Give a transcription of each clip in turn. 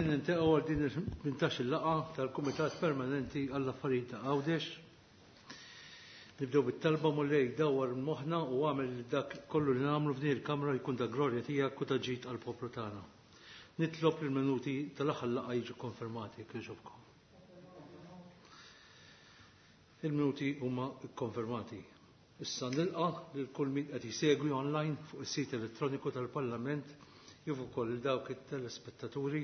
Niltaqgħu għal din il-18 laqgħa tal-Kumitat Permanenti għall-Affarijiet ta' Għawdex. Nibdew bit-talba Mulej dawwar moħħna u għamel li dak kollu li nagħmlu f'din il-kamra jkun ta' glorja tiegħek u ta' ġid għall-poplu tagħna. Nitlob li l-minuti tal-aħħar laqgħa jiġu konfermati jekk jogħġobkom. Il-minuti huma kkonfermati. Issa nilqa' lil kull min qed jsegwi online fuq is-sit elettroniku tal-Parlament kif ukoll lil dawk it-telespettaturi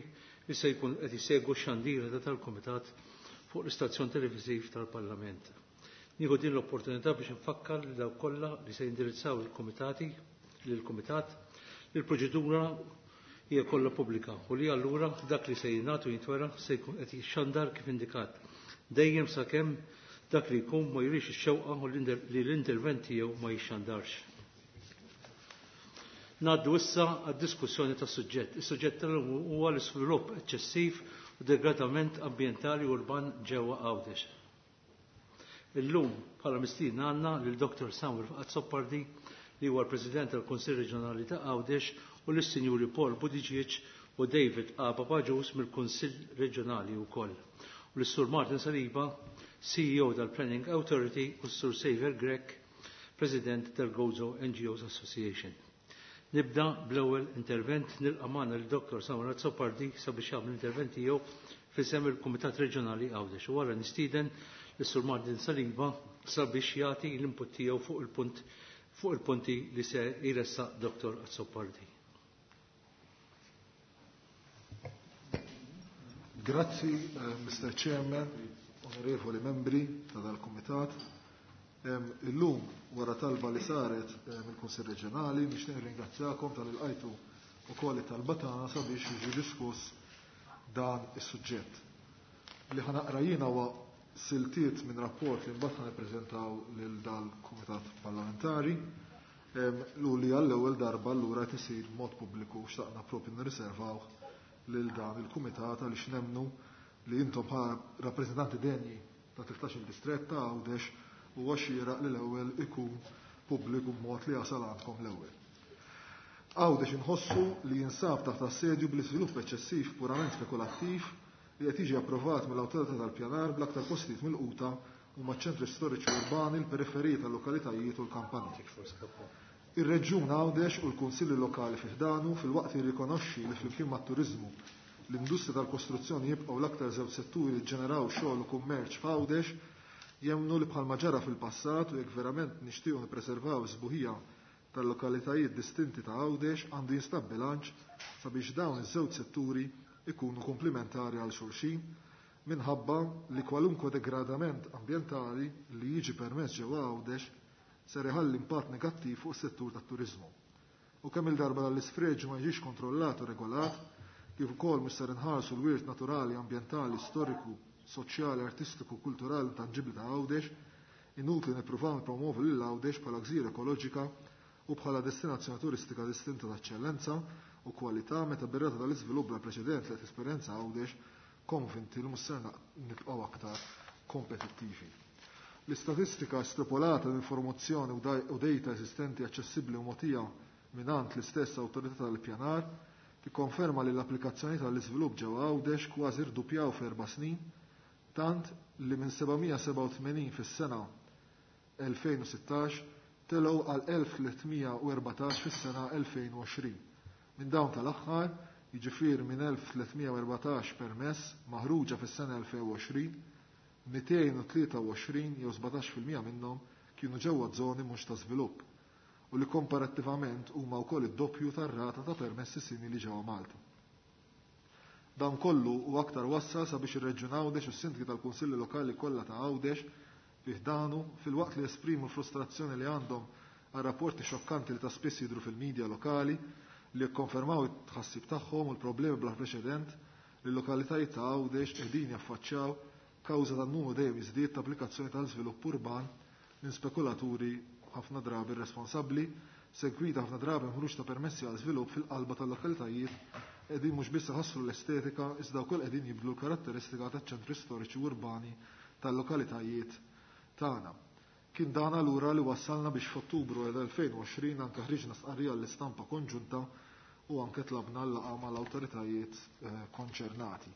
li se jkunu qed isegwu x-xandira ta' tal-Kumitat fuq l-istazzjon televiżiv tal-Parlament. Nieħu din l-opportunità biex infakkar lil dawk kollha li se jindirizzaw il-kumitati lill-Kumitat li l-proċedura hija kollha pubblika u li allura dak li se jingħad u jintwera se jkun qed jixxandar kif indikat, dejjem sakemm dak li jkun ma jurix ix-xewqa li l-intervent tiegħu ma jixxandarx. Ngħaddu issa għad-diskussjoni tas-suġġett. Is-suġġett tal-lum huwa l-iżvilupp eċċessiv u degradament ambjentali urban ġewwa Għawdex. Illum bħala mistiedna għandna lil Dr. Samuel Azzopardi li huwa l-President tal-Kunsill Reġjonali ta' Għawdex u lis-Sinjuri Paul Buttigieg u David A. Papagius mill-Kunsill Reġjonali wkoll. U lis-Sur Martin Saliba, CEO tal-Planning Authority u s-Sur Xavier Grech, President tal-Gozo NGOs Association. Nibda bl-ewwel intervent nilqa' magħna lil Dr. Samuel Azzopardi sabiex jagħmel l-intervent tiegħu f'isem il-Kumitat Reġjonali Għawdex u wara nistieden lis-Sur Martin Saliba sabiex jagħti l-input tiegħu fuq il-punt fuq il-punti li se jressaq Dr. Azzopardi. Grazzi, Mr. Chairman, onorevoli membri ta' dal-Kumitat. Illum, wara talba li saret mill-Kunsill Reġjonali, nixtieq nirringrazzjakom tal-ilqajtu ukoll it-talba tagħna sabiex jiġi diskuss dan is-suġġett. Li ħanaqra jiena huwa siltiet minn rapport li mbagħad ħanippreżentaw lil dal-Kumitat Parlamentari u li għall-ewwel darba allura qed isir b'mod pubbliku xtaqna propju nirriservaw lil dan il-kumitat għaliex nemmnu li intom bħala rappreżentanti denji ta' 13-il distrett ta' Għawdex huwa xieraq li l-ewwel ikun pubbliku b'mod li jasal għandkom l-ewwel. Għawdex inħossu li jinsab taħt assedju bl-iżvilupp eċċessiv purament spekulattiv li qed jiġi approvat mill-Awtorità tal-Pjanar bl-aktar postijiet milquta huma ċ-ċentri storiċi urbani, l-periferiji tal-lokalitajiet u l-kampanja. Ir-Reġjun Għawdex u l-Kunsilli Lokali fi ħdanu filwaqt li jirrikonoxxi li flimkien mat-turiżmu l-industrija tal-kostruzzjoni jibqgħu l-aktar żewġ setturi li ġġeneraw xogħol u kummerċ f'Għawdex, jemmnu li bħalma ġara fil-passat u jekk verament nixtiequ nippreservaw is-sbuħija tal-lokalitajiet distinti ta' Għawdex għandu jinstab bilanċ sabiex dawn iż-żewġ setturi ikunu komplementari għal xulxin minħabba li kwalunkwe degradament ambjentali li jiġi permess ġewwa Għawdex ser iħalli impatt negattiv fuq is-settur tat-turiżmu. U kemm il-darba dan l-isfreġju ma jiġix kontrollat u regolat, kif ukoll mhux ser inħarsu l-wirt naturali, ambjentali, storiku, soċjali, artistiku, kulturali u tanġibbli ta' Għawdex, inutli nippruvaw nippromovu lil Għawdex bħala gżira ekoloġika u bħala destinazzjoni turistika distinta ta' eċċellenza u kwalità meta bir-rata tal-iżvilupp bla preċedent li qed tesperjenza Għawdex konvinti li mhux ser nibqgħu aktar kompetittivi. L-istatistika estropolata l-informazzjoni u data eżistenti aċċessibbli u mogħtija mingħand l-istess awtorità tal-ippjanar tikkonferma li l-applikazzjoni tal-iżvilupp ġewwa Għawdex kważi rduppjaw f'erba' snin, tant li minn 787 fis-sena 2016 telgħu għal 1314 fis-sena 2020. Minn dawn tal-aħħar, jiġifieri minn 1314 permess maħruġa fis-sena 2020, 223 jew 17% minnhom kienu ġewwa żoni mhux ta' żvilupp u li komparattivament huma wkoll id-doppju tar-rata ta' permessi simili ġewwa Malta. Dan kollu u aktar wassal sabiex ir-Reġjun Għawdex u s-sindki tal-Kunsilli Lokali kollha ta' Għawdex fi ħdanu filwaqt li esprimu l-frustrazzjoni li għandhom għal rapporti xokkanti li ta' spiss jidhru fil-medja lokali li jikkonfermaw it-tħassib tagħhom u l-problemi bla preċedent li l-lokalitajiet ta' Għawdex qegħdin jaffaċċjaw kawża tan-numru dejjem jiżdied ta' applikazzjoni tal-żvilupp urban minn spekulaturi ħafna drabi irresponsabbli, segwita ħafna drabi ħruġ ta' permessi għal żvilupp fil-qalba tal-lokalitajiet qegħdin mhux biss iħassru l-estetika iżda wkoll qegħdin jibdlu l-karatteristika taċ-ċentri storiċi urbani tal-lokalitajiet tagħna. Kien dan allura li wassalna biex f'Ottubru 2020 anke ħriġna stqarrija l-istampa konġunta u anke tlabna l-laqgħa mal-awtoritajiet konċernati.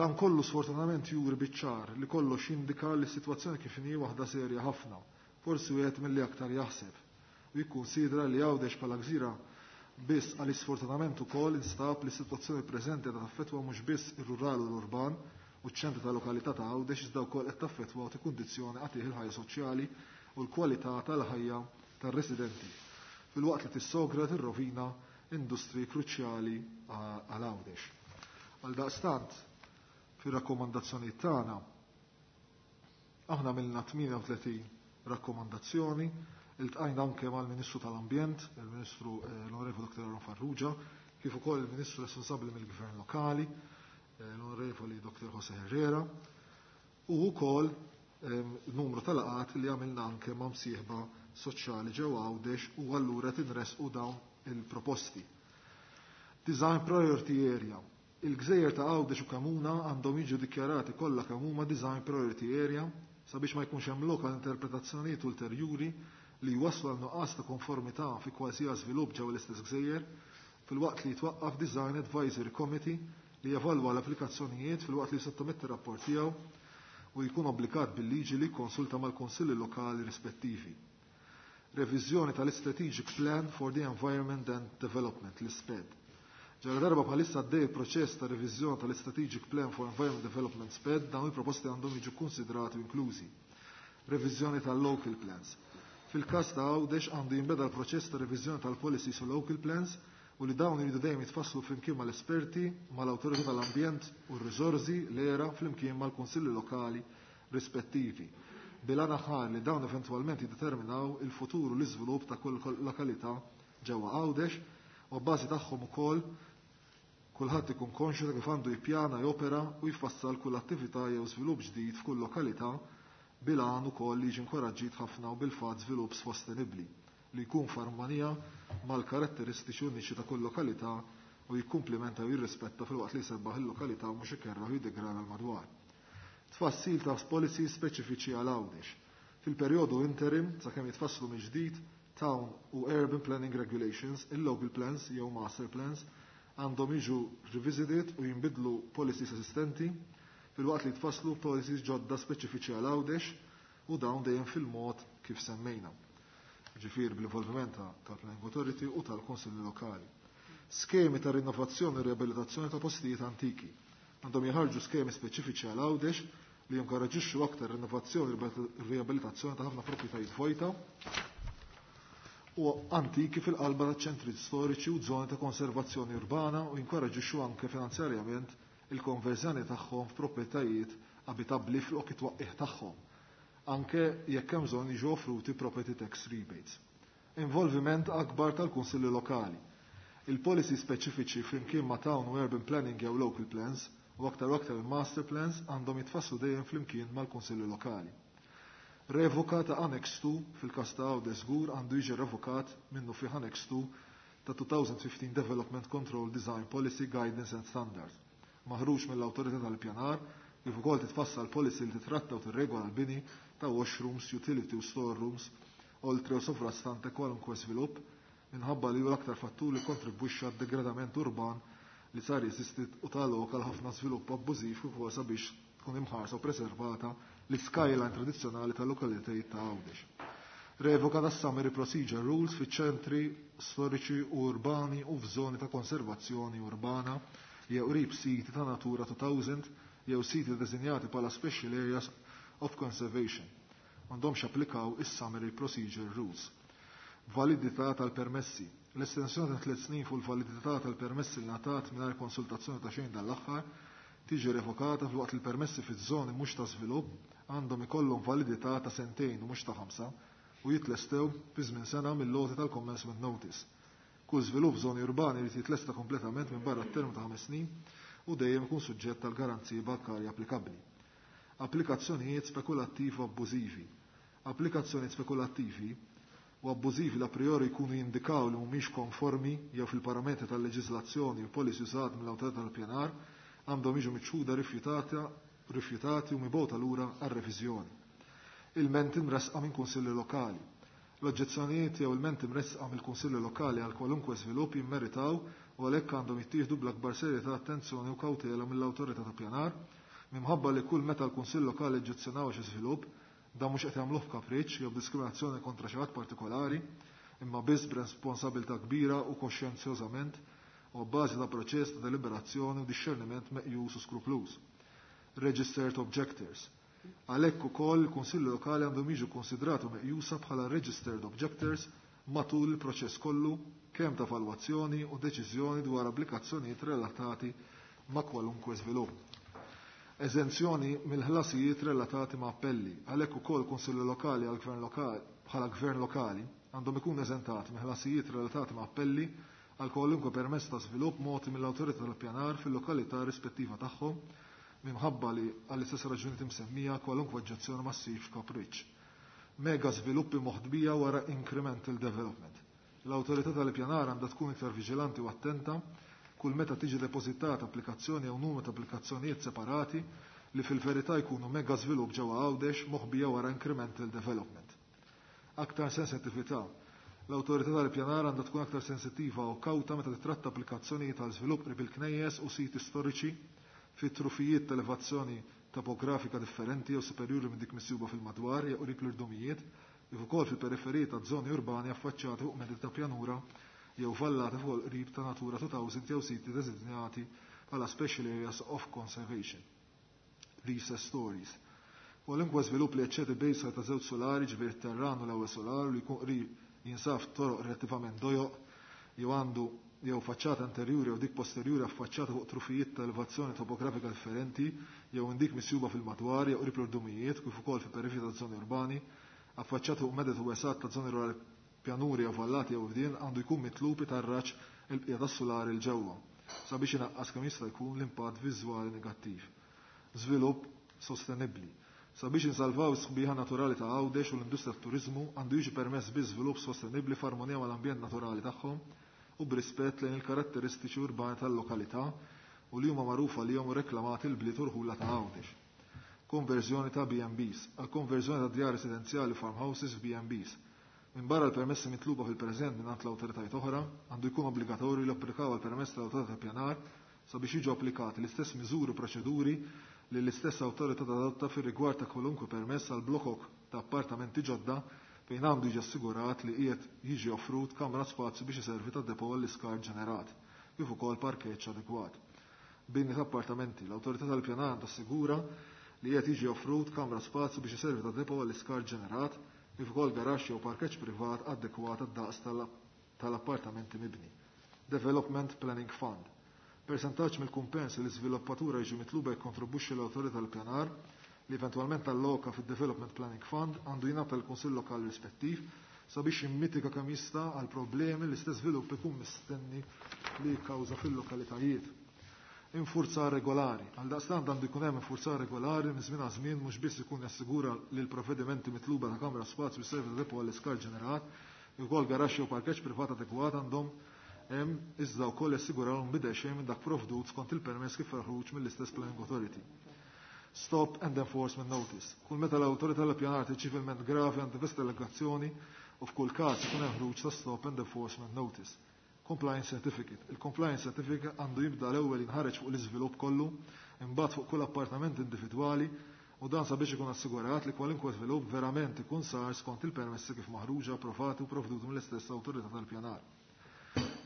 Dan kollu sfortunatament juri biċ-ċar li kollox jindika li s-sitwazzjoni kif inhi waħda serja ħafna, forsi wieħed milli aktar jaħseb u jikkunsidra li Għawdex bħala gżira biss għaliex sfortunatament ukoll instab li s-sitwazzjoni preżenti qiegħda taffettwa mhux biss ir-rural u l-urban u ċ-ċentru ta' lokalità ta' Għawdex iżda wkoll qed taffettwa u tikkundizzjoni qatigħ il-ħajja soċjali u l-kwalità tal-ħajja tar-residenti filwaqt li tissogra tirrovina industri kruċjali għal Għawdex. Għaldaqstant, fir-rakkomandazzjonijiet tagħna aħna għamilna 38 rakkomandazzjoni, iltqajna anke mal-Ministru tal-Ambjent, il-Ministru l-Onorevoli Dr. Aaron Farrugia, kif ukoll il-Ministru responsabbli mill-Gvern Lokali, l-Onorevoli Dr. Jose Herrera, u wkoll numru ta' laqgħat li għamilna anke ma' msieħba soċjali ġewwa Għawdex u allura tinresqu dawn il-proposti. Design Priority Area. Il-gżejjer ta' Għawdex u Kamuna għandhom jiġu dikjarati kollha kemm huma Design Priority Area sabiex ma jkunx hemm lok għal interpretazzjonijiet ulterjuri li jwasslu għal nuqqas ta' konformità fi kważija żvilupp ġewwa l-istess gżejjer, filwaqt li jitwaqqaf Design Advisory Committee li jevalwa l-applikazzjonijiet filwaqt li jsottometti rapport tiegħu u jkun obbligat bil-liġi li jikkonsulta mal-kunsilli lokali rispettivi. Reviżjoni tal-Strategic Plan for the Environment and Development, l-SPED. Ġara darba bħalissa għaddej proċess ta' reviżjoni tal-Strategic Plan for Environment Development SPED, dawn il-proposti għandhom jiġu konsidrati u inklużi. Reviżjoni tal-Local Plans. Fil-każ ta' Għawdex għandu jinbeda l-proċess ta' reviżjoni tal-Policies u Local Plans u li dawn iridu dejjem jitfasslu flimkien mal-esperti, mal-awtorità tal-ambjent u r-riżorsi l-era flimkien mal-kunsilli lokali rispettivi. Bil-għan aħħar li dawn eventwalment jiddeterminaw il-futur u l-iżvilupp ta' kull lokalità ġewwa Għawdex u bbażi tagħhom ukoll kulħadd ikun konxju ta' kif għandu jippjana, jopera u jfassal kull attività jew żvilupp ġdid f'kull lokalità bil-għan ukoll li jiġi inkoraġġit ħafna u bil-fatt żvilupp sostenibbli li jkun f'armonija mal-karatteristiċi uniċi ta' kull lokalità u jikkumplimenta u jirrispetta filwaqt li jsebbaħ il-lokalità u mhux ikerraħ u jiddegrada l-madwar. Tfassil ta' policies speċifiċi għal Għawdex. Fil-perjodu interim, sakemm jitfasslu mill-ġdid, Town u Urban Planning Regulations, il-Local Plans jew Master Plans, għandhom jiġu revisited u jinbidlu policies esistenti filwaqt li jitfasslu policies ġodda speċifiċi għal Għawdex u dawn dejjem fil-mod kif semmejna. Ġifier bl-involviment tal-Planning Authority u tal-Kunsilli Lokali. Skemi ta' rinnovazzjoni u riabilitazzjoni ta' postijiet antiki. Għandhom jħarġu skemi speċifiċi għal Għawdex li jinkoraġixxu aktar rinnovazzjoni u riabilitazzjoni ta' ħafna proprjetajiet vojta u antiki fil-qalba ta' ċentri storiċi u żoni ta' konservazzjoni urbana u jinkoraġixxu anke finanzjarjament il-konverżjoni tagħhom f'proprjetajiet abitabbli fl-ok it-twaqqih tagħhom, anke jekk hemm bżonn jiġu offruti property tax rebates. Involviment akbar tal-kunsilli lokali. Il-policy speċifiċi flimkien ma' town u urban planning jew local plans u aktar u aktar il-master plans għandhom jitfasslu dejjem flimkien mal-kunsilli lokali. Revoka ta' Annex 2 fil-każ ta' Għawdex żgur għandu jiġi revokat minnu fih Annex 2 ta' 2015 Development Control Design Policy Guidance and Standards maħruġ mill-Awtorità tal-Pjanar kif ukoll titfassal policy li titratta u tirregola l-bini ta' washrooms, utility u storerooms, oltre u sovrastante kwalunkwe svilupp minħabba li hu l-aktar fattur li kontribwixxa għad-degradament urban li sar jeżisti u ta' lok għal ħafna żvilupp abbużiv kif ukoll sabiex tkun imħarsa u preservata l-skyline tradizzjonali tal-lokalitajiet ta' Għawdex. Revoka tas Summary Procedure Rules fiċ-ċentri storiċi u urbani u f'żoni ta' konservazzjoni urbana jew qrib siti ta' Natura 2000 jew siti deżinjati bħala Special Areas of Conservation. M'għandhomx applikaw is-Summary Procedure Rules. Validità tal-permessi. L-estensjoni ta' 3 snin fuq il-validità tal-permessi li ngħatat mingħajr konsultazzjoni ta' xejn dan l-aħħar tiġi revokata filwaqt li l-permessi fiż-żoni mhux ta' żvilupp għandhom ikollhom validità ta' sentejn u mhux ta' 5 u jitlestew fi żmien sena mill-loti tal-commencement notice. Kull żvilupp f'żoni urbani jrid jitlesta kompletament minn barra t-term ta' 5 snin u dejjem ikun suġġett tal garanziji bankarji applikabbli. Applikazzjonijiet spekulattivi u abbużivi. Applikazzjonijiet spekulattivi u abbużivi la priori jkunu jindikaw li mhumiex konformi jew fil-parametri tal-leġiżlazzjoni u policy użat mill-awtorità tal-pjanar għandhom jiġu miċħuda rifjutati u mibgħuta lura għar-reviżjoni. Ilmenti mressqa minn kunsilli lokali. L-oġġezzjonijiet jew ilmenti mressqa mill-kunsilli lokali għal kwalunkwe żvilupp jimmeritaw u għalhekk għandhom jittieħdu bl-akbar serjetà, attenzjoni u kawtela mill-awtorità ta' pjanar, minħabba li kull meta l-kunsill lokali oġġezzjonaw xi żvilupp, dan mhux qed jagħmluh b'kapriċċ jew b'diskriminazzjoni kontra xi ħadd partikolari, imma biss b'responsabilità kbira u koxjenzjożament u bbażi ta' proċess ta' deliberazzjoni u dixxerniment meqjus u skrupluż. Registered Objectors. Għalhekk ukoll il-Kunsilli Lokali għandhom jiġu konsidrati u meqjusa bħala Registered Objectors matul il-proċess kollu kemm ta' evalwazzjoni u deċiżjoni dwar applikazzjonijiet relatati ma' kwalunkwe żvilupp. Eżenzjoni mill-ħlasijiet relatati ma' appelli. Għalhekk ukoll Kunsilli Lokali għal gvern lokali bħala gvern lokali għandhom ikun eżentati mill-ħlasijiet relatati ma' appelli għal kwalunkwe permess ta' żvilupp mogħti mill-awtorità tal-pjanar fil-lokalità rispettiva tagħhom, minħabba li għall-istess raġuni msemmija kwalunkwe oġġezzjoni ma ssirx kapriċċ. Mega żviluppi moħdbija wara incremental development. L-awtorità tal-pjanar għandha tkun iktar viġilanti u attenta kull meta tiġi depożitata applikazzjoni jew numru ta' applikazzjonijiet separati li fil-verità jkunu mega żvilupp ġewwa Għawdex moħbija wara incremental development. Aktar sensittività. L-awtorità tal-pjanar għandha tkun aktar sensittiva u kawta meta titratta applikazzjonijiet għal żvilupp qrib il-knejjes u siti storiċi fi trufijiet ta' elevazzjoni topografika differenti jew superjuri minn dik misjuba fil-madwar jew qrib l-irdumijiet, kif ukoll fil-periferiji ta' żoni urbani affaċċjati fuq meddi ta' pjanura jew vallati fuq il-qrib ta' Natura 2000 jew siti designati bħala Special Areas of Conservation. Recess stories. Kwalunkwe żvilupp li jeċċedi bejsa ta' żewġ solari, ġifieri t-terran u l-ewwel solar, li jkun qrib jinsab toroq relattivament dojoq jew għandu jew faċċata anterjuri jew dik posterjuri affaċċata fuq trufijiet ta' elevazzjoni topografika differenti jew indik misjuba fil-madwar jew qrib l-irdumijiet kif ukoll fi periferiji ta' żoni urbani affaċċata fuq meded u wesat ta' żoni rurali, pjanuri jew vallati jew fdien, għandu jkun mitlub itarraġ il-bqija tas-sulari 'l ġewwa sabiex inaqqas kemm jista' jkun l-impatt viżwali negattiv. Żvilupp sostenibbli. Sabiex insalvaw is-sħbiħa naturali ta' Għawdex u l-industrija tat-turiżmu, għandu jiġi permess biss żvilupp sostenibbli f'armonija mal-ambjent naturali tagħhom u b'rispett lejn il-karatteristiċi urbani tal-lokalità u li huma magħrufa lihom u reklamati l-bliet u rħula ta' Għawdex. Konverżjoni ta' B&Bs. Għal konverżjoni ta' djar residenzjali farmhouses f'B&Bs. Minbarra l-permessi mitluba fil-preżent mingħand l-awtoritajiet oħra, għandu jkun obbligatorju li applikaw għal permess tal-awtorità pjanar sabiex jiġu applikati l-istess miżuri u proċeduri li l-istess awtorità tadotta fir-rigward ta' kwalunkwe permess għal blokok ta' appartamenti ġodda, fejn għandu jiġi assigurat li qiegħed jiġi offrut kamra spazju biex iservi ta' depo għall-iskart ġenerat, kif ukoll parkeġġ adekwat. Bini ta' appartamenti, l-awtorità tal-pjanar tassigura li qiegħed jiġi offrut kamra spazju biex iservi ta' depo għall-iskart ġenerat, kif ukoll garaxx jew parkeġġ privat adekwat għad-daqs tal-appartamenti mibni. Development Planning Fund. Persentaġġ mill-kumpens li l-iżviluppatura jiġu mitluba jikkontribwixxi l-awtorità tal-pjanar li eventwalment alloka fid-Development Planning Fund għandu jingħata l-Kunsill Lokali rispettiv sabiex jimmitika kemm jista' għal problemi li l-istess żvilupp ikun mistenni li jikkawża fil-lokalitajiet. Infurzar regolari. Għal daqstant għandu jkun hemm infurzar regolari minn żmien għal żmien, mhux biss ikun jassigura li l-provvedimenti mitluba ta' kamra spazju servi ta' depo għall-iskart ġenerat, ukoll garaxx jew parkeġġ privat adekwat għandhom hemm, iżda wkoll jassigurahom bidel xejn minn dak provdut skont il-permess kif maħruġ mill-istess Planning Authority. Stop and Enforcement Notice. Kull meta l-awtorità tal-pjanar tirċievi gravi għand delegazzjoni u f'kull każ ikun hemm ħruġ ta' Stop and Enforcement Notice. Compliance Certificate. Il-Compliance Certificate għandu jibda l-ewwel jinħareġ fuq l-iżvilupp kollu, imbagħad fuq kull appartament individwali, u dan sabiex ikun assigurat li kwalunkwe żvilupp verament ikun sar skont il-permessi kif maħruġa, approvati u provduti mill-istess awtorità tal-pjanar.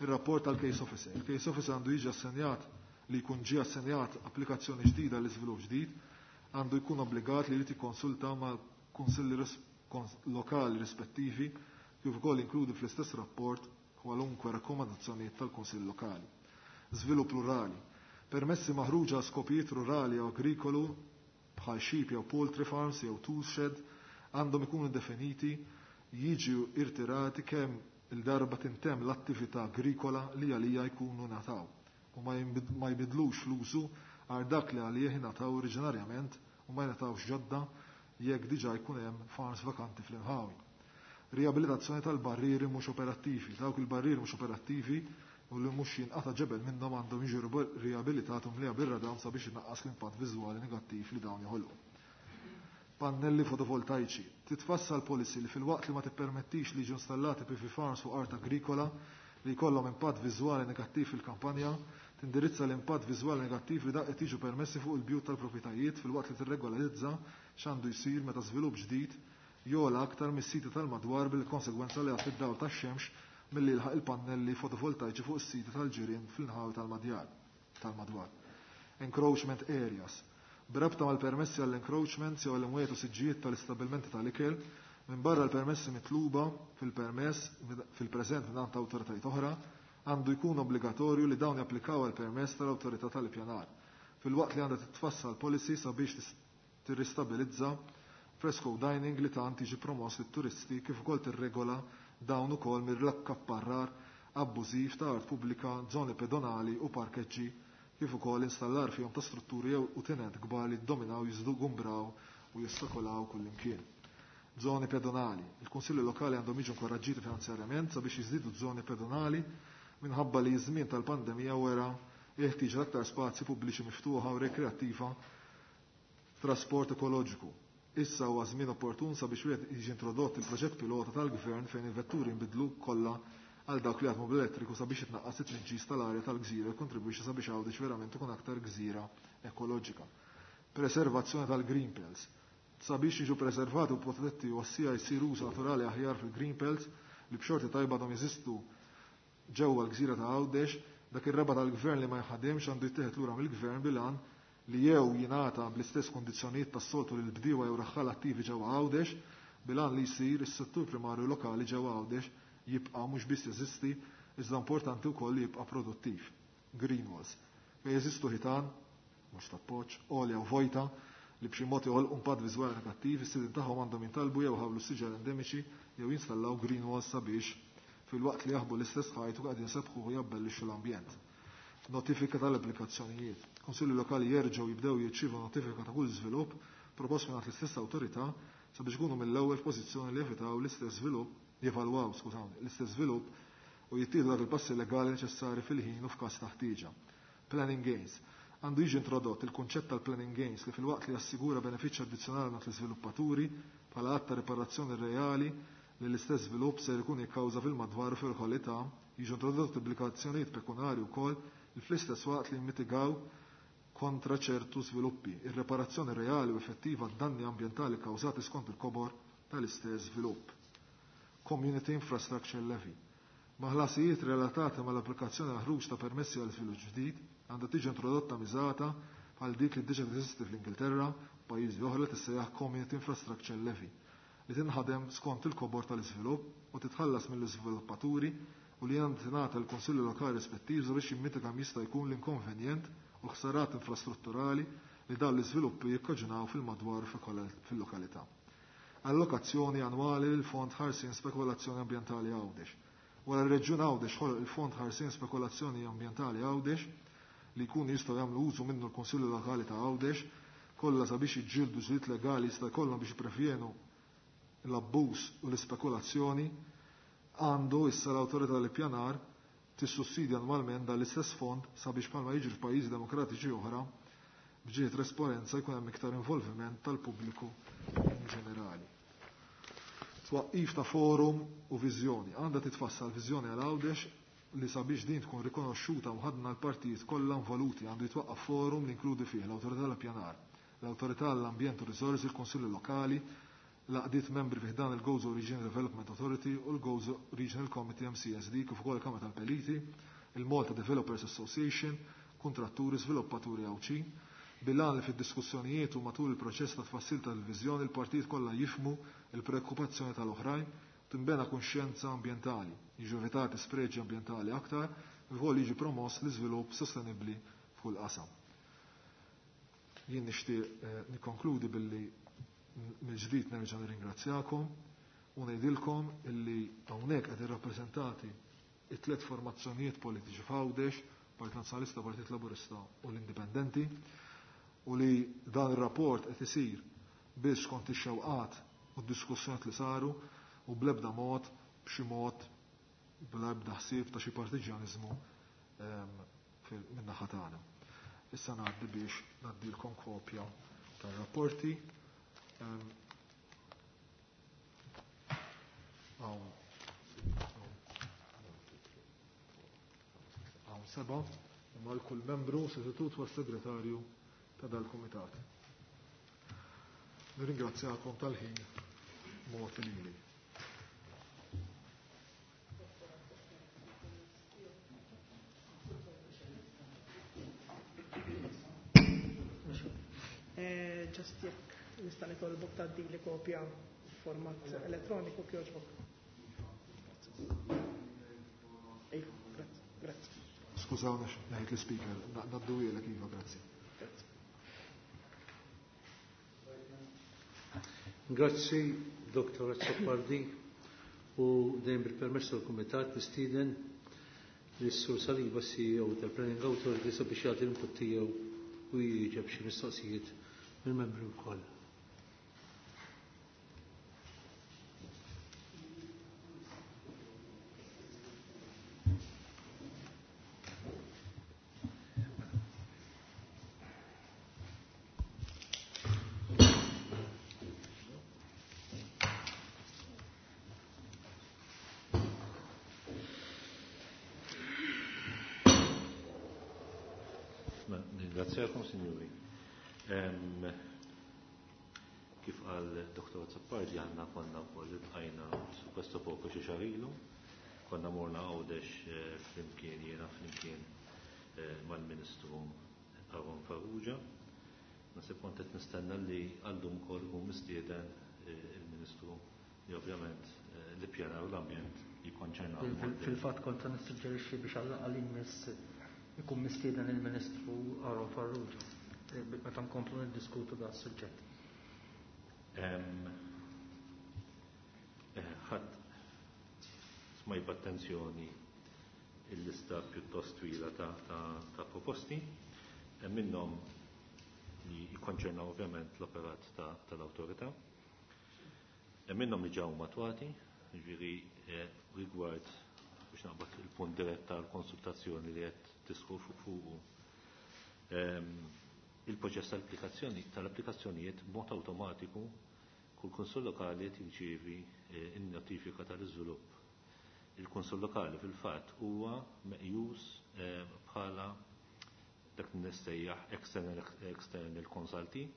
Il-rapport tal-Case Officer. Il-Case Officer għandu jiġi assenjat li jkun ġie assenjat applikazzjoni ġdida l iżvilupp ġdid, għandu jkun obbligat li jrid jikkonsulta ma' kunsilli lokali rispettivi, kif ukoll inkludi fl-istess rapport kwalunkwe rakkomandazzjonijiet tal-Kunsill Lokali. Żvilupp rurali. Permessi maħruġa skopijiet rurali jew agrikolu bħal sheep jew poultry farms jew tool shed għandhom ikunu definiti, jiġu irtirati kemm il-darba tintemm l-attività agrikola li għalija jkunu nataw u ma jbidlux l-użu għal dak li għalih nataw oriġinarjament u ma jnatawx ġodda jekk diġà jkun hemm farms vakanti fl-inħawi. Riabilitazzjoni tal-barrieri mhux operattivi. Dawk il-barrieri mhux operattivi u li mhux jinqata' ġebel minnhom għandhom jiġu riabilitati mlija bir-radam sabiex inaqqas l-impatt viżwali negattiv li dawn joħolqu. Pannelli fotovoltaiċi. Titfassal policy li filwaqt li ma tippermettix li jiġu installati PV farms fuq art agrikola li jkollhom impatt viżwali negattiv fil-kampanja, tindirizza l-impatt viżwali negattiv li dak qed jiġu permessi fuq il-bjut tal-proprjetajiet filwaqt li tirregolarizza x'għandu jsir meta żvilupp ġdid jogħla aktar mis-siti tal-madwar bil-konsegwenza li għad id-dawl tax-xemx milli jilħaq il-pannelli fotovoltaiċi fuq is-siti tal-ġirien fl-inħawi tal-madjar tal-madwar. Encroachment areas. B'rabta mal-permessi għall-encroachments jew għall-imwiet u siġġijiet tal-istabbilmenti tal-ikel, minbarra l-permessi mitluba fil-permess fil-preżent mingħand awtoritajiet oħra, għandu jkun obbligatorju li dawn japplikaw għal permess tal-awtorità tal-ippjanar, filwaqt li għandha titfassal policy sabiex tirristabilizza fresco dining li tant jiġi promoss lit-turisti kif ukoll tirregola dawn ukoll mill-akkapparrar abbużiv ta' art pubblika, żoni pedonali u parkeġġi kif ukoll installar fihom ta' strutturi jew utinent kbar li ddominaw, jiżgumbraw u jostakolaw kullimkien. Żoni pedonali. Il-Kunsilli Lokali għandhom jiġu inkoraġġiti finanzjarjament sabiex jiżdiedu żoni pedonali minħabba li ż-żmien tal-pandemija wera jeħtieġ aktar spazji pubbliċi miftuħa u rekreattiva trasport ekoloġiku. Issa huwa żmien opportun sabiex wieħed jiġi introdott il-proġett pilota tal-Gvern fejn il-vetturi nbidlu kollha għal dawk li jaħdmu bl-elettriku sabiex itnaqqas it-tniġġis tal-arja tal-gżira u jikkontribwixxi sabiex Għawdex verament ikun aktar gżira ekoloġika. Preservazzjoni tal-green belts. Sabiex jiġu preservati u protetti u ossija jsir użu naturali aħjar fil-green belts li b'xorti tajba għadhom jeżistu ġewwa l-gżira ta' Għawdex, dak ir-raba tal-gvern li ma jħademx għandu jittieħed lura mill-gvern bil-għan li jew jingħata bl-istess kundizzjonijiet tas-soltu lil bdiewa jew raħħal attivi ġewwa Għawdex bil-għan li jsir is-settur primarju lokali ġewwa Għawdex jibqa' mhux biss jeżisti iżda importanti wkoll li jibqa' produttiv. Green walls. Fejn jeżistu ħitan, mhux tappoġġ, għolja u vojta li b'xi mod joħolqu impatt viżwali negattiv, is-sidien tagħhom għandhom jintalbu jew ħawlu siġar endemiċi jew jinstallaw green walls sabiex filwaqt li jaħbu l-istess ħajt u qegħdin sebħu u jabbellixxu l-ambjent. Notifika tal-applikazzjonijiet. Kunsilli lokali jerġgħu jibdew jirċievu notifika ta' kull żvilupp propost mingħand l-istess awtorità sabiex ikunu mill-ewwel f'pożizzjoni li jevitaw l-istess żvilupp, jevalwaw, skużawni, l-istess żvilupp u jittieħdu dak il-passi legali neċessari fil-ħin u f'każ ta' ħtieġa. Planning gains. Għandu jiġi introdott il-kunċett tal-planning gains li filwaqt li jassigura benefiċċju addizzjonali mingħand l-iżviluppaturi bħala att ta' riparazzjoni reali li l-istess żvilupp ser ikun jikkawża fil-madwar u fil-kwalità, jiġu introdotti obbligazzjonijiet pekunari wkoll li fl-istess waqt li jimmitigaw kontra ċertu żviluppi, ir-reparazzjoni reali u effettiva d-danni ambjentali kkawżati skont il-kobor tal-istess żvilupp. Community Infrastructure Levy. Maħlasijiet relatati mal-applikazzjoni għal ħruġ ta' permessi għal żvilupp ġdid għandha tiġi introdotta miżata bħal dik li diġà teżisti fl-Ingilterra u pajjiżi oħra li tissejjaħ Community Infrastructure Levy li tinħadem skont il-kobor tal-iżvilupp u titħallas mill-iżviluppaturi u li għandha tingħata l-Kunsilli Lokali rispettiv sabiex jimmitiga kemm jista' jkun l-inkonvenjent u l-ħsarat infrastrutturali li dawn l-iżviluppi jikkaġunaw fil-madwar fil-lokalità. Allokazzjoni annwali lil Fond Ħarsien Spekulazzjoni Ambjentali Għawdex. Wara r-Reġjun Għawdex ħoloq il-Fond Ħarsien Spekulazzjoni Ambjentali Għawdex li jkunu jistgħu jagħmlu użu minnu l-Kunsilli Lokali ta' Għawdex kollha sabiex jiġġieldu ġlied legali jista' jkollhom biex jipprevjenu l-abbuż u l-ispekulazzjoni, għandu issa l-awtorità tal-ippjanar tissussidja annwalment dan l-istess fond sabiex bħalma jiġri f'pajjiżi demokratiċi oħra b'ġieħ trasparenza jkun hemm iktar involviment tal-pubbliku in ġenerali. Twaqqif ta' forum u viżjoni. Għandha titfassal viżjoni għal Għawdex li sabiex din tkun rikonoxxuta u ħadna l-partijiet kollha involuti għandu jitwaqqaf forum li inkludi fih l-Awtorità tal-Ippjanar, l-Awtorità għall-Ambjent u Riżorsi, il-Kunsilli Lokali, l-għaqdiet membri fih dan il-Gozo Regional Development Authority u l-Gozo Regional Committee MCSD kif ukoll il-Kamra tal-Peliti, il-Malta Developers Association, kontratturi, sviluppaturi Għawdxin, bil-għan li fid-diskussjonijiet u matul il-proċess ta' tfassil tal-viżjoni il-partijiet kollha jifhmu il-preokkupazzjoni tal-oħrajn, tinbena kuxjenza ambjentali, jiġu evitati spreġi ambjentali aktar, kif ukoll jiġi promoss l-iżvilupp sostenibbli f'kull qasam. Jien nixtieq nikkonkludi billi mill-ġdid nerġa' nirringrazzjakom u ngħidilkom illi hawnhekk qed irrappreżentati it-tliet formazzjonijiet politiċi f'Għawdex, Partit Nazzjonalista, Partit Laburista u l-Indipendenti, u li dan ir-rapport qed isir biex skont ix-xewqat u d-diskussjonijiet li saru u bl-ebda mod b'xi mod bl-ebda ħsieb ta' xi partiġjaniżmu min-naħa tagħna. Issa ngħaddi biex ngħaddilkom kopja tar-rapporti. Hawn seba' imma l-kull membru sostitut huwa segretarju ta' dal-kumitat. Nirringrazzjakom tal-ħin mogħti lili. Just jekk nista' nitolbok tgħaddili kopja f'format elettroniku kjoġbok. Grazzi, grazzi. Skużawna ngħid l-speaker, naddu iva, grazzi. Grazzi, Dr. Azzopardi, u dejjem bil-permess tal-Kumitat nistieden lis-Sur Saliba CEO tal-Planning Authority sabiex jagħti l-input tiegħu u jieġeb xi mistoqsijiet mill-membri wkoll. Ringrazzjakom, signori. Kif qal Dr. Azzopardi għandna konna wkoll iltqajna su questo poco xi xahar ilu, konna morna Għawdex flimkien jiena flimkien mal-Ministru Aaron Farrugia. Nasib kont qed nistenna li għallum ukoll ikun mistieden il-Ministru li ovvjament l-ippjanar u l-ambjent jikkonċernaw. Fil-fatt kont se nissuġġerixxi biex għall-inqas ikun mistieden il-Ministru Aaron Farrugia meta nkomplu niddiskutu da suġġett. Ħadd smaj b'attenzjoni il-lista pjuttost twila ta' proposti, minnhom li jikkonċernaw ovvjament l-operat tal-awtorità, minnhom li ġew matwati, jiġifieri rigward biex naqbad il-punt dirett tal-konsultazzjoni li qed tisħu fuqu. Il-proċess tal-applikazzjoni tal-applikazzjonijiet b'mod awtomatiku kull kunsill lokali qed jirċievi n-notifika tal-iżvilupp. Il-kunsill lokali fil-fatt huwa meqjus bħala dak li nistejjaħ external consultee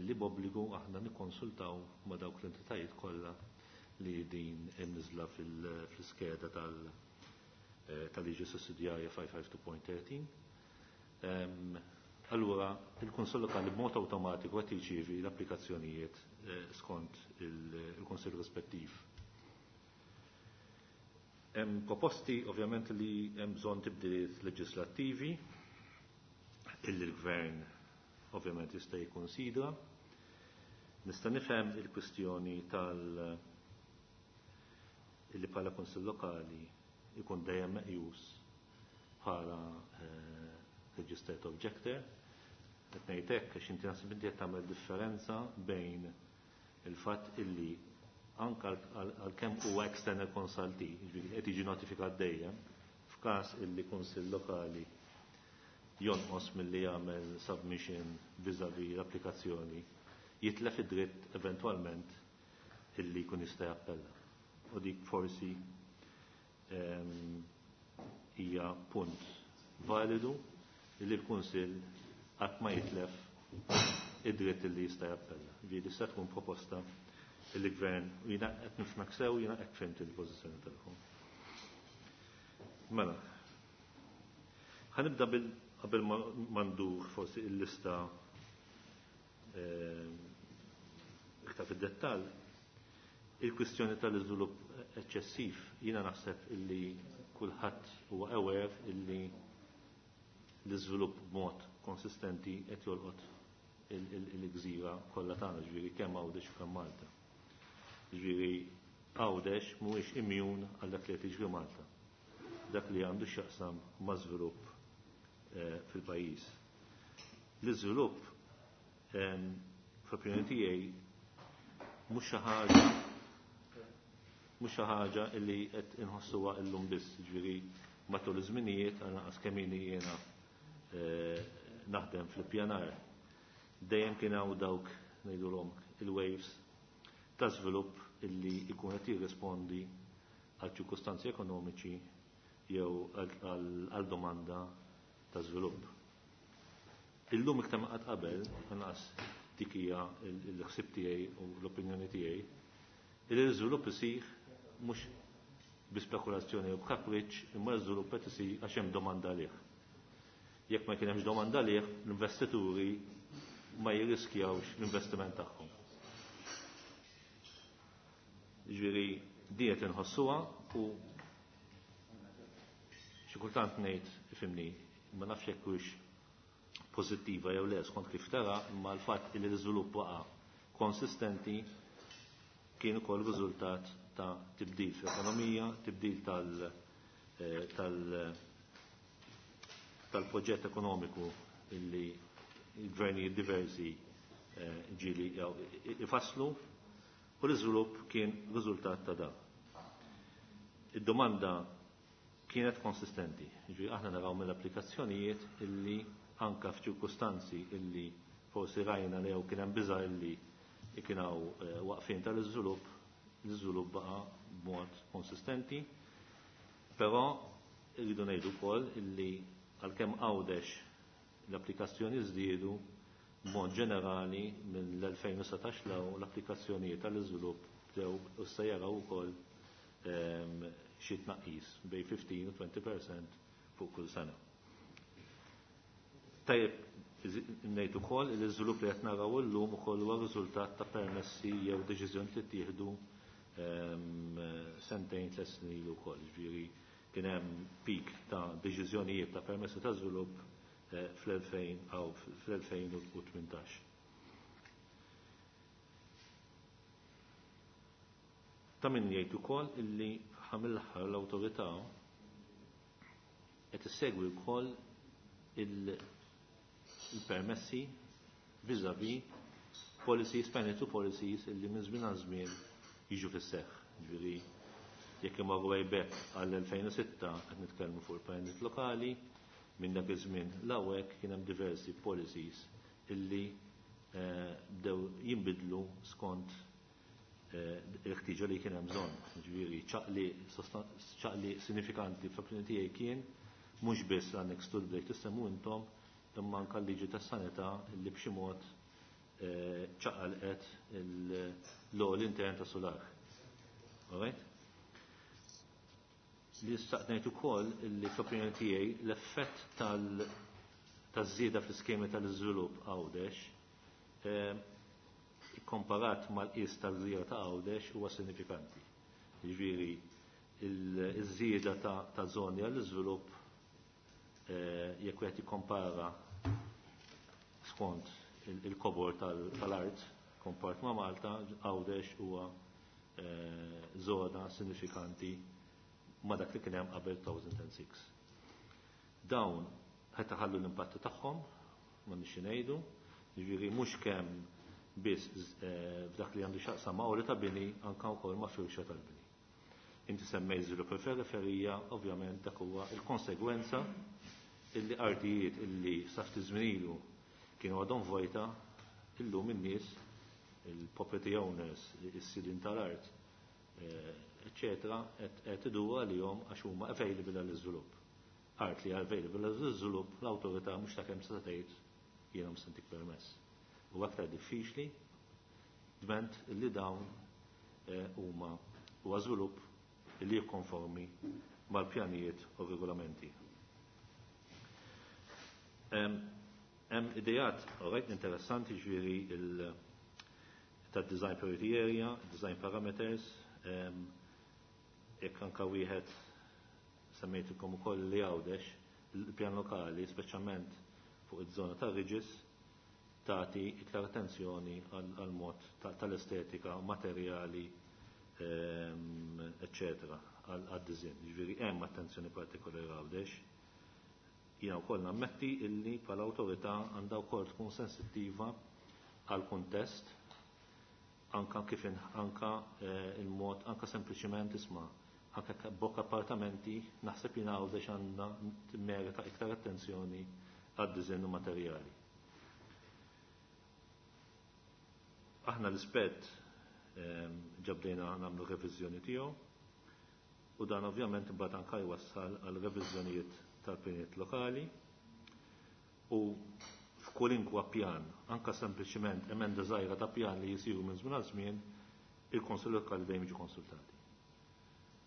li b'obbligu aħna nikkonsultaw ma' dawk l-entitajiet kollha li din imniżla fil-iskeda tal-liġi sussidjarja 552.13. Allura, il-Kunsill Lokali b'mod awtomatiku qed jirċievi l-applikazzjonijiet skont il-Kunsill rispettiv. Hemm proposti ovvjament li hemm bżonn tibdiliet leġislattivi illi l-Gvern ovvjament jista' jikkonsidra. Nista' nifhem il-kwistjoni tal- illi bħala Kunsill Lokali ikun dejjem meqjus bħala registered objector. Qed ngħid hekk għax inti naħseb inti qed tagħmel differenza bejn il-fatt illi anke għalkemm huwa external consultee, jiġifieri qed jiġi notifikat dejjem, f'każ illi kunsill lokali jonqos milli jagħmel submission vis-à-vis l-applikazzjoni, jitlef id-dritt eventwalment illi jkun jista' jappella. U dik forsi hija punt validu li l-Kunsill qatt ma jitlef id-dritt li jista' jappella. Ġieli tista' tkun proposta il-Gvern u jiena qed nifhmek sew jiena hekk fimt il-pożizzjoni tagħhom. Mela, ħanibda bil qabel ma ndur forsi il-lista iktar fid-dettall, il-kwistjoni tal-iżvilupp eċċessiv jiena naħseb illi kulħadd huwa aware illi l-iżvilupp b'mod konsistenti qed jolqot il-gżira kollha tagħna, ġifieri kemm Għawdex u kemm Malta. Ġifieri Għawdex mhuwiex immune għal dak li qed jiġri Malta. Dak li għandu x'jaqsam ma' żvilupp fil-pajjiż. L-iżvilupp fl-opinjoni tiegħi mhux xi ħaġa mhux xi ħaġa li qed inħossuha llum biss, ġifieri matul iż-żminijiet għal kemm ili jiena naħdem fl-ippjanar. Dejjem kien hawn dawk ngħidulhom il-waves ta' żvilupp illi jkun qed jirrispondi għal ċirkustanzi ekonomiċi jew għal domanda ta' żvilupp. Illum iktar ma qatt qabel, inqas dik hija l-ħsieb tiegħi u l-opinjoni tiegħi, li l-iżvilupp isir mhux bi spekulazzjoni u b'kapriċċ, imma l-iżvilupp qed isir għax hemm domanda għalih. Jekk ma kien hemmx domanda għalih, l-investituri ma jirriskjawx l-investiment tagħhom. Ġifieri di qed inħossuha u xi kultant ngħid ifhimni, ma nafx jekk hux pożittiva jew le skont kif tara, imma l-fatt li l-iżvilupp waqa' konsistenti kien ukoll riżultat ta' tibdil fl-ekonomija, tibdil tal-proġett ekonomiku illi il-gvernijiet diversi ġieli ifasslu, u l-iżvilupp kien riżultat ta' dan. Id-domanda kienet konsistenti, ġifieri aħna naraw mill-applikazzjonijiet illi anka f'ċirkustanzi illi forsi rajna li jew kien hemm biża' illi kien hawn waqfien tal-iżvilupp, l-iżvilupp baqa' b'mod konsistenti, però rridu ngħidu wkoll illi għalkemm Għawdex l-applikazzjoni żdiedu b'mod ġenerali mill-2017 law l-applikazzjonijiet tal-iżvilupp bdew u se jaraw ukoll xi tnaqqis bejn 15 u 20% fuq kull sena. Tajjeb ngħid ukoll li l-iżvilupp li qed naraw illum ukoll huwa riżultat ta' permessi jew deċiżjoni li ttieħdu sentejn tliet snin ilu wkoll. Ġifieri kien hemm peak ta' deċiżjonijiet ta' permessi ta' żvilupp fl-2018. Ta' min jgħid ukoll illi ħamil-aħħar l-awtorità qed issegwi wkoll il-permessi vis-à-vis policies, planning to policies illi minn żmien għal żmien jiġu fis-seħħ. Ġifieri jekk imorru way back għall-2006 qed nitkellmu fuq il-pjanijiet lokali, minn dak iż-żmien l-hawnhekk kien hemm diversi policies illi bdew jinbidlu skont il-ħtieġa li kien hemm bżonn. Ġifieri ċaqli sinifikanti fl-opinjoni tiegħi kien mhux biss l-annex to the break tissemmu intom, imma anke l-liġi tas-sanità li b'xi mod ċaqalqet l-għol intern ta' solar. All right? Li staqnejt ukoll li fl-opinjoni tiegħi l-effett taż-żieda fl-iskemi tal-iżvilupp Għawdex ikkomparat mal-qis tal-żieda ta' Għawdex huwa sinifikanti. Jiġifieri iż-żieda ta' żoni għall-iżvilupp jekk wieħed jikkompara skont il-kobor tal-art kompart ma' Malta, Għawdex huwa żona sinifikanti ma' dak li kien hemm qabel 2006. Dawn qed iħallu l-impatti tagħhom, ma nixxi ngħidu, jiġifieri mhux kemm biss f'dak li għandu x'aqsam ma' għoli ta' bini, anke wkoll ma' firxa tal-bini. Inti semmejt żvilupp il-periferija, ovvjament dak huwa il-konsegwenza illi artijiet illi sa ftit żmien ilu kienu għadhom vojta, illum in-nies, il-property owners, is-sidin tal-art, eccetera, qed idur għalihom għax huma available għall-iżvilupp. Art li available għall-iżvilupp, l-awtorità mhux ta' kemm se tgħid jiena mhux se permess. U aktar diffiċli dment li dawn huma huwa żvilupp li jikkonformi mal-pjanijiet u regolamenti. Hemm idejat rajt interessanti ġifieri ta' design priority area, design parameters, jekk anka wieħed semmejtilkom ukoll li Għawdex, il-pjan lokali, speċjalment fuq iż-żona ta' Ridges, tagħti iktar attenzjoni għal mod tal-estetika, materjali, eccetera, għad-design. Ġifieri hemm attenzjoni partikolari Għawdex. Jiena wkoll nammetti illi bħala awtorità għandha wkoll tkun sensittiva għal kuntest, anka kif anka il-mod, anka sempliċiment isma' anka bokk appartamenti, naħseb jien Għawdex għandna merita iktar attenzjoni għad-diżenju materjali. Aħna l-ispett ġabdejna nagħmlu reviżjoni tiegħu u dan ovvjament imbagħad anke jwassal għal reviżjonijiet tal-pjanijiet lokali u f'kwalinkwa pjan, anka sempliċiment emenda żgħira ta' pjan li jisiru minn żmien għal żmien, il-Konsil Lokali dejjem jiġu konsultati.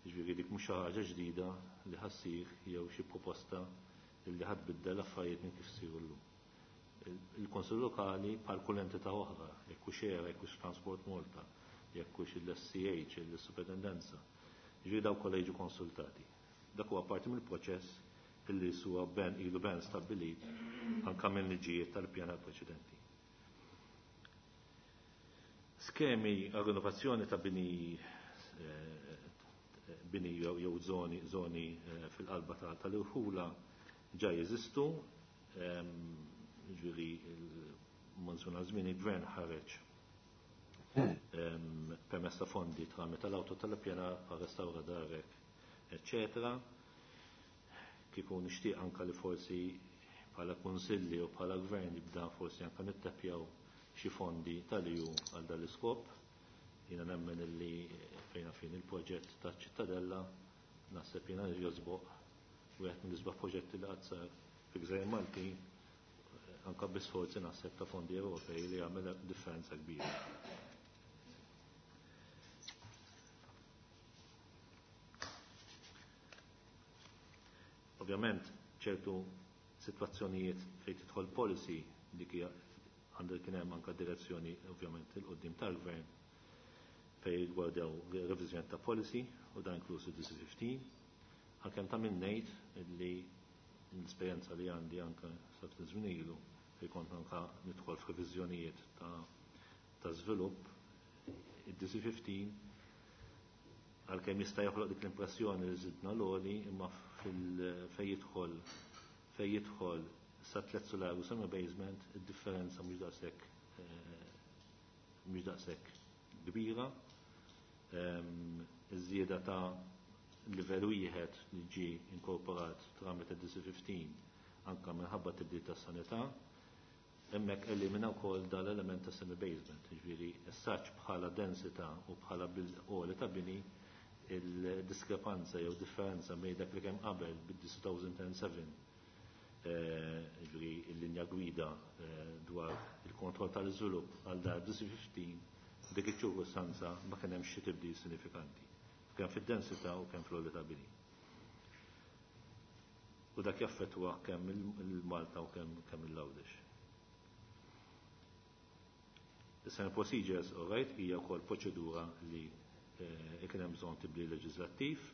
Jiġifieri dik mhux xi ħaġa ġdida li ħassir jew xi proposta li ħadd biddel affarijiet minn kif siru llum. Il-Konsil Lokali bħal kull entità oħra, jekk hux ERA, jekk hux Transport Malta, jekk hux il-SCH, il-Superintendenza, jiġifieri dawk kollha jiġu konsultati. Dak huwa parti mill-proċess illi suwa ben ilu ben stabbilit anka minn liġijiet tal-pjana preċedenti. Skemi għal rinnovazzjoni ta' bini bini jew zoni fil-qalba tal-irħula ġa jeżistu, ġifieri monzuna żmien il-gvern ħareġ permezz ta' fondi tramite tal-awto tal-pjana pa' restawra darek, eccetera. Kieku nixtieq anka li forsi bħala kunsilli u bħala gvern jibda forsi anka nittepjaw xi fondi tal-EU għal dal-iskop. Jiena nemmen illi fejna fin il-proġett ta' ċittadella naħseb jiena josboq wieħed mill-isbaħ proġetti li qatt sar fi Gżejjer Malti anka bi sforzi naħseb ta' fondi Ewropej li jagħmel differenza kbira. Ovvjament ċertu situazzjonijiet fejn tidħol policy dik hija għandu kien hemm anke direzzjoni ovvjament il-qudiem tal-gvern fejn rigwardaw reviżjoni ta' policy u dan inkluż DC15. Għalkemm ta' min ngħid li l-esperjenza li għandi anke sa ftit żmien ilu fejn kont anke nidħol f'reviżjonijiet ta' żvilupp, id-DC15 għalkemm jista' joħloq dik l-impressjoni li żidna l-għoli imma fejn jidħol sa tliet solar u semi basement id-differenza mhux daqshekk kbira. Iż-żieda ta' livell wieħed li ġie inkorporat tramite DC15 anke minħabba tibdil tas-sanità, hemmhekk elimina wkoll dal-element ta' semi basement, jiġifieri s-saċ bħala densità u bħala bil-qoli ta' bini il-diskrepanza jew differenza bejn dak li kemm qabel bid-2007, ġifieri l-linja gwida dwar il-kontroll tal-iżvilupp għal dar DC15 dik iċ-ċirkustanza ma kien hemm xi tibdil sinifikanti, kemm fid-densità u kemm fl-għoli ta' bini. U dak jaffettwa kemm il-Malta u kemm il-Għawdex. Is-semi procedures, all right, hija wkoll proċedura li kien hemm bżonn tibdil leġislattiv.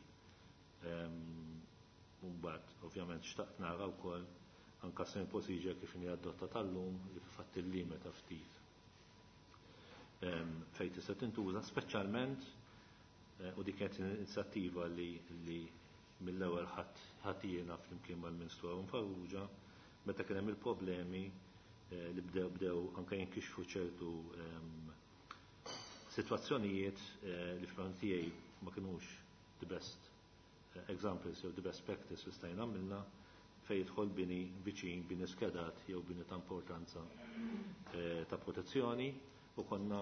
Mbagħad ovvjament xtaqt nara wkoll anke semi procedure kif inhi adotta tal-lum li fil-fatt illimita ftit fejn tista' tintuża, speċjalment u dik kienet inizjattiva li mill-ewwel ħadd jiena flimkien mal-Ministru Aaron Farrugia meta kien hemm il-problemi li bdew anke jinkixfu ċertu situazzjonijiet li fl tiegħi ma kinux the best examples jew the best practice li stajna għamilna fejn jidħol bini viċin, bini skedat jew bini ta' importanza ta' protezzjoni, u konna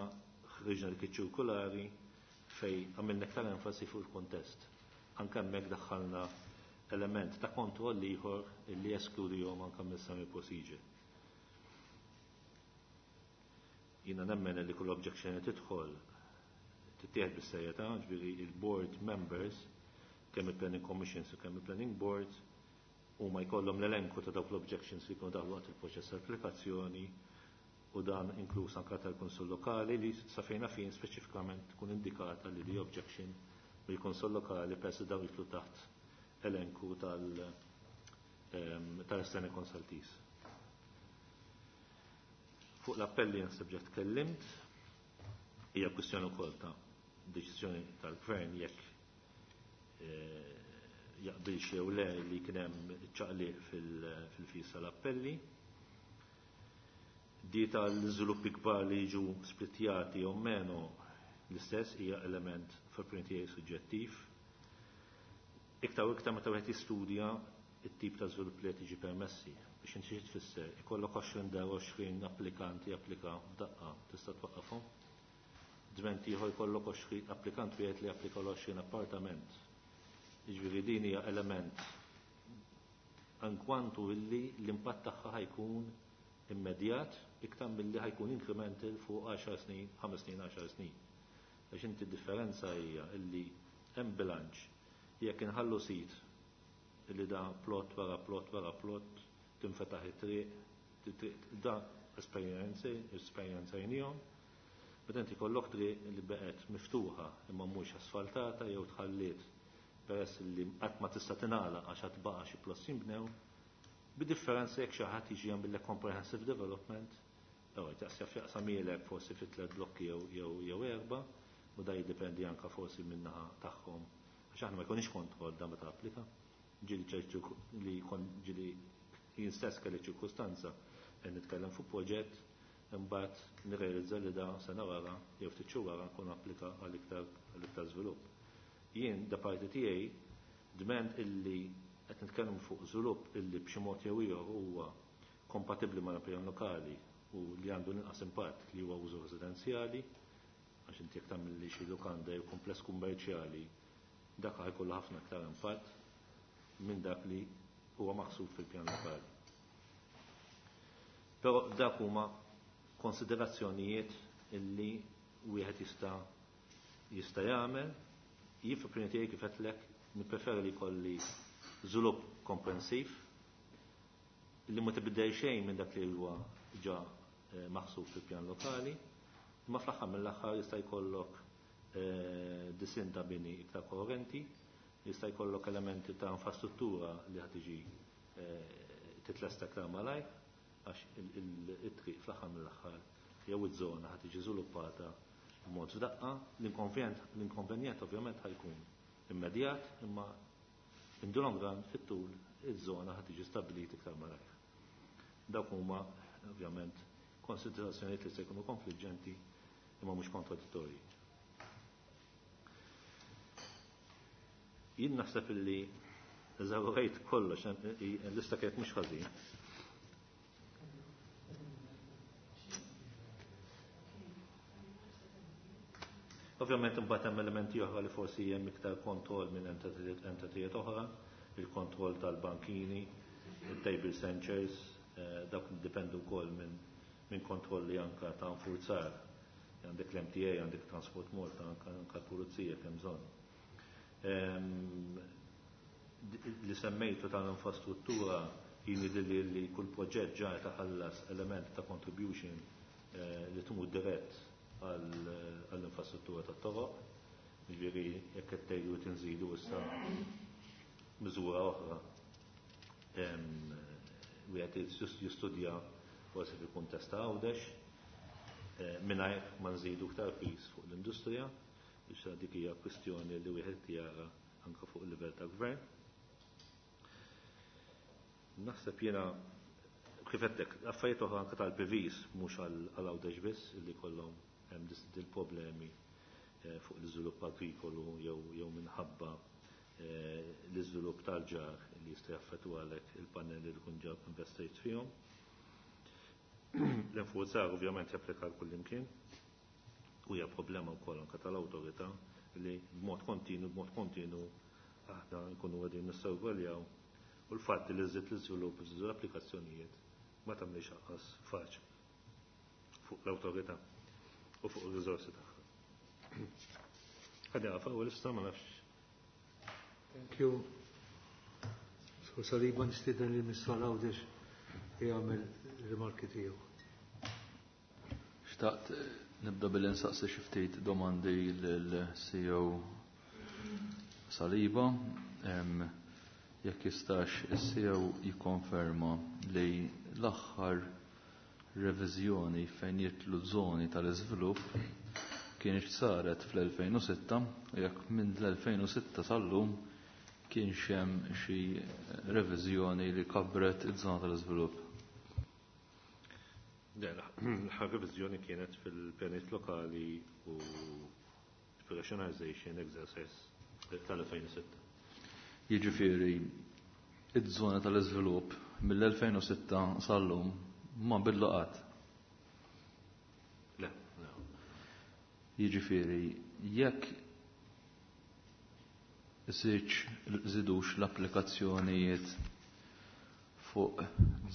ħriġna dik iċ-ċirkulari fejn għamilna iktar enfasi fuq il-kontest. Anke hemmhekk daħħalna element ta' kontroll ieħor li jeskludihom anke mill-semi procedure. Jiena nemmen li kull objection li tidħol tittieħed bis-serjetà, ġifieri il-board members kemm il-Planning Commissions u kemm il-Planning Boards huma jkollhom l-elenku ta' dawk l-objections li jkunu daħlu waqt il-proċess tal-applikazzjoni, u dan inkluż anke tal-Kunsill Lokali li sa fejna fin speċifikament tkun indikata li di objection mill-Kunsill Lokali peress li dawn jitlu taħt elenku tal-external consultees. Fuq l-appelli naħseb ġa tkellimt, hija kwistjoni wkoll ta' deċiżjoni tal-gvern jekk jaqbilx jew le li kien hemm ċaqliq fil-fis tal-appelli. Di tal-żviluppi kbar li jiġu splittjati jew meno l-istess hija element fil-opinjoni tiegħi suġġettiv. Iktar u iktar meta wieħed jistudja it-tip ta' żvilupp li qed jiġi permessi biex inti xi tfisser ikollok 20 dar 20 applikanti japplika f'daqqa tista' twaqqafhom. Dment ieħor jkollok 20 applikant wieħed li applika 20 appartament. Jiġifieri din hija element ankwantu illi l-impatt tagħha ħajkun immedjat iktar milli ħajkun incremental fuq 10 snin, 5 snin, 10 snin. Għax inti differenza hija illi hemm bilanċ jekk inħallu sit illi da plot wara plot wara plot tinfetaħ it-triq, da esperjenzajnihom, meta inti kollok triq li beqgħet miftuħa imma mhux asfaltata jew tħalliet peress li qatt ma tista' tingħalaq għax qatt baqa' xi plots jinbnew, bidifferenza jekk xi ħadd jiġi jagħmel comprehensive development, jew taqsja jaqsam forsi fi tliet blokki jew erba', u da jiddependi anka forsi min-naħa tagħhom għax aħna ma jkunix kontroll da meta applika. Ġieli ċertu li jkun ġieli jien stess kelli ċirkustanza qed nitkellem fuq proġett imbagħad nirrealizza li da sena wara jew ftit xhur wara nkun applika għal iktar żvilupp. Jien da parti tiegħi dment illi qed nitkellmu fuq żvilupp illi b'xi mod jew ieħor huwa kompatibbli mal-pjan lokali u li għandu l-inqas impatt li huwa użu residenzjali, għax inti jekk tagħmel li xi lukanda jew kumpless kummerċjali dak ħajkollu ħafna aktar impatt minn dak li huwa maħsub fil-pjan lokali. Però dak huma konsiderazzjonijiet illi wieħed jista' jagħmel. Jien fl-opinjoni tiegħi kif qedlek nippreferi li jkolli żvilupp komprensiv li ma tibdel xejn minn dak li huwa ġa maħsub fil-pjan lokali, imma fl-aħħar mill-aħħar jista' jkollok disin ta' bini iktar koherenti, jista' jkollok elementi ta' infrastruttura li ħad tiġi titlesta iktar malajr, għax it-triq fl-aħħar mill-aħħar jew iż-żona ħad tiġi żviluppata b'mod f'daqqa, l-inkonvenjent ovvjament ħajkun immedjat, imma in the long run fit-tul iż-żona ħad tiġi stabbilita iktar malajr. Dawk huma ovvjament konsiderazzjonijiet li se jkunu konfliġġenti imma mhux kontradittorji. Jien naħseb illi eżawrejt kollox, l-lista kienet mhux ħażin. Ovvjament imbagħad hemm elementi oħra li forsi hemm iktar kontroll minn entitajiet oħra, il-kontroll tal-bankini, il-table centers, dak dipendu wkoll minn kontrolli anka ta' nfurzar. Għandek l-MTA, għandek Transport Malta, anka l-Pulizija kemm bżonn. Li semmejtu tal-infrastruttura jien li li kull proġett ġa taħallas element ta' contribution li tmur dirett għall-infrastruttura tat-toroq, jiġifieri jekk qed tgħidu tinżidu issa miżura oħra wieħed jistudja forsi fil-kuntest ta' Għawdex mingħajr ma nżidu iktar piż fuq l-industrija, biex dik hija kwistjoni li wieħed jara anke fuq il-livell ta' gvern. Naħseb jiena kif għedtek, affarijiet oħra anke tal-PVs mhux għal Għawdex biss illi kollhom hemm dil-problemi fuq l-iżvilupp agrikolu jew minħabba l-iżvilupp tal-ġar li jista' jaffettwa għalhekk il-pannelli li kun ġab investejt fihom. L-infurzar ovvjament japplika għal kullimkien u hija problema wkoll anke tal-awtorità li b'mod kontinu aħna nkunu qegħdin nissorveljaw u l-fatt li żied l-iżvilupp żied l-applikazzjonijiet ma tagħmlix anqas faċli fuq l-awtorità u fuq ir-riżorsi tagħha. Ħadja għafa u l-issa ma nafx. Thank you. Sur Saliba nistieden lil Mr. Għawdex jagħmel rimarki tiegħu. Xtaqt nibda billi nsaqsi xi ftit domandi lill-CEO Saliba. Jekk jistax is-CEO jikkonferma li l-aħħar reviżjoni fejn jitlu żoni tal-iżvilupp kienx saret fl-2006 u jekk minn l-2006 sal-lum kienx hemm xi reviżjoni li kabret iż-żona tal-iżvilupp. L-aħħar reviżjoni kienet fil-pjanijiet lokali u rationalization exercise tal-2006. Jiġifieri iż-żona tal-iżvilupp mill-2006 sal-lum ma bidlu qatt. Le, le. Jiġifieri jekk żidux l-applikazzjonijiet fuq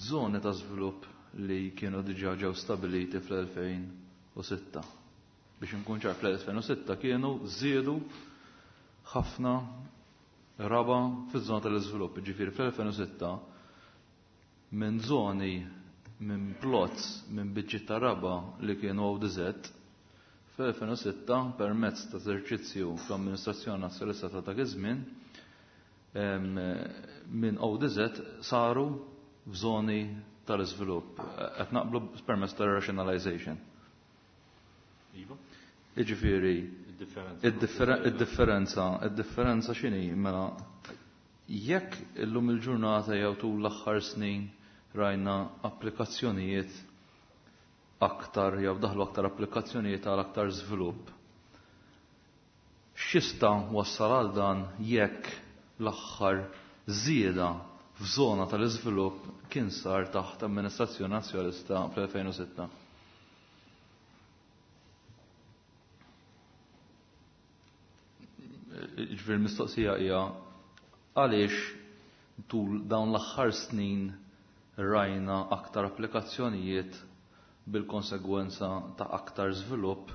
żoni ta' żvilupp li kienu diġà ġew stabiliti fl-2006. Biex inkun ċar, fl-2006 kienu żiedu ħafna raba fiż-żona tal-iżvilupp. Ġifieri fl-2006 minn żoni, minn plots, minn biċċiet ta' raba li kienu ODZ, fl-2006 permezz ta' eżerċizzju fl-amministrazzjoni nazzjonalista ta' dak iż-żmien minn ODZ saru f'żoni tal-iżvilupp. Qed naqblu permezz ta' rationalization. Iva. Jiġifieri id-differenza x'inhi mela jekk illum il-ġurnata jew tul l-aħħar snin rajna applikazzjonijiet aktar jew daħlu aktar applikazzjonijiet għal aktar żvilupp. X'jista' wassal għal dan jekk l-aħħar żieda f'żona tal-iżvilupp kien sar taħt amministrazzjoni nazzjonalista fl-2006? Ġifieri mistoqsija hija għaliex tul dawn l-aħħar snin rajna aktar applikazzjonijiet bil-konsegwenza ta' aktar żvilupp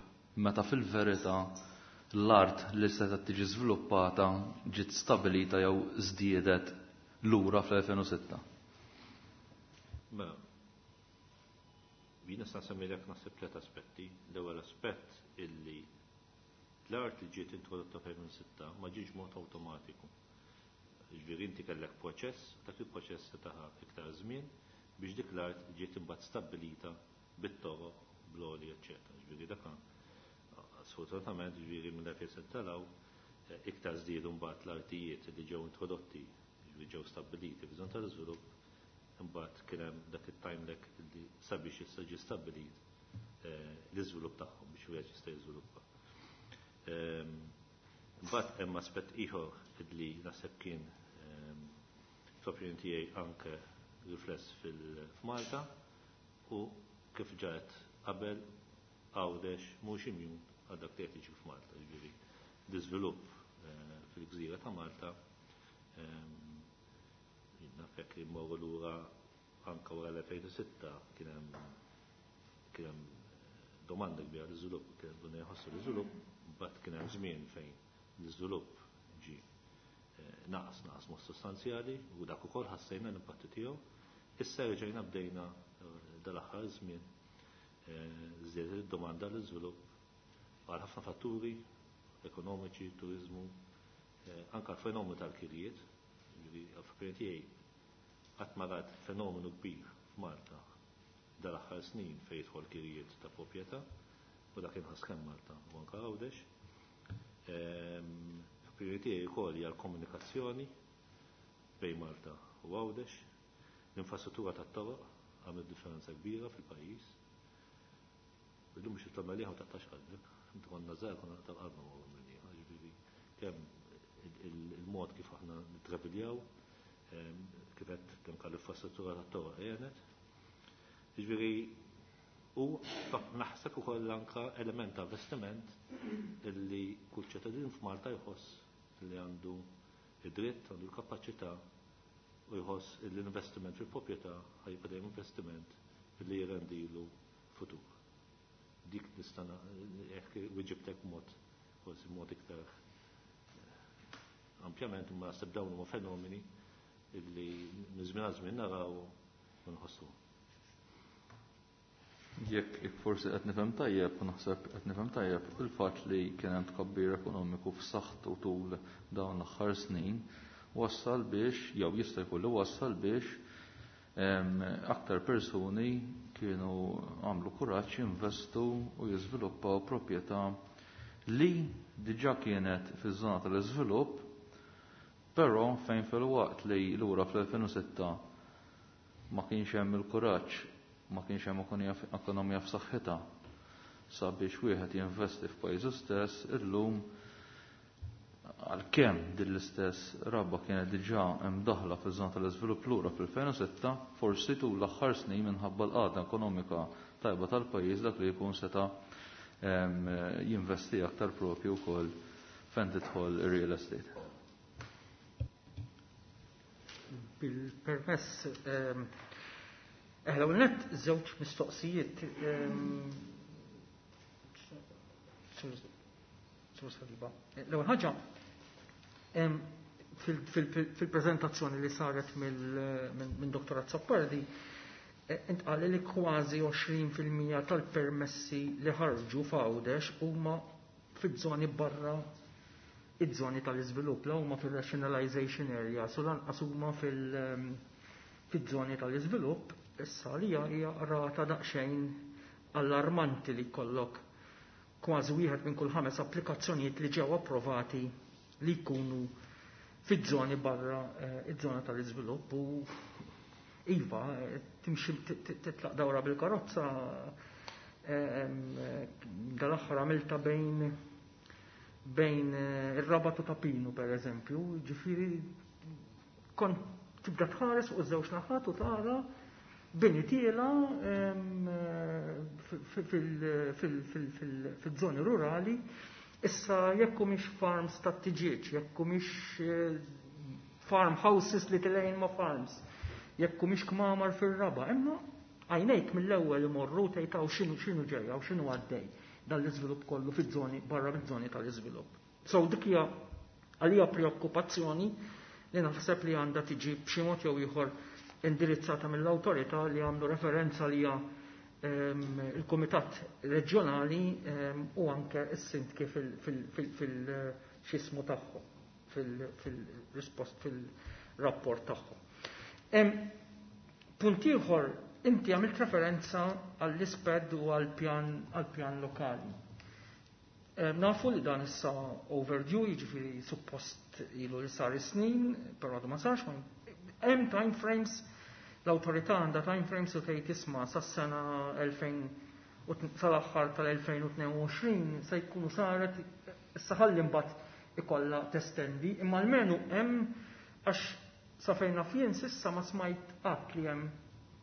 meta fil-verità l-art li setgħet tiġi żviluppata ġiet stabilita jew żdiedet lura fl-2006. Mela, jien nista' nsemmilek naħseb tliet aspetti. L-ewwel aspett illi l-art li ġiet introdotta fl-2006 ma ġietx mod awtomatiku. Ġifieri inti kellek proċess, dak il-proċess se taħa iktar żmien biex dik l-art ġiet imbagħad stabbilita bit-toroq, bl-għoli, eċċetera. Ġifieri dak sfortunatament ġifieri mill-2006 taraw iktar żdiedu mbagħad l-artijiet li ġew introdotti, ġifieri ġew stabbiliti f'żona tal-iżvilupp, imbagħad kien hemm dak it-time lag li sabiex issa ġie stabbilit l-iżvilupp tagħhom biex wieħed jista' jiżviluppa. Imbagħad hemm aspett ieħor li naħseb kien fl-opinjoni tiegħi anke rifless fil-Malta u kif ġaet qabel Għawdex mhux immune għal dak li qed jiġi f'Malta, ġifieri l-iżvilupp fil-gżira ta' Malta naf jekk immorru lura anke wara l-2006 kien hemm domanda kbira l-iżvilupp, kien hemm jħossu l-iżvilupp, mbagħad kien hemm żmien fejn l-iżvilupp ġie naqas naqas mod sostanzjali u dak ukoll ħassejna l-impatti tiegħu. Issa reġgħejna bdejna dal-aħħar żmien żdiedet id-domanda l-iżvilupp għal ħafna fatturi ekonomiċi, turiżmu, anke l-fenomenu tal-kirjiet, ġifieri għall-opinjoni tiegħi qatt ma rat fenomenu kbir f'Malta dal-aħħar snin fejn jidħol kirjiet ta' proprjetà u dak inħass kemm Malta u anke Għawdex. F'opinjoni tiegħi wkoll hija l-komunikazzjoni bejn Malta u Għawdex, l-infrastruttura tat-toroq għamlet differenza kbira fil-pajjiż. Illum biex titla' Mellieħa ma taqtax qalbek, inti konna żgħar konna naqtaw qalbna ma' Mellieħa, ġifieri kemm il-mod kif aħna nittraviljaw, kif qed kemm l-infrastruttura tat-toroq għenet. Ġifieri u naħseb ukoll anke element ta' investiment illi kull ċittadin f'Malta jħoss li għandu id-dritt, għandu l-kapaċità u jħoss li l-investiment fil-proprjetà ħajbqa' dejjem investiment li jirrendilu futur. Dik nista' jekk wiġibtek mod forsi mod iktar ampjament, imma naħseb dawn huma fenomeni illi minn żmien għal żmien naraw u nħossu. Jekk forsi qed nifhem tajjeb, u naħseb qed nifhem tajjeb, il-fatt li kien hemm tkabbir ekonomiku f'saħħtu tul dawn l-aħħar snin wassal biex, jew jista' jkun li wassal biex aktar persuni kienu għamlu kuraġġ jinvestu u jiżviluppaw proprjetà li diġà kienet fiż-żona tal-iżvilupp, però fejn fil-waqt li lura fl-2006 ma kienx hemm il-kuraġġ, ma kienx hemm ekonomija f'saħħitha sabiex wieħed jinvesti f'pajjiżu stess, illum għalkemm din l-istess rabba kienet diġà imdaħla fiż-żona tal-iżvilupp lura fil-2006, forsi tul l-aħħar snin minħabba l-qagħda ekonomika tajba tal-pajjiż dak li jkun seta' jinvesti aktar propju wkoll fejn tidħol real estate. Bil-permess, l net żewġ mistoqsijiet. Sur Saliba. L-ewwel ħaġa, fil-preżentazzjoni li saret minn Dr. Azzopardi, intqal li kważi 20% tal-permessi li ħarġu f'Għawdex huma fiż-żoni barra iż-żoni tal-iżvilupp, la huma fil-rationalization area, so lanqas huma fil-żoni tal-iżvilupp. Issa li hija rata daqsxejn allarmanti li jkollok kważi wieħed minn kull 5 applikazzjonijiet li ġew approvati li jkunu fiż-żoni barra iż-żona tal-iżvilupp. U iva, timxi titlaq dawra bil-karozza, dal-aħħar għamilta bejn ir-Rabat u ta' Pinu, per eżempju, ġifieri kont tibda tħares fuq iż-żewġ naħat u tara bini tiela fil-żoni rurali. Issa jekk mhix farms ta' tiġieġ, jekk mhix farm houses li tilejn ma' farms, jekk mhix kmamar fir-raba, imma għajnejk mill-ewwel imorru tgħid x'inhu ġejja u x'inhu għaddej dan l-iżvilupp kollu fiż-żoni barra miż-żoni tal-iżvilupp. So dik hija għalija preokkupazzjoni li naħseb li għandha tiġi b'xi mod jew ieħor indirizzata mill-awtorità li għamlu referenza li hija il-Kumitat Reġjonali u anke s-sindki fil-xismu tagħhom, fil-rispost fil-rapport tagħhom. Punt ieħor, inti għamilt referenza għall-isped u għall-pjan lokali. Nafu li dan issa overdue, jiġifieri suppost ilu li sar snin, però għadu ma sarx, hemm time frames, l-awtorità għandha time frames u tgħid isma' sas-sena 2000 sal-aħħar tal-2022 se jkunu saret, issa ħalli mbagħad ikollha testendi, imma almenu hemm, għax sa fejn naf jien s'issa ma smajt qatt li hemm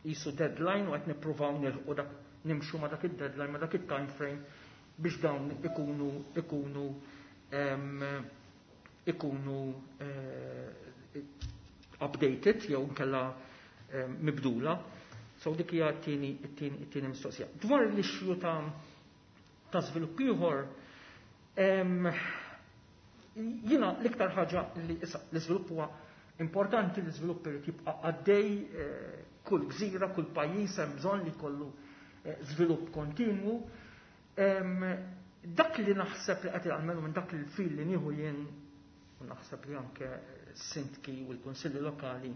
qisu deadline u qed nippruvaw nilħqu dak, nimxu ma dak id-deadline, ma dak it-time frame biex dawn ikunu updated jew nkella mibdula. So dik hija t-tieni mistoqsija. Dwar l-issue ta' żvilupp ieħor, jiena l-iktar ħaġa li issa l-iżvilupp huwa importanti, l-iżvilupp irid jibqa' għaddej, kull gżira, kull pajjiż hemm bżonn li jkollu żvilupp kontinwu. Dak li naħseb li qed jagħmlu minn dak il-fil li nieħu jien, u naħseb li anke s-sindki u l-kunsilli lokali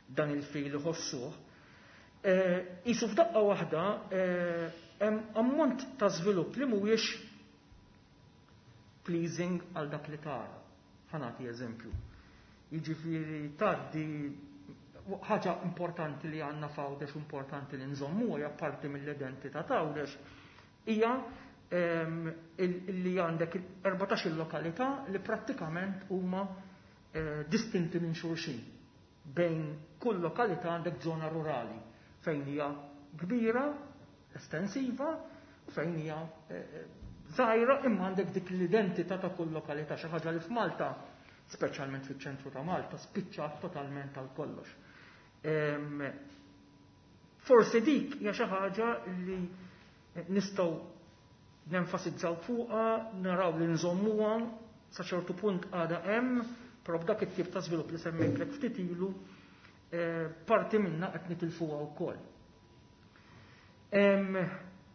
dan il-fil iħossuh, qisu f'daqqa waħda hemm ammont ta' żvilupp li mhuwiex pleasing għal dak li tara. Ħa nagħti eżempju. Jiġifieri tgħaddi ħaġa importanti li għandna f'Għawdex, importanti li nżommu hija parti mill-identità ta' Għawdex, hija li għandek 14 lokalità li prattikament huma distinti minn xulxin. Bejn kull lokalità għandek żona rurali fejn hija kbira, estensiva, u fejn hija żgħira, imma għandek dik l-identità ta' kull lokalità, xi ħaġa li f'Malta, speċjalment fiċ-ċentru ta' Malta, spiċċat totalment għal kollox. Forsi dik hija xi ħaġa li nistgħu nenfasizzaw fuqha, naraw li nżommuha sa ċertu punt għadha hemm, però b'dak it-tip ta' żvilupp li semmejtlek ftit ilu, parti minna qed nitilfuha wkoll.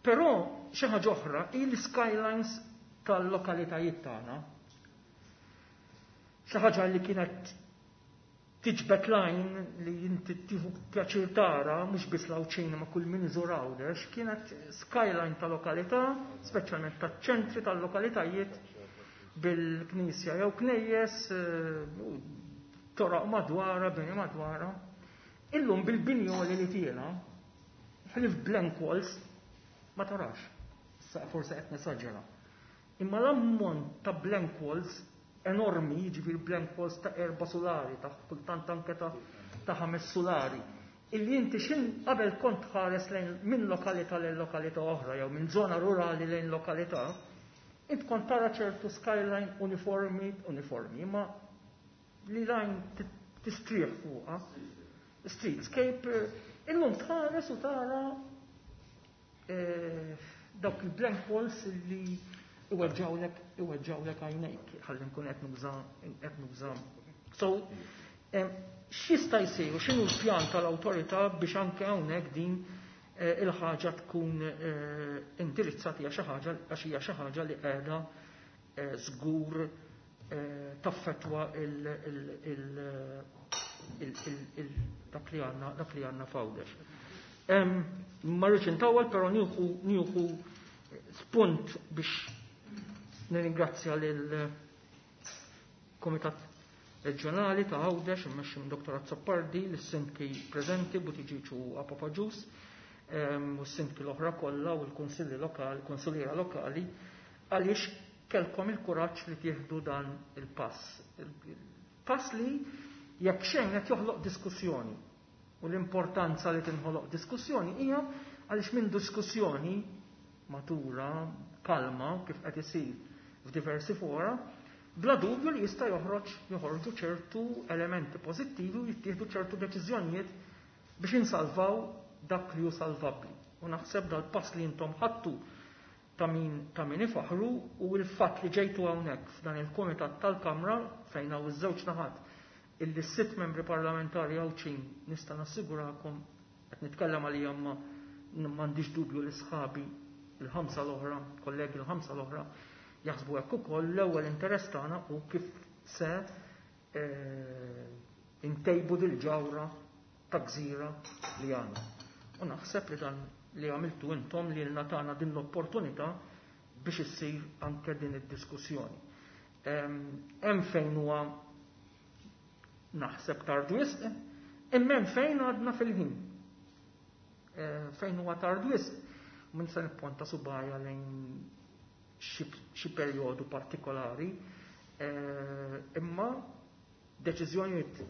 Però xi ħaġa oħra hi l-skylines tal-lokalitajiet tagħna. Xi ħaġa li kienet tiġbed lajn li inti tieħu pjaċir tara, mhux biss l-Għawdxin ma' kull min iżur Għawdex, kienet skyline ta' lokalità, speċjalment taċ-ċentri tal-lokalitajiet bil-knisja jew knejjes, toraq madwara, bini madwara. Illum bil-binjoli li tiela, ħlif blank walls, ma tarax. Issa forse qed nesaġera. Imma l-ammont ta' blank walls enormi, jiġifieri blank walls ta' 4 solari, ta' kultant anke ta' 5 solari. Illi inti xin qabel kont ħares lejn minn lokalità lejn lokalità oħra jew minn żona rurali lejn lokalità, int kont tara ċertu skyline uniformi, uniformi, ma li lajn tistrieħ fuqha. Streetscape, illum tħares u tara dawk il-blank walls li iweġġawlek għajnejk, ħalli nkun qed nuża qed nuża. So, x'jista' jsir u x'inhu l-pjan tal-awtorità biex anke hawnhekk din il-ħaġa tkun indirizzata hija xi ħaġa għax hija xi ħaġa li qiegħda żgur taffettwa dak li għandna dak li għandna f'Għawdex. Ma rridx intawwal, però nieħu spunt biex nirringrazzja lil Kumitat Reġjonali ta' Għawdex immexxi minn Dr. Azzopardi, lis-sindki preżenti Buttigieg u Apap Agius, u s-sindki l-oħra kollha u l-kunsilli lokali, kunsilliera lokali, għaliex kellkom il-kuraġġ li tieħdu dan il-pass. Il-pass li jekk xejn qed joħloq diskussjoni. U l-importanza li tinħoloq diskussjoni hija għaliex minn diskussjoni matura, kalma, kif qed isir f'diversi fora, bla dubju li jista' joħorġu ċertu elementi pożittivi u jittieħdu ċertu deċiżjonijiet biex insalvaw dak li hu salvabbli. U naħseb dal-pass li intom ħadtu ta' min ifaħru u l-fatt li ġejtu hawnhekk f'dan il-Kumitat tal-Kamra fejn hawn iż-żewġ naħat illi s-sitt membri parlamentari Għawdxin nista' nassigurakom qed nitkellem għalija ma m'għandix dubju li sħabi il-ħamsa l-oħra, kollegi l-ħamsa l-oħra, jaħsbu hekk ukoll l-ewwel interess tagħna hu kif se intejbu dil-ġawra ta' gżira li għandna. U naħseb li dan li għamiltu intom li lna tagħna din l-opportunità biex issir anke din id-diskussjoni. Hemm fejn huwa naħseb tard wisq, imma hemm fejn għadna fil-ħin. Fejn huwa tard wisq, minn se nipponta subajja lejn xi perjodu partikolari, imma deċiżjonijiet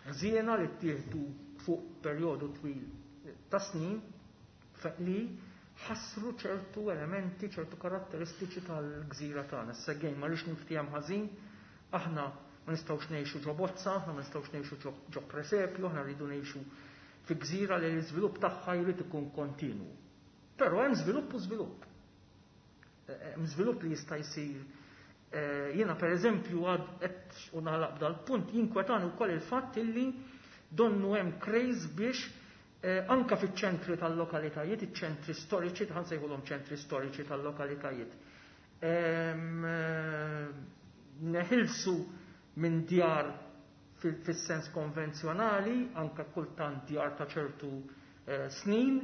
ħżiena li ttieħdu fuq perjodu twil ta' snin li ħassru ċertu elementi, ċertu karatteristiċi tal-gżira tagħna. Issa gejn ma rridx niftiehem ħażin, aħna ma nistgħux ngħixu ġo bozza, aħna ma nistgħux ngħixu ġo presepju, aħna rridu ngħixu fi gżira li l-iżvilupp tagħha jrid ikun kontinwu. Però hemm żvilupp u żvilupp. Hemm żvilupp li jista' jsir. Jiena pereżempju għad qed u nagħlaq dal-punt jinkwetani wkoll il-fatt illi donnu hemm craze biex anka fiċ-ċentri tal-lokalitajiet, iċ-ċentri storiċi, ħan sejħulhom ċentri storiċi tal-lokalitajiet. Neħilsu minn djar fis-sens konvenzjonali, anka kultant djar ta' ċertu snin,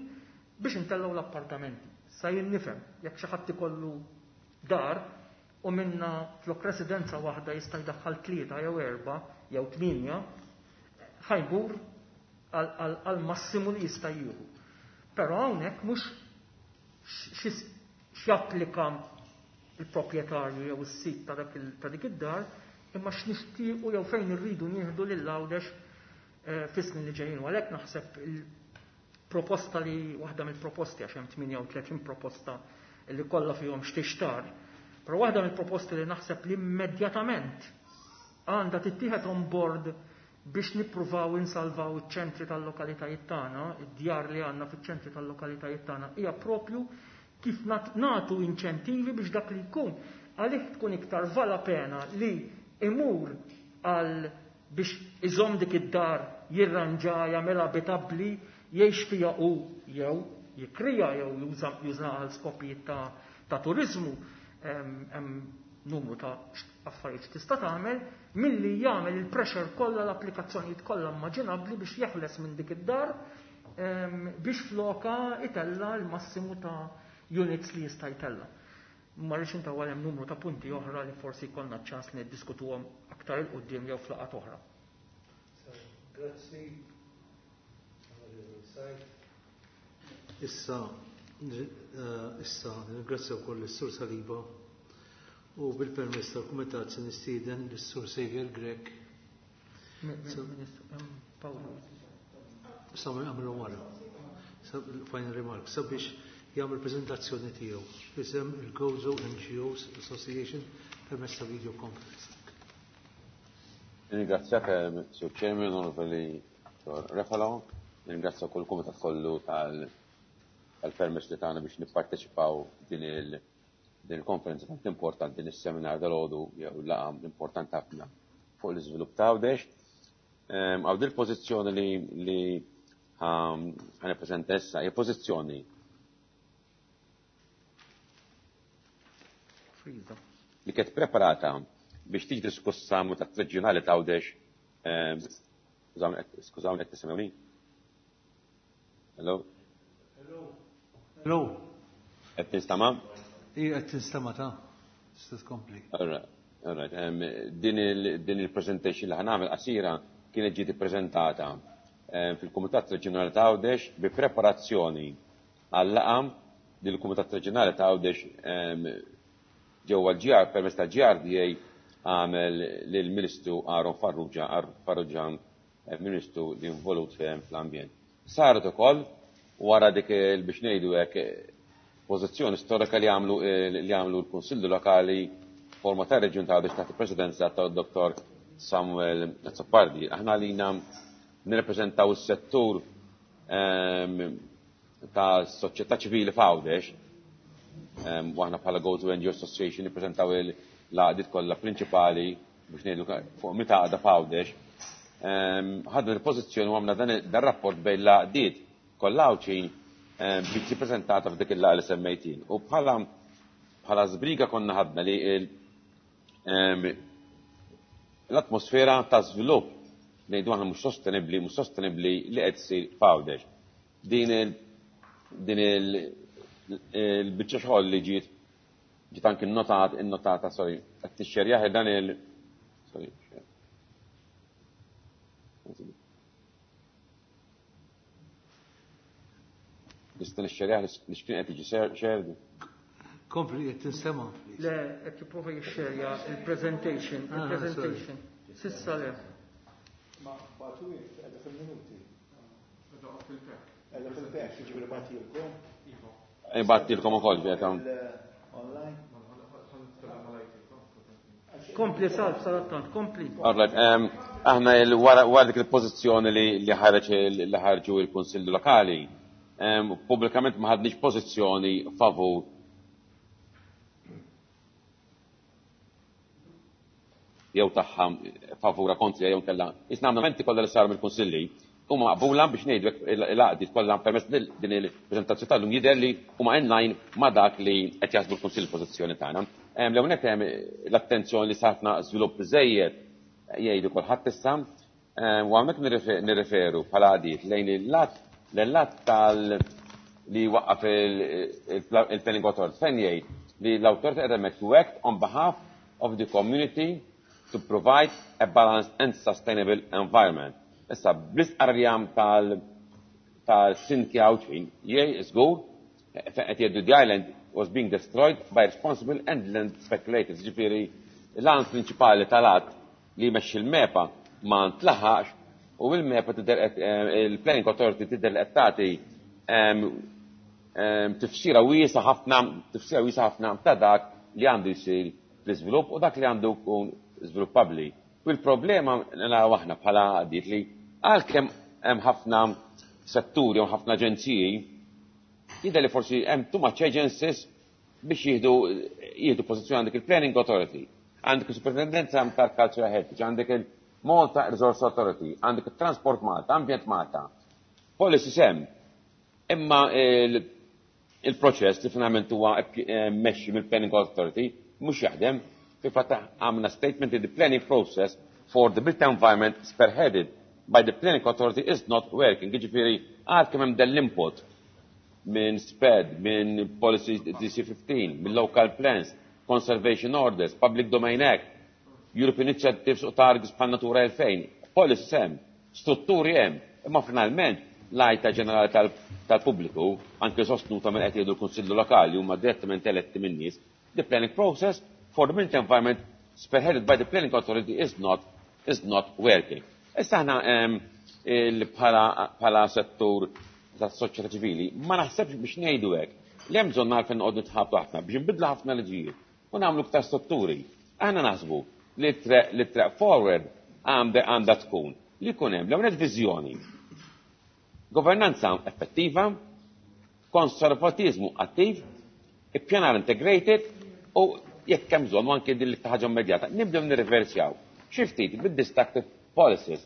biex intellgħu l-appartamenti. Sa jien nifhem, jekk xi ħadd ikollu dar u minna flok residenza waħda jista' jdaħħal 3 jew 4 jew 8, ħajbur għal massimu li jista' jieħu. Però hawnhekk mhux x'japplika il-proprjetarju jew is-sit ta' dik id-dar, imma x'nixtiequ jew fejn irridu nieħdu lil Għawdex fis-snin li ġejjin. U għalhekk naħseb il-proposta li waħda mill-proposti, għax hemm 38 proposta li kollha fihom x'tixtar, però waħda mill-proposti li naħseb li immedjatament għandha tittieħed on board biex nippruvaw insalvaw iċ-ċentri tal-lokalitajiet tagħna, id-djar li għandna fiċ-ċentri tal-lokalitajiet tagħna, hija propju kif nagħtu inċentivi biex dak li jkun għalih tkun iktar vala pena li imur għal biex iżomm dik id-dar, jirranġa, jagħmilha abitabbli, jgħix fiha u jew jikrija jew juża għal skopijiet ta' turiżmu, hemm numru ta' affarijiet tista' tagħmel, milli jagħmel il-pressure kollha, l-applikazzjonijiet kollha immaġinabbli biex jeħles minn dik id-dar, biex floka itella l-massimu ta' units li jista' jtella. Ma rridx intawwal, hemm numru ta' punti oħra li forsi jkollna ċans li niddiskutuhom aktar il quddiem jew f'laqgħat oħra. Grazzi. Issa ringrazzja wkoll is-Sur Saliba u bil-permess tal-Kumitat se nistieden lis-Sur Xavier Grech. Paolo. Għamlu wara. Final remark, sabiex jagħmel prezentazzjoni tiegħu isem il-Gozo NGOs Association permezz ta' video conference. Ringrazzjak, Sur Chairman, Onorevoli Refalo, ringrazzja kull kumitat kollu tal-permess li tagħna biex nipparteċipaw din il-konferenza tant importanti, din is-seminar dal-għodu jew laqgħa importanti ħafna fuq l-iżvilupp ta' Għawdex. Għaw dil pożizzjoni li ħanippreżenta issa hija pożizzjoni li kienet preparata biex tiġi diskussa ta' reġjonali ta' Għawdex. Skużawni, qed tisimgħuni? Hello? Hello. Qed tinstama'? Ija qed tinstama' ta' tista' tkompli. All right. Din il-presentation li ħa nagħmel qasira kienet ġiet ippreżentata fil-Kumitat Reġjonali ta' Għawdex bi preparazzjoni għal-laqgħa li l-Kumitat Reġjonali ta' Għawdex ġewwa l-GR permezz ta' GRDA għamel lill-Ministru Aaron Farrugia, Farrugia Ministru li involut fl-ambjent. Saret ukoll wara dik biex ngħidu hekk pożizzjoni storika li għamlu l-Kunsillu Lokali forma ta' Reġjun ta' Għawdex taħt il-Presidenza ta' Dr. Samuel Azzopardi. Aħna lina nirrepreżentaw is-settur ta' soċjetà ċivili f'Għawdex, u aħna bħala Gozo NGO Association nippreżentaw l-għaqdiet kollha prinċipali biex ngħidu fuq meta għaqda f'Għawdex. Ħadna l-pożizzjoni u għamna dan rapport bejn l-għaqdiet kollha Għawdxin biex tiġi preżentata f'dik il-laqgħa li semmejtin. U bħala żbriga konna ħadna li l-atmosfera ta' żvilupp ngħidu aħna mhux sostenibbli, mhux sostenibbli li qed issir f'Għawdex. Din il-biċċa xogħol li ġiet anki innotata, sorry, qed tixxerjah dan il sorry. Nista' nixxerjah li x'kien qed jiġi shared. Kompli qed tinstema'. Le, qed jipprova jixxerja il-presentation, il-presentation. Sissa le. Ma bagħtu qiegħda fil-minuti. Qiegħda fil-pack, jiġifieri bagħtilkom. Bagħtilkom ukoll ġiet hawn. Online. Kompli salv salattant, kompli. All right, aħna wara dik il-pożizzjoni li ħareġ li ħarġu il-Kunsilli Lokali, pubblikament ma ħadniex pożizzjoni favur jew tagħha favura kontra jew kellha. Isna għamna menti kollha li saru mill-Kunsilli huma maqbula biex ngħidu l-għaqdiet kollha permezz din il-preżentazzjoni tal-lum jidher li huma in line ma' dak li qed jaħsbu l-Kunsill pożizzjoni tagħna. L-ewwel nett hemm l-attenzjoni li satna żvilupp żejjed jgħidu kulħadd issa, u hawnhekk nirreferu bħala għaqdiet lejn il-lat tal li waqqaf il-Planning Authority fejn jgħid li l-awtorità qiegħda hemmhekk to act on behalf of the community to provide a balanced and sustainable environment. Issa, bl-istqarrija tal-Sinti Għawdxin, jgħid żgur, qed jgħidu the island was being destroyed by responsible and land speculators. Ġifieri, l-għan prinċipali tal-att li jmexxi l-MEPA ma ntlaħax u l-MEPA tidher il-Planning Authority tidher li qed tagħti tifsira wiesa ħafna, tifsira wiesa ħafna ta' dak li għandu jsir fl-iżvilupp u dak li għandu jkun żviluppabbli. U l-problema naraw aħna bħala għaqdiet li għalkemm hemm ħafna setturi u ħafna aġenziji, jidher li forsi hemm too much agencies biex jieħdu pożizzjoni. Għandek il-Planning Authority, għandek il-Superintendenza tal-Cultural Heritage, għandek il-Malta Resource Authority, għandek il-Transport Malta, Ambjent Malta, policies hemm. Imma il-proċess li finalment huwa mmexxi mill-Planning Authority mhux jaħdem. Fil-fatt għamna statement li the planning process for the built environment spearheaded by the Planning Authority is not working. Jiġifieri għalkemm hemm dan l-input minn SPED, minn Policy DC15, minn Local Plans, Conservation Orders, Public Domain Act, European Initiatives u Targets bħal Natura 2000, policies hemm, strutturi hemm, imma finalment l-għajta ġenerali tal-pubbliku, anke sostnuta minn qed jgħidu l-Kunsillu Lokali huma direttament eletti minn nies, the planning process for the built environment spearheaded by the Planning Authority is not working. Issa aħna bħala settur tas-soċjetà ċivili, ma naħsebx biex ngħidu hekk li hemm bżonn għalfejn noqogħdu nitħabtu ħafna biex nbidlu ħafna liġijiet u nagħmlu iktar strutturi. Aħna naħsbu li track forward għandha tkun li jkun hemm l-ewwel viżjoni. Governanza effettiva, konservatizmu attiv, ippjanar integrated u jekk hemm bżonn anke din ħaġa immedjata, nibdew nirriversjaw. Xi ftit bid-destructive policies.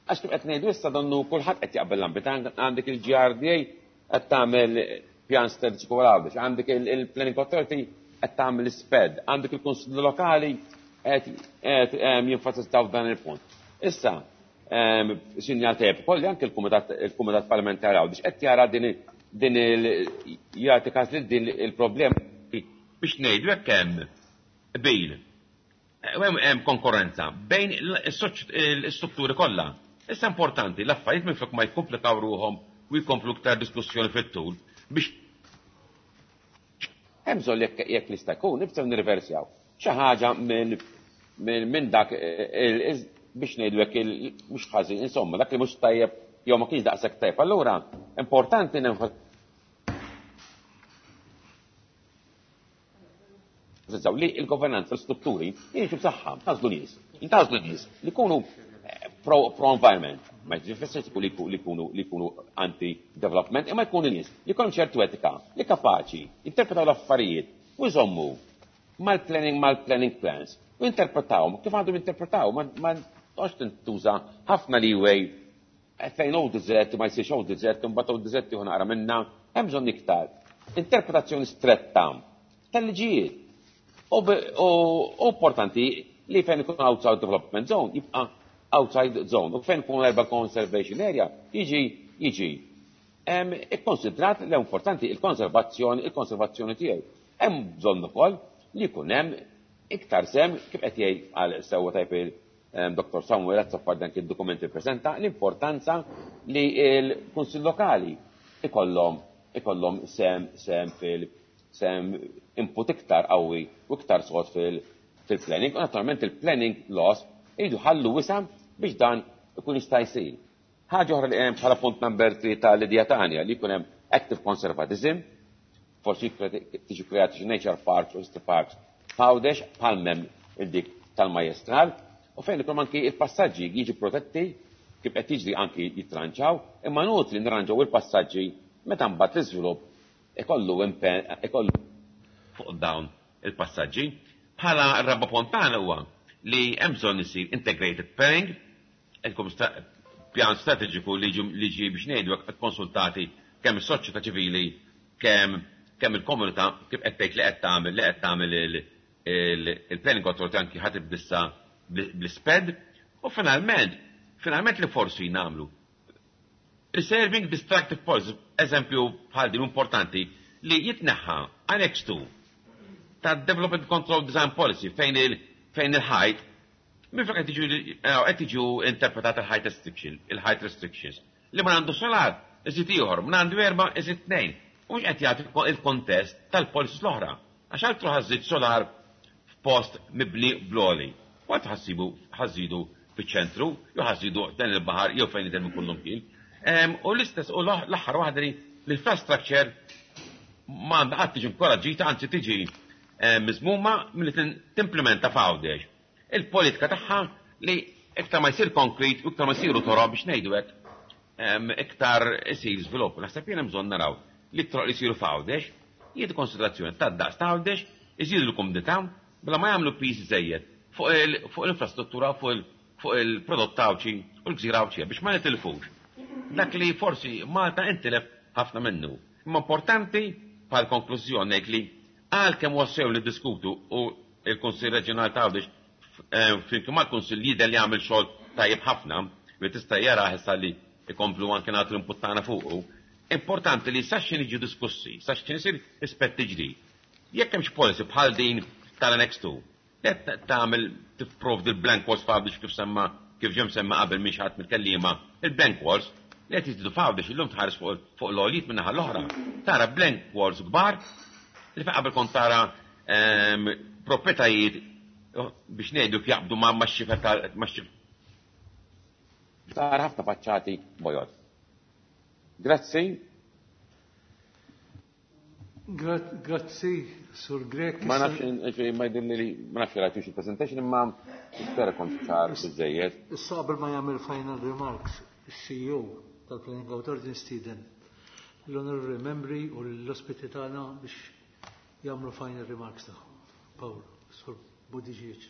Għax kif qed ngħidu issa donnu kulħadd qed jaqbel l-ambit għandek il-GRDA qed tagħmel pjan strateġiku għal Għawdex, għandek il-Planning Authority qed tagħmel sped, għandek il-Kunsill Lokali qed jenfasizzaw dan il-punt. Issa, sinjal tajjeb ukoll li anke il-Kumitat Parlamentari Għawdex qed jara din jagħti każ lil din il-problema biex ngħidu hekk hemm qbil. Hemm konkurrenza bejn l-istrutturi kollha. Issa importanti l-affarijiet minflok ma jikkomplikaw ruħhom u jkomplu iktar diskussjoni fit-tul biex hemm bżonn jekk jista' jkun nibdew nirriversjaw xi ħaġa minn dak biex ngħidu hekk mhux ħażin, insomma, dak li mhux tajjeb jew ma kienx daqshekk tajjeb. Allura importanti nenfasizzaw li l-governanza, l-strutturi jiġu b'saħħa, tażlu nies, intażlu nies li jkunu pro-environment, ma jfissirx li jkunu anti-development, imma jkunu nies li jkollhom ċertu etika, li kapaċi jinterpretaw l-affarijiet u jżommu mal-planning plans u jinterpretawhom kif għandhom jinterpretaw, ma toqgħodx tintuża ħafna leeway fejn ODZ ma jsirx ODZ, imbagħad ODZ tieħu naqra minna, hemm bżonn iktar. Interpretazzjoni stretta tal-liġijiet. U importanti li fejn ikun outside development zone jibqa' outside zone u fejn ikun urban conservation area jiġi ikkonsidrat li importanti il-konservazzjoni tiegħu. Hemm bżonn ukoll li jkun hemm iktar sem kif qed jgħid għal sewwa tajb il-Dr. Samuel Azzopardi dan id-dokumenti ppreżenta l-importanza li l-Kunsill Lokali ikollhom sem sem fil sem input iktar qawwi u iktar sod fil-planning u naturalment il-planning laws iridu ħallu wisa biex dan ikun jista' jsir. Ħaġa oħra li hemm bħala punt number 3 tal-idea tagħna li jkun hemm active conservatism, forsi tiġi kreati xi nature parks u history parks f'Għawdex bħal m'hemm il-dik tal-Majestral u fejn ikun anki il-passaġġi jiġu protetti kif qed jiġri anki jitranġaw, imma nutli nirranġaw il-passaġġi meta mbagħad l-iżvilupp ikollu ikollu fuq dawn il-passaġġi. Bħala r-raba punt tagħna huwa li hemm bżonn isir integrated planning, ilkom pjan strateġiku li ġi biex ngħidu hekk konsultati kemm is-soċjetà ċivili, kemm il-komunità kif qed tgħid li qed tagħmel li qed tagħmel il-planning authority anki ħadd bissa bl-isped u finalment li forsi nagħmlu preserving destructive policies, eżempju bħal din importanti li jitneħħa Annex 2 ta' Development Control Design Policy fejn il-ħajt minn fejn qed tiġu interpretat il-height restriction, il-height restrictions li ma għandu solar iżid ieħor, ma għandu erba' iżid tnejn. U mhux qed jagħti il-kontest tal-policies l-oħra. Għax altru ħażid solar f'post mibni bloli. U għad ħassibu ħażidu fiċ-ċentru, jew ħażidu dan il-baħar jew fejn idher minn kullum kien. U l-istess u l-aħħar waħda li l-infrastructure ma għandha qatt tiġi inkoraġġita, anzi tiġi miżmuma milli timplementa f'Għawdex. Il-politika tagħha li iktar ma jsir konkret u iktar ma jsiru toroq biex ngħidu hekk, iktar isir żvilupp. Naħseb jien hemm bżonn naraw li t-toroq li jsiru f'Għawdex jieħdu konsiderazzjoni tad-daqs ta' Għawdex, iżidu l-kumdità bla ma jagħmlu piż żejjed fuq l-infrastruttura, fuq il-prodott Għawdxi u l-gżira Għawdxija biex ma nitilfux. Dak li forsi Malta intilef ħafna minnu. Imma importanti bħal konklużjoni ngħid li għalkemm wassew li diskutu u il-Kunsill Reġjonali ta' Għawdex flimkien mal-Kunsill jidher li jagħmel xogħol tajjeb ħafna li tista' jara issa li ikomplu anke nagħtu l-input tagħna fuqu. Importanti li sax niġu diskussi, sax isir ispetti ġdid. Jekk hemmx policy bħal din tal-Annex 2, qed tagħmel tipprovdi l-blank walls f'Għawdex kif semma kif ġem semma qabel minn xi ħadd mill-kelliema, il-blank walls li qed jiżdiedu f'Għawdex illum tħares fuq l-għoljiet minn naħa l-oħra. Tara blank walls kbar li fejn qabel kont tara proprjetajiet biex ngħidu jaqbdu ma' xifer Tara ħafna faċċati bojod. Grazzi. Grazzi, Sur Grek. Ma nafx, ma jidhirli li ma nafx rajtux il-presentation imma nispera kont ċar biżejjed. Issa qabel ma jagħmel final remarks, is-CEO tal-Planning Authority nistieden l-onorevoli membri u l-ospiti tagħna biex jagħmlu final remarks tagħhom. Paul, Sur Buttigieg.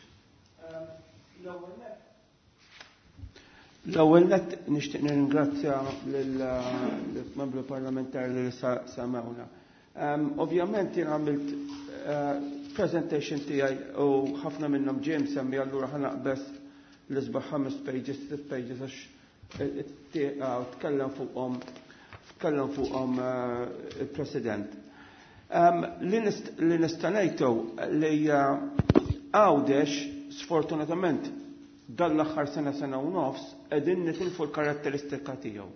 L-ewwel nett nixtieq nirringrazzja lill-membru parlamentari li samawna. Ovvjament jien għamilt presentation tiegħi u ħafna minnhom ġie msemmi, allura ħa naqbeż l-isbaħ 5 pages, 6 pages, għax tkellem fuqhom il-President. Li nista' ngħidu li Għawdex sfortunatament dan l-aħħar sena, sena u nofs qegħdin nitilfu l-karatteristika tiegħu.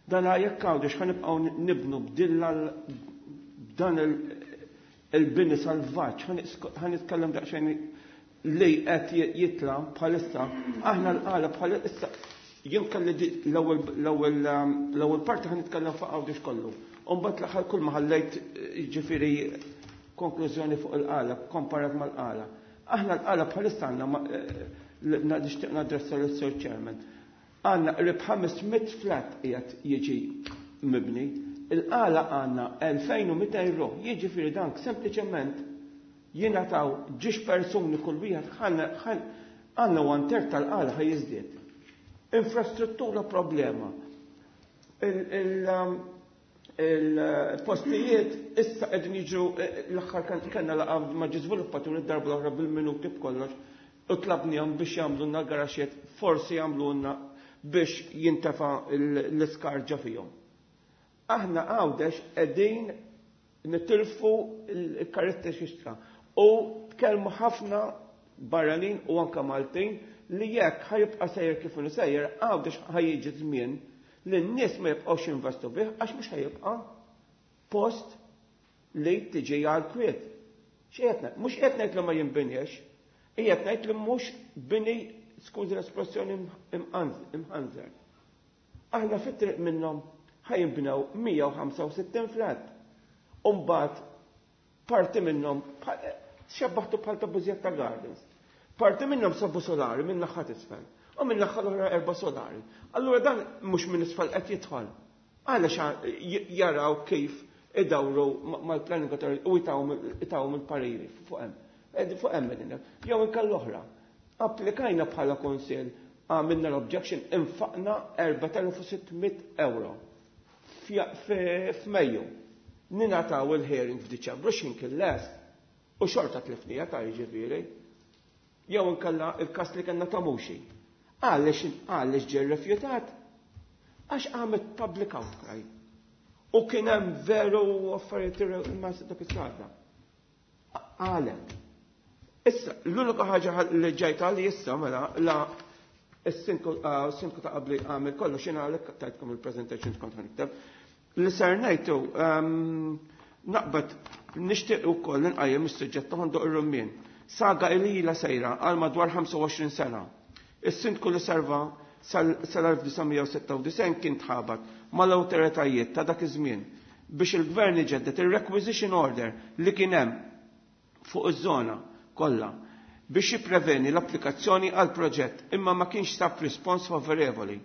Dan jekk Għawdex ħa nibqgħu nibnu bdilla dan il-bini salvaġġ, ħa nitkellem daqsxejn li qed jitla bħalissa, aħna l-qala bħalissa, jien kelli l-ewwel parti ħa nitkellem fuq Għawdex kollu. U mbagħad l-aħħar kull ma ħallejt, jiġifieri, konklużjoni fuq il-qala, komparat mal-qala. Aħna l-qala bħalissa għandna, nixtieq nadressa l-Sir Chairman, għandna qrib 500 flat qiegħed jiġi mibni. Il-qala għandna 2200 ruħ, jiġifieri dank sempliċement jingħataw ġiex persuni kull wieħed, għandna one third tal-qala ħa jiżdied. Infrastruttura problema. Il-postijiet issa qegħdin jiġu, l-aħħar kan kellna laqgħa ma' ġi żviluppaturi darba l-oħra bil-minuti b'kollox u tlabnihom biex jagħmlulna garaxiet, forsi jagħmlulna biex jintefa' l-iskarġa fihom. Aħna Għawdex qegħdin nitilfu l-karatteristika u tkellmu ħafna barranin u anka Maltin li jekk ħa jibqa' sejjer kif inhu sejjer, Għawdex ħa jiġi żmien li n-nies ma jibqgħux investu bih għax mhux ħa jibqa' post li tiġi għal kwiet. X'qed mhux qed ngħid li ma jinbinjex, qiegħed ngħid li mhux bini, skużi l-espressjoni, imħanżer. Aħna fit-triq minnhom ħa jinbnew 165 flat. Umbagħad parti minnhom xebbaħtu bħal ta' Bużjetta Gardens. Parti minnhom sabu solari minn naħa isfel. U minn naħa l-oħra erba' solari. Allura dan mhux minn isfel qed jidħol. Għalax jaraw kif idawru mal-planning authority u jtawhom il-pariri fuq hemm. Fuq hemm qegħdin. Jew inkella l-oħra. Applikajna bħala kunsill, għamilna l-objection, infaqna 4600 euro f'Mejju. Ningħataw il-hearing f'Diċembru, x'in kien lest. U xorta tlifnija ta' jiġifieri. Jew inkella il-kas li kellna ta' Muxi. Għaliex ġie rrifjutat? Għax għamet public outcry. U kien hemm veru affarijiet ma dak is-sada. Għalek. Issa, l-unika ħaġa li ġejt għali issa mela la is-sinku ta' qabli għamil kollu xina għalek tajtkom il-presentation kont nikteb. Li ser ngħidu naqbad nixtieq ukoll nqajjem is-suġġett ta' Ħondoq ir-Rummien. Saga li ilha sejra għal madwar 25 sena. Is-sindku li serva sal-1996 kien tħabat mal-awtoritajiet ta' dak iż-żmien biex il-gvern iġedded il-requisition order li kien hemm fuq iż-żona kollha biex jippreveni l-applikazzjoni għal proġett, imma ma kienx sab rispons favorevoli.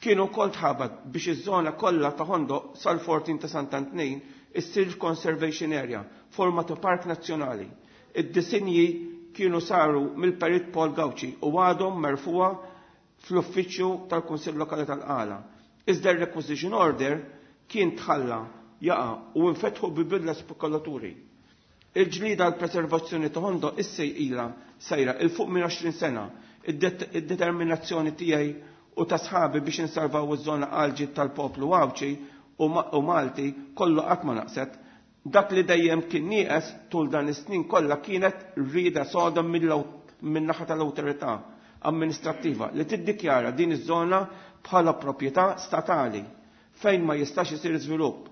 Kienu kol tħabat biex iż-żona kollha ta' Ħondoq sal-14 ta' Sant'Antnin issir conservation area, forma ta' park nazzjonali. Id-disinji kienu saru mill-perit Paul Gauci u għadhom merfuwa fl-uffiċċju tal-Kunsill Lokali tal-Qala. Iżda r-requisition order kien tħalla jaqa' u infetħu bibidla spekulaturi. Il-ġlida l-preservazzjoni ta' Ħondoq issa ilha sejra 'il fuq minn 20 sena. Id-determinazzjoni tiegħi u ta' sħabi biex insalvaw iż-żona għal tal-poplu Għawdxi u Malti kollu qatt ma naqset. Dak li dejjem kien nieqes tul dan is-snin kollha kienet rida soda minn naħa tal-awtorità amministrattiva li tiddikjara din iż-żona bħala proprjetà statali fejn ma jistax isir żvilupp.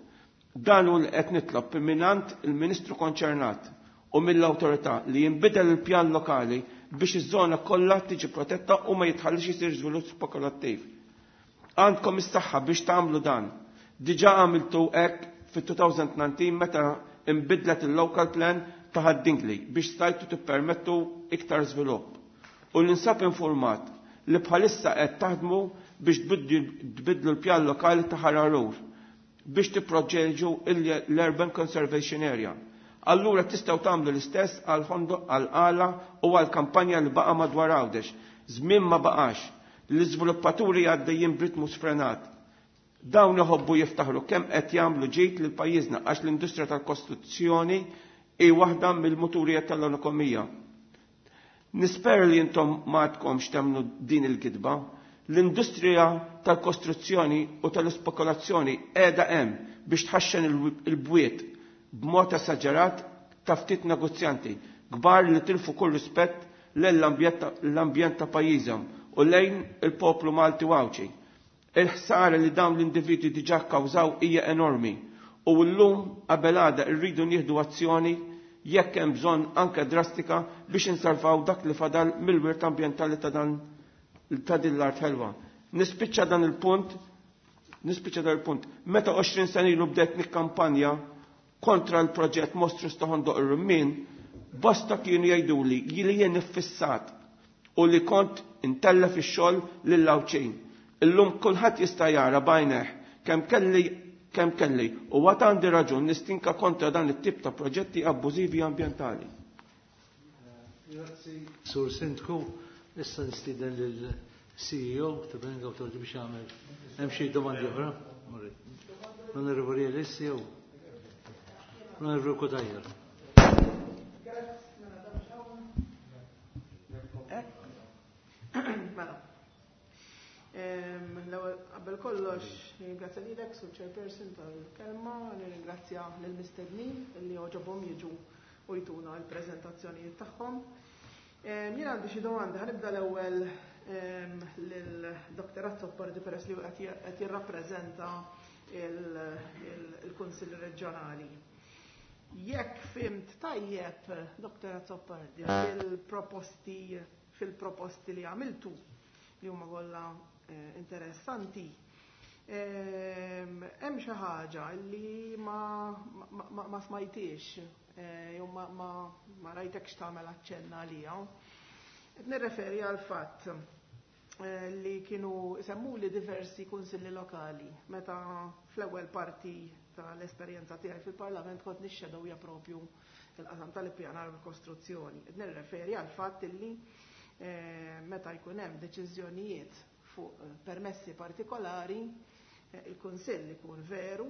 Dan hu li qed nitlob mingħand il-Ministru konċernat. u mill-awtorità li jinbidel il-pjan lokali biex iż-żona kollha tiġi protetta u ma jitħallix isir żvilupp spekulattiv. Għandkom is-saħħa biex tagħmlu dan. Diġà għamiltu hekk fit-2019 meta imbidlet il-local plan ta' Ħad-Dingli biex stajtu tippermettu iktar żvilupp. U ninsab informat li bħalissa qed taħdmu biex tbiddlu l-pjan lokali ta' Ħal Għargħur biex tipproteġu l-Urban Conservation Area. Allura tistgħu tagħmlu l-istess għal Ħondoq, għal Qala u għal kampanja li baqa' madwar Għawdex. Żmien ma baqax. L-iżviluppaturi għaddejjin b'ritmu sfrenat. Dawn iħobbu jiftaħru kemm qed jagħmlu ġid lil pajjiżna għax l-industrija tal-kostruzzjoni hi waħda mill-muturijiet tal-ekonomija. Nispera li intom ma għadkomx temmnu din il-gidba. L-industrija tal-kostruzzjoni u tal-ispekulazzjoni qiegħda hemm biex tħaxxen il-bwiet b'mod esaġerat ta' ftit negozjanti kbar li tilfu kull rispett lejn l-ambjent ta' pajjiżhom u lejn il-poplu Malti u Għawdxi. Il-ħsara li dawn l-individwi diġà kkawżaw hija enormi u llum qabel għada rridu nieħdu azzjoni jekk hemm bżonn anke drastika biex insalvaw dak li fadal mill-wirt ambjentali ta' dan ta' din l-art ħelwa. Nispiċċa dan il-punt, nispiċċa dan il-punt. Meta 20 sena ilu bdejt nikkampanja kontra l-proġett Mostrus ta' Ħondoq ir-Rummien, bosta kienu jgħiduli li jien iffissat u li kont intellef ix-xogħol lill-Għawdxin. Illum kulħadd jista' jara b'għajnejh kemm kelli kemm kelli u għad għandi raġun nistinka kontra dan it-tip ta' proġetti abbużivi ambjentali. Grazzi, Sur Sindku. Issa nistieden lill-CEO ta' Planning Authority biex jagħmel. Hemm xi domandi oħra? L-Onorevoli Ellis jew l-Onorevoli Cutajar. Mela. L-ewwel qabel kollox nirringrazzja lilek sur chairperson tal-kelma, nirringrazzja lill-mistednin li għoġobhom jiġu u jtuna l-preżentazzjonijiet tagħhom. Jien għandi xi domandi, ħanibda l-ewwel lil Dr. Azzopardi peress li qed jirrappreżenta il-Kunsill Reġjonali. Jekk fimt tajjeb, Dr. Azzopardi, fil-proposti fil-proposti li għamiltu li huma kollha interessanti, hemm xi ħaġa li ma, ma, ma smajtix jew ma, ma, ma rajtekx tagħmel aċċenna għalija. Qed nirreferi għal fatt li kienu semmuli diversi kunsilli lokali meta fl-ewwel parti tal-esperjenza tiegħi fil-Parlament kont nixxedowja propju il-qasam tal-ippjanar u l-kostruzzjoni. Qed nirreferi għal fatt li meta jkun hemm deċiżjonijiet fuq permessi partikolari, il-Kunsill ikun veru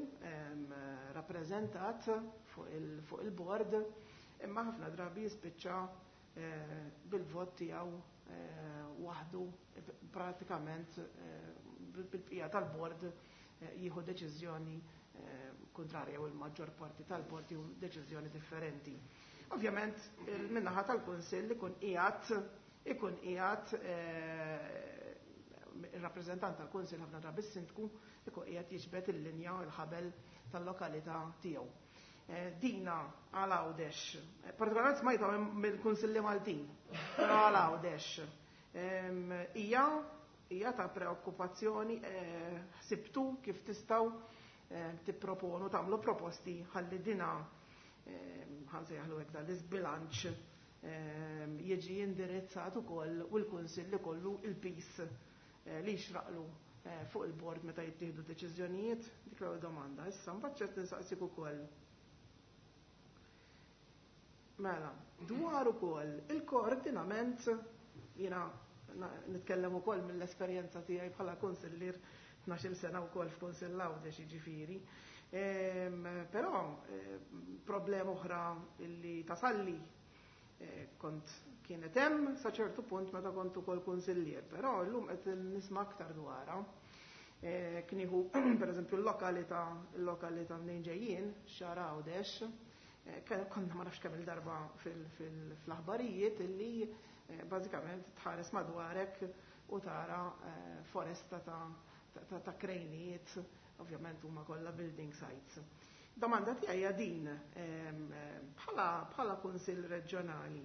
rappreżentat fuq il-bord, imma ħafna drabi jispiċċa bil-vot tiegħu waħdu pratikament bil-bqija tal-bord jieħu deċiżjoni kontrarja u l-maġġor parti tal-bord jieħu deċiżjoni differenti. Ovvjament, min-naħa tal-Kunsill ikun qiegħed ikun qiegħed il-rappreżentant tal-Kunsill ħafna drabi s-sindku ikun qiegħed jiġbed il-linja u l-ħabel tal-lokalità tiegħu. Dina għal Għawdex, partikolarment smajta mill-Kunsilli Maltin, però għal Għawdex hija hija ta' preokkupazzjoni, ħsibtu kif tistgħu tipproponu tagħmlu proposti ħalli dina ħansejjaħlu hekk dan l-iżbilanċ jiġi indirizzat ukoll u l-Kunsill ikollu il-pis li jixraqlu fuq il-bord meta jittieħdu deċiżjonijiet. Dik l-ewwel domanda. Issa mbagħad ċert nistaqsik ukoll. Mela, dwar ukoll il-koordinament, jiena nitkellem ukoll mill-esperjenza tiegħi bħala kunsillier 12 sena wkoll f'Kunsill Għawdex jiġifieri. Però problema oħra li tasalli kont kienet hemm sa ċertu punt meta kont ukoll kunsillier, però llum qed nisma' aktar dwarha. Kien jieħu pereżempju l-lokalità l-lokalità mnejn ġejjin, Xagħar Għawdex, konna ma nafx kemm il-darba fl-aħbarijiet illi bażikament tħares madwarek u tara foresta ta' krejnijiet, ovvjament huma kollha building sites. Domanda tiegħi hija din bħala Kunsill Reġjonali.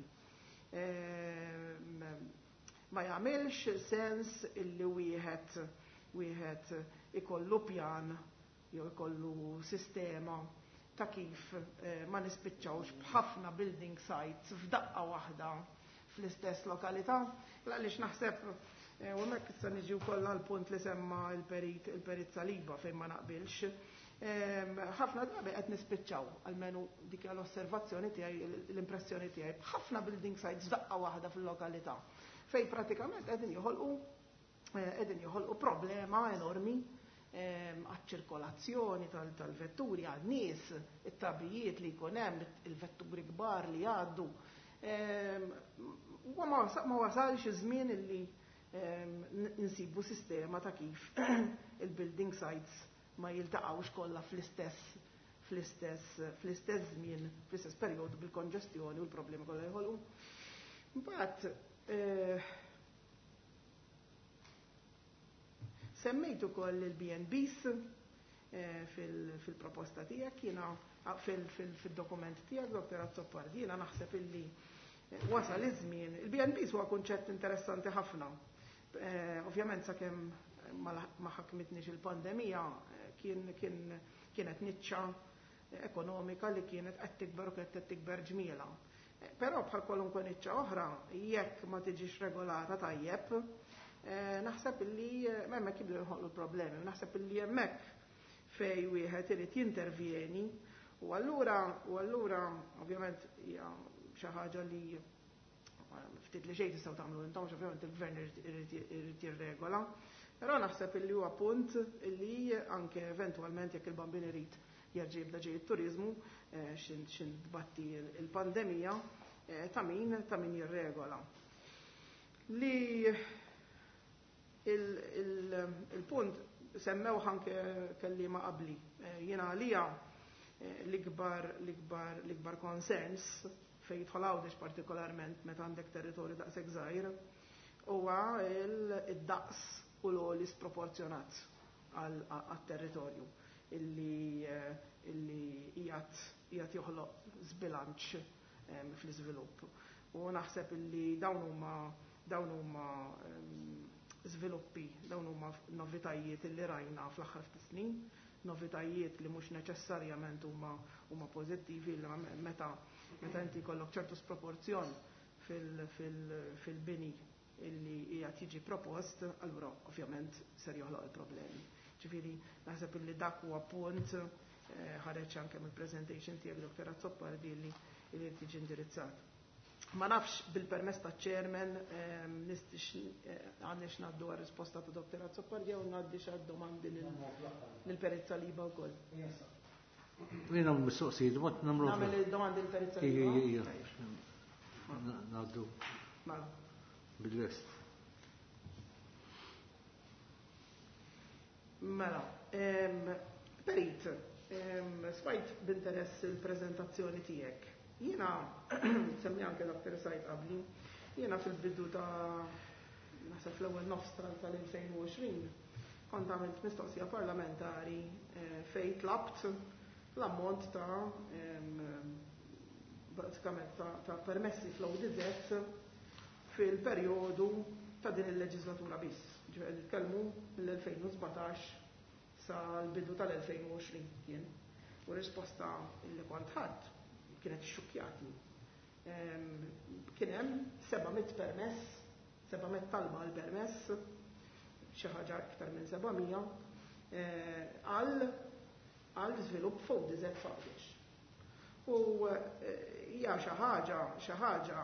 Ma jagħmilx sens illi wieħed ikollu pjan jew ikollu sistema ta' kif ma nispiċċawx b'ħafna building sites f'daqqa waħda fl-istess lokalità. Għaliex naħseb u hemmhekk issa niġi wkoll għall-punt li semma il-perit Saliba fejn ma naqbilx. Ħafna drabi qed nispiċċaw, almenu dik l-osservazzjoni tiegħi, l-impressjoni tiegħi, b'ħafna building sites f'daqqa waħda fil-lokalità fejn pratikament qegħdin joħolqu problema enormi għaċ-ċirkolazzjoni tal-vetturi, għan-nies, it-tabijiet li jkun hemm, il-vetturi kbar li jgħaddu. Ma wasalx iż-żmien illi nsibu sistema ta' kif il-building sites ma jiltaqgħux kollha fl-istess fl-istess fl-istess żmien, fl-istess perjodu bil-konġestjoni u l-problemi kollha jħolqu. Mbagħad semmejt ukoll il-B&Bs fil-proposta tiegħek, jiena fil-dokument tiegħek, Dr. Azzopardi, jiena naħseb illi wasal iż-żmien. Il-B&Bs huwa kunċett interessanti ħafna. Ovvjament sakemm ma ħakmitniex il-pandemija kienet niċċa ekonomika li kienet qed tikber u kienet qed tikber ġmiela. Però bħal kwalunkwe niċċa oħra, jekk ma tiġix regolata tajjeb, naħseb illi hemmhekk jibdew joħolqu problemi, naħseb illi hemmhekk fej wieħed irid jintervjeni u allura ovvjament hija xi ħaġa li ftit li xejn tistgħu tagħmlu intom, ovvjament il-gvern irid jirregola. Però naħseb illi huwa punt illi anke eventwalment jekk il-bambin irid jerġa' jibda ġej it-turiżmu xin tbatti il-pandemija ta' min jirregola. Li il-punt semmew anke kelliema qabli. Jiena għalija l-ikbar concerns fejn jidħol Għawdex partikolarment meta għandek territorju daqshekk żgħir huwa id-daqs u l-għoli sproporzjonat għat-territorju illi qiegħed joħloq żbilanċ fl-iżvilupp. U naħseb illi dawn huma żviluppi, dawn huma novitajiet illi rajna fl-aħħar ftit snin, novitajiet li mhux neċessarjament huma pożittivi li meta inti jkollok ċertu sproporzjon fil-bini illi qiegħed jiġi propost, allura ovvjament ser joħloq il-problemi. Ġifieri naħseb illi dak huwa punt ħareġ anke mill-presentation tiegħek Dr. Azzopardi li tiġi indirizzat. Ma nafx bil-permess ta' chairman għandix ngħaddu għar-risposta ta' Dr. Azzopardi jew ngħaddi xi domandi lil Perit Saliba wkoll. Jiena mistoqsijiet, ma nagħmlu. Nagħmel il-domandi lil Perit Saliba. Ngħaddu. Bil-lest. Mela, Perit, smajt b'interess il-preżentazzjoni tiegħek. Jiena, semmi anke Dr. Sajt qabli, jiena fil-bidu ta' naħseb fl-ewwel nofs tal-2020 kont għamilt mistoqsija parlamentari fejn tlabt l-ammont ta' pratikament ta' permessi fl-ODZ fil-perjodu ta' din il-leġislatura biss. Ġifieri nitkellmu mill-2017 sal-bidu tal-2020 kien. U risposta li kont ħadd kienet xukjatni. Kien hemm 700 permess, 700 talba għal permess, xi ħaġa iktar minn 700 għal żvilupp fuq diżet f'Għawdex. U hija xi ħaġa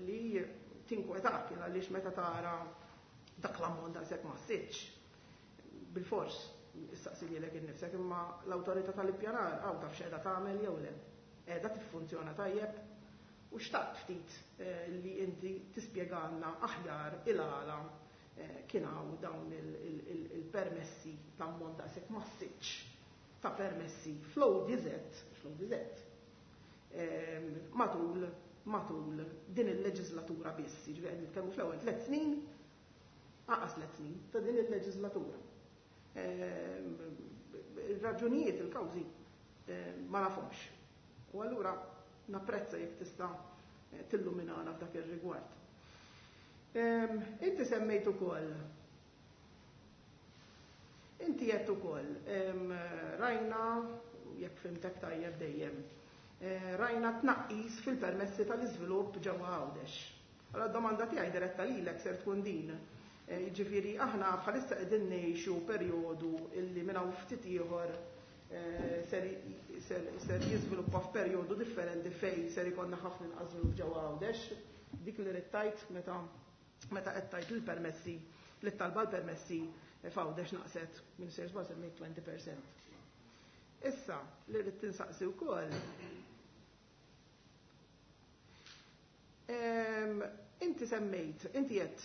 li tinkwetak għaliex meta tara dak l-ammont daqshekk massiċ. Bilfors issaqsi lilek innifsek imma l-awtorità tal-ippjanar hawn taf x'qiegħda tagħmel jew le. Qiegħda tiffunzjona tajjeb u xtaqt ftit li inti tispjegalna aħjar il-għala kien hawn dawn il-permessi l-ammont daqshekk massiċ ta' permessi fl-ODZ, matul din il-leġislatura biss, jiġifieri qed nitkellmu fl-ewwel 3 snin, aqas 3 snin ta' din il-leġislatura. Il-raġunijiet, il-kawżi ma nafhomx. U allura napprezza jekk tista' tilluminana f'dak ir-rigward. Inti semmejt ukoll. Inti qed ukoll rajna, jekk fhimtek tajjeb dejjem, rajna tnaqqis fil-permessi tal-iżvilupp ġewwa Għawdex. Allora d-domanda tiegħi diretta lilek ser tkun din. Jiġifieri aħna bħalissa qegħdin ngħixu perjodu illi minn hawn ftit ieħor ser jiżviluppa f'perjodu differenti fejn ser ikollna ħafna inqas żvilupp ġewwa Għawdex. Dik li rid tgħid meta qed tgħid il-permessi li talba l-permessi f'Għawdex naqset minn ser żball semmejt 20%. Issa li rrid tinsaqsi wkoll. Inti semmejt, inti qed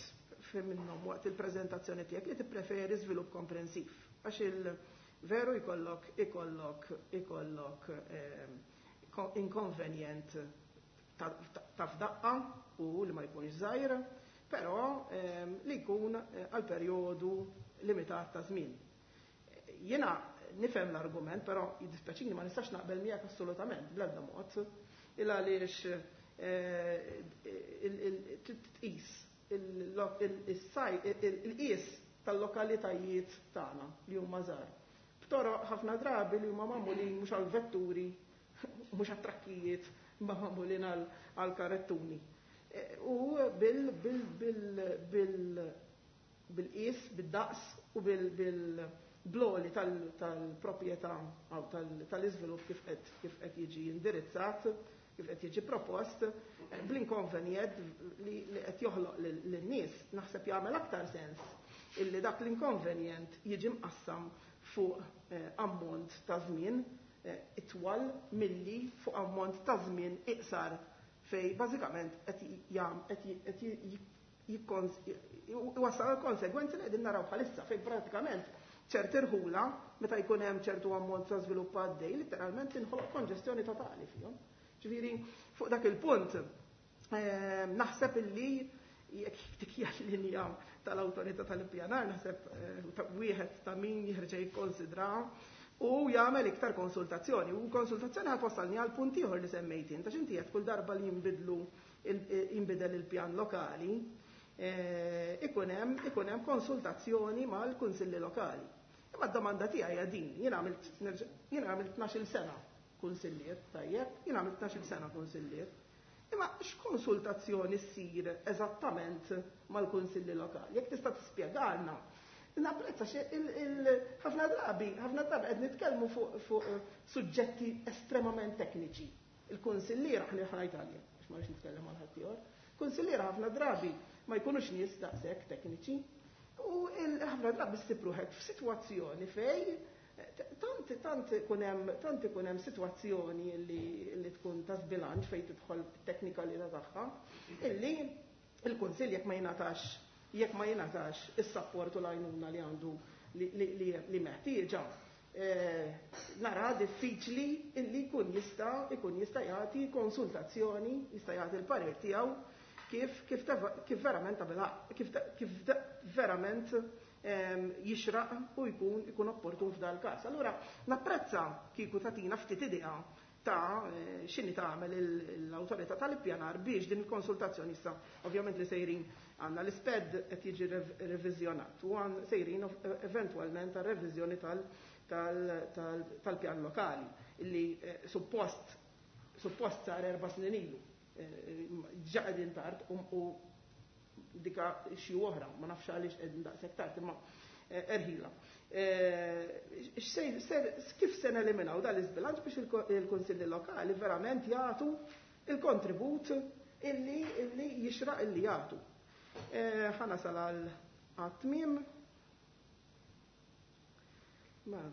minnhom waqt il-preżentazzjoni tiegħek li tippreferi żvilupp komprensiv għax il-veru ikollok inkonvenjent ta' f'daqqa u li ma jkunx żgħir, però li jkun għal perjodu limitat ta' żmien. Jiena nifhem l-argument, però jiddispjaċini ma nistax naqbel miegħek assolutament bl-ebda mod, il għaliex tqis il-qis tal-lokalitajiet tagħna li huma żgħar. B'toroq ħafna drabi li huma magħmulin mhux għall-vetturi, mhux għat-trakkijiet, imma magħmulin għall-karettuni. U bil-qis, bid-daqs u bil-bloli tal-proprjetà jew tal-iżvilupp kif qed jiġi indirizzat, kif qed jiġi propost, bl-inkonvenjent li qed joħloq lin-nies, naħseb jagħmel aktar sens illi dak l-inkonvenjent jiġi mqassam fuq ammont ta' żmien itwal milli fuq ammont ta' żmien iqsar fej bażikament qed iwassal għal konsegwenzi li qegħdin naraw bħalissa fejn pratikament ċerti rħula meta jkun hemm ċertu ammont ta' żvilupp għaddej, litteralment tinħoloq konġestjoni totali fihom. Ġifieri fuq dak il-punt naħseb illi jekk dik hija l-linja tal-awtorità tal-ippjanar, naħseb wieħed ta' min jerġa' jikkonsidra u jagħmel iktar konsultazzjoni. U konsultazzjoni ħadd wassalni għal punt ieħor li semmejt int, għax inti qed kull darba li jinbidel il-pjan lokali, ikun hemm konsultazzjoni mal-kunsilli lokali. Imma d-domanda tiegħi hija din, jien għamilt 12-il sena kunsillier, tajjeb, jien għamilt 12-il sena kunsillier. Imma x'konsultazzjoni ssir eżattament mal-kunsilli lokali? Jekk tista' tispjegalna. Napprezza xi ħafna drabi, ħafna drabi qed nitkellmu fuq suġġetti estremament tekniċi. Il-kunsilliera ħni ħajt għalija, għax ma rridx nitkellem għal ħadd ieħor. Kunsilliera ħafna drabi ma jkunux nies daqshekk tekniċi u ħafna drabi ssib ruħek f'sitwazzjoni fej tant ikun hemm, tant ikun hemm sitwazzjoni li tkun ta' żbilanċ fejn tidħol teknikalità tagħha, illi il-Kunsill jekk ma jingħatax, jekk ma jingħatax is-sapport u l-għajnuna li għandu li meħtieġa, nara diffiċli illi jkun jista' jagħti konsultazzjoni, jista' jagħti l-parir tiegħu kif verament tabela, kif verament jixraq u jkun opportun f'dal każ. Allura napprezza kieku tagħtina ftit idea ta' x'inhi tagħmel l-awtorità tal-ippjanar biex din il-konsultazzjoni issa ovvjament li sejrin għandna l-isped qed jiġi reviżjonat u għan sejrin eventwalment għal reviżjoni tal-pjan lokali illi suppost sar 4 snin ilu. Ġa qegħdin tard u dika xi oħra, ma nafx għaliex qegħdin daqshekk tard, imma erħila. Kif se neliminaw dan l-iżbilanċ biex il-kunsilli lokali verament jagħtu il-kontribut illi jixraq illi jagħtu. Ħa nasal għal għat-tmiem. Ma.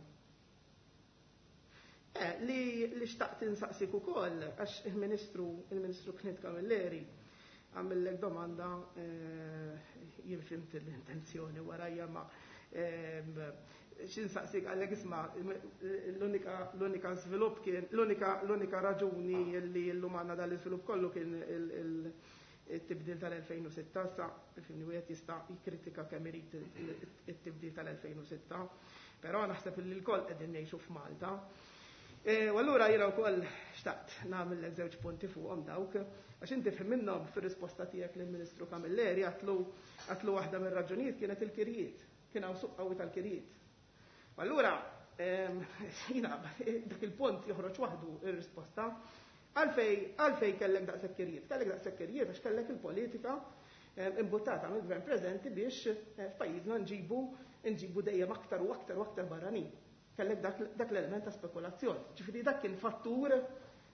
Li xtaqt insaqsik ukoll, għax il-Ministru Clint Camilleri għamillek domanda, jien fimt l-intenzjoni warajja, ma xinsaqsik għallek isma' l-unika żvilupp kien, l-unika raġuni li llum għandna dal-iżvilupp kollu kien il-tibdil tal-2006, sa fimni wieħed jista' jikkritika kemm irid it-tibdil tal-2006, però naħseb li l-koll qegħdin ngħixu f'Malta. U allura jiena wkoll xtaqt nagħmel żewġ punti fuqhom dawk, għax inti fim minnhom fir-risposta tiegħek lill-Ministru Camilleri għatlu waħda mir-raġunijiet kienet il-kirjiet, kien hawn suq qawwi tal-kirjiet. U allura jiena dak il-punt joħroġ waħdu ir-risposta. Għalfej kellek daqshekk kirjiet? Kellek daqshekk kirjiet għax kellek il-politika imbuttata mill-gvern preżenti biex f'pajjiżna nġibu dejjem aktar u aktar u aktar barranin. Kellek dak l-element ta' spekulazzjoni. Ġifieri dak kien fattur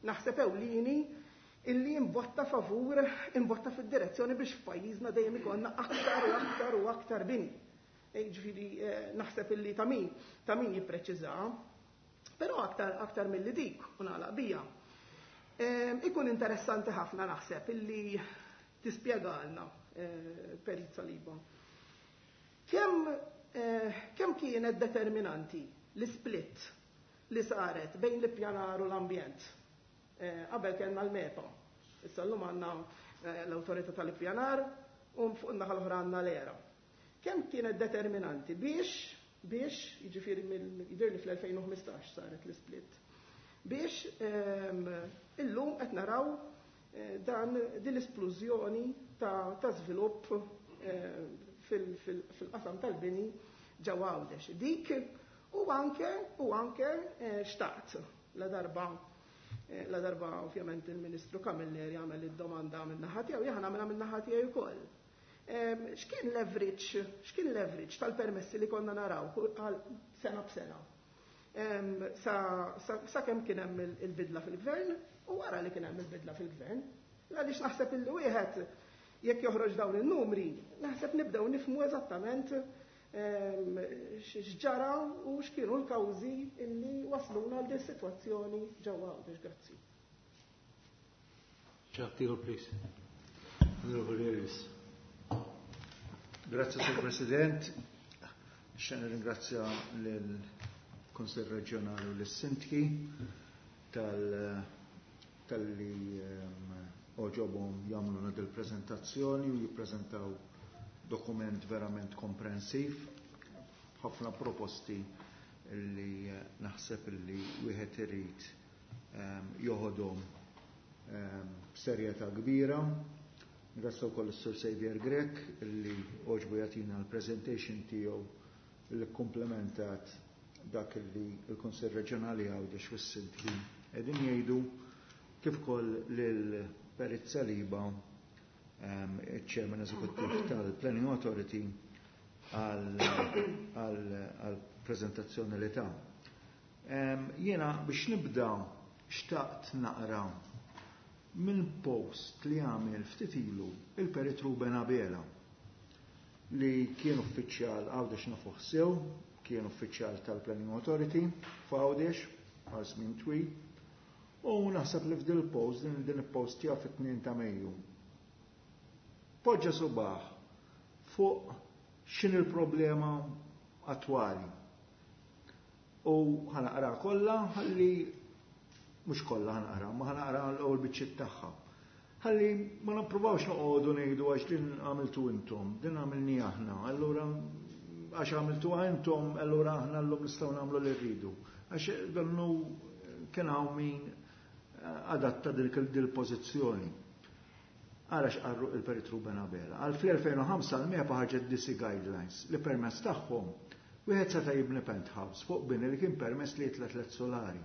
naħseb ewlieni illi imbotta favur, imbotta fid-direzzjoni biex f'pajjiżna dejjem ikollna aktar u aktar u aktar bini. Ġifieri naħseb illi ta' min jippreċiża, però aktar milli dik u nagħlaq bija. Ikun interessanti ħafna naħseb illi tispjegalna Perit Saliba. Kemm kienet determinanti l-split li saret bejn l-ippjanar u l-ambjent? Qabel kellna l-MEPA, issa llum għandna l-awtorità tal-ippjanar u fuq in-naħa l-oħra għandna l-ERA. Kemm kienet determinanti biex jiġifieri jidher li fl-2015 saret l-split, biex illum qed naraw dan din l-esplużjoni ta' żvilupp fil-qasam tal-bini ġewwa Għawdex. Dik u anke xtaqt la darba ovvjament il-Ministru Camilleri għamel id-domanda minn naħa tiegħu, jien nagħmilha minn naħa tiegħi wkoll. X'kien leverage, x'kien leverage tal-permessi li konna naraw għal sena b'sena? Sa kemm kien hemm il-bidla fil-gvern u wara li kien hemm il-bidla fil-gvern. Għaliex naħseb illi wieħed jekk joħroġ dawn in-numri, naħseb nibdew nifhmu eżattament x'ġara u x'kienu l-kawżi illi wasluna għal din is-sitwazzjoni ġewwa Għawdex. Grazzi. Ċaħtilu, please. Onorevoli Ellis. Grazie, Sur President. Nixtieq nirringrazzja lill-Kunsill Reġjonali u lis-Sindki tal-li oġobhom jagħmlu dil-preżentazzjoni u jippreżentaw dokument verament komprensiv, ħafna proposti li naħseb li wieħed irid joħodhom b'serjetà kbira. Grazzi wkoll is-Sur Xavier Grech li oġbu jagħtina l-presentation tiegħu li komplementat dak li l-Kunsill Reġjonali Għawdex u s-Sindki qegħdin jgħidu, kif ukoll lil Perit Saliba, il-Chairman Eżekuttiv tal-Planning Authority, għal-prezentazzjoni li ta. Jiena biex nibda xtaqt naqra minn post li għamel ftit ilu il-Perit Ruben Abela, li kien uffiċjal Għawdex nafuh sew, kien uffiċjal tal-Planning Authority f'Għawdex għal żmien twil, u naħseb li f'dil post, din il-post tiegħu fit-2 ta' Mejju. Poġġa subaħ fuq x'in il-problema attwali. U ħanaqra kollha, ħalli mhux kollha ħanaqra, ma ħanaqra l-ewwel biċċiet tagħha. Ħalli ma nippruvawx noqogħdu ngħidu għax din għamiltu intom, din għamilni aħna, allura għax għamiltu intom, allura aħna llum nistgħu nagħmlu li rridu. Għax donnu kien hawn min adatta dil-pożizzjoni. Ara x'qarru il-Perit Ruben Abela. Għal fl-2005 l-MEPA ħarġet DC Guidelines li permezz tagħhom wieħed seta' jibni penthouse fuq bini li kien permess li jitla' 3 solari.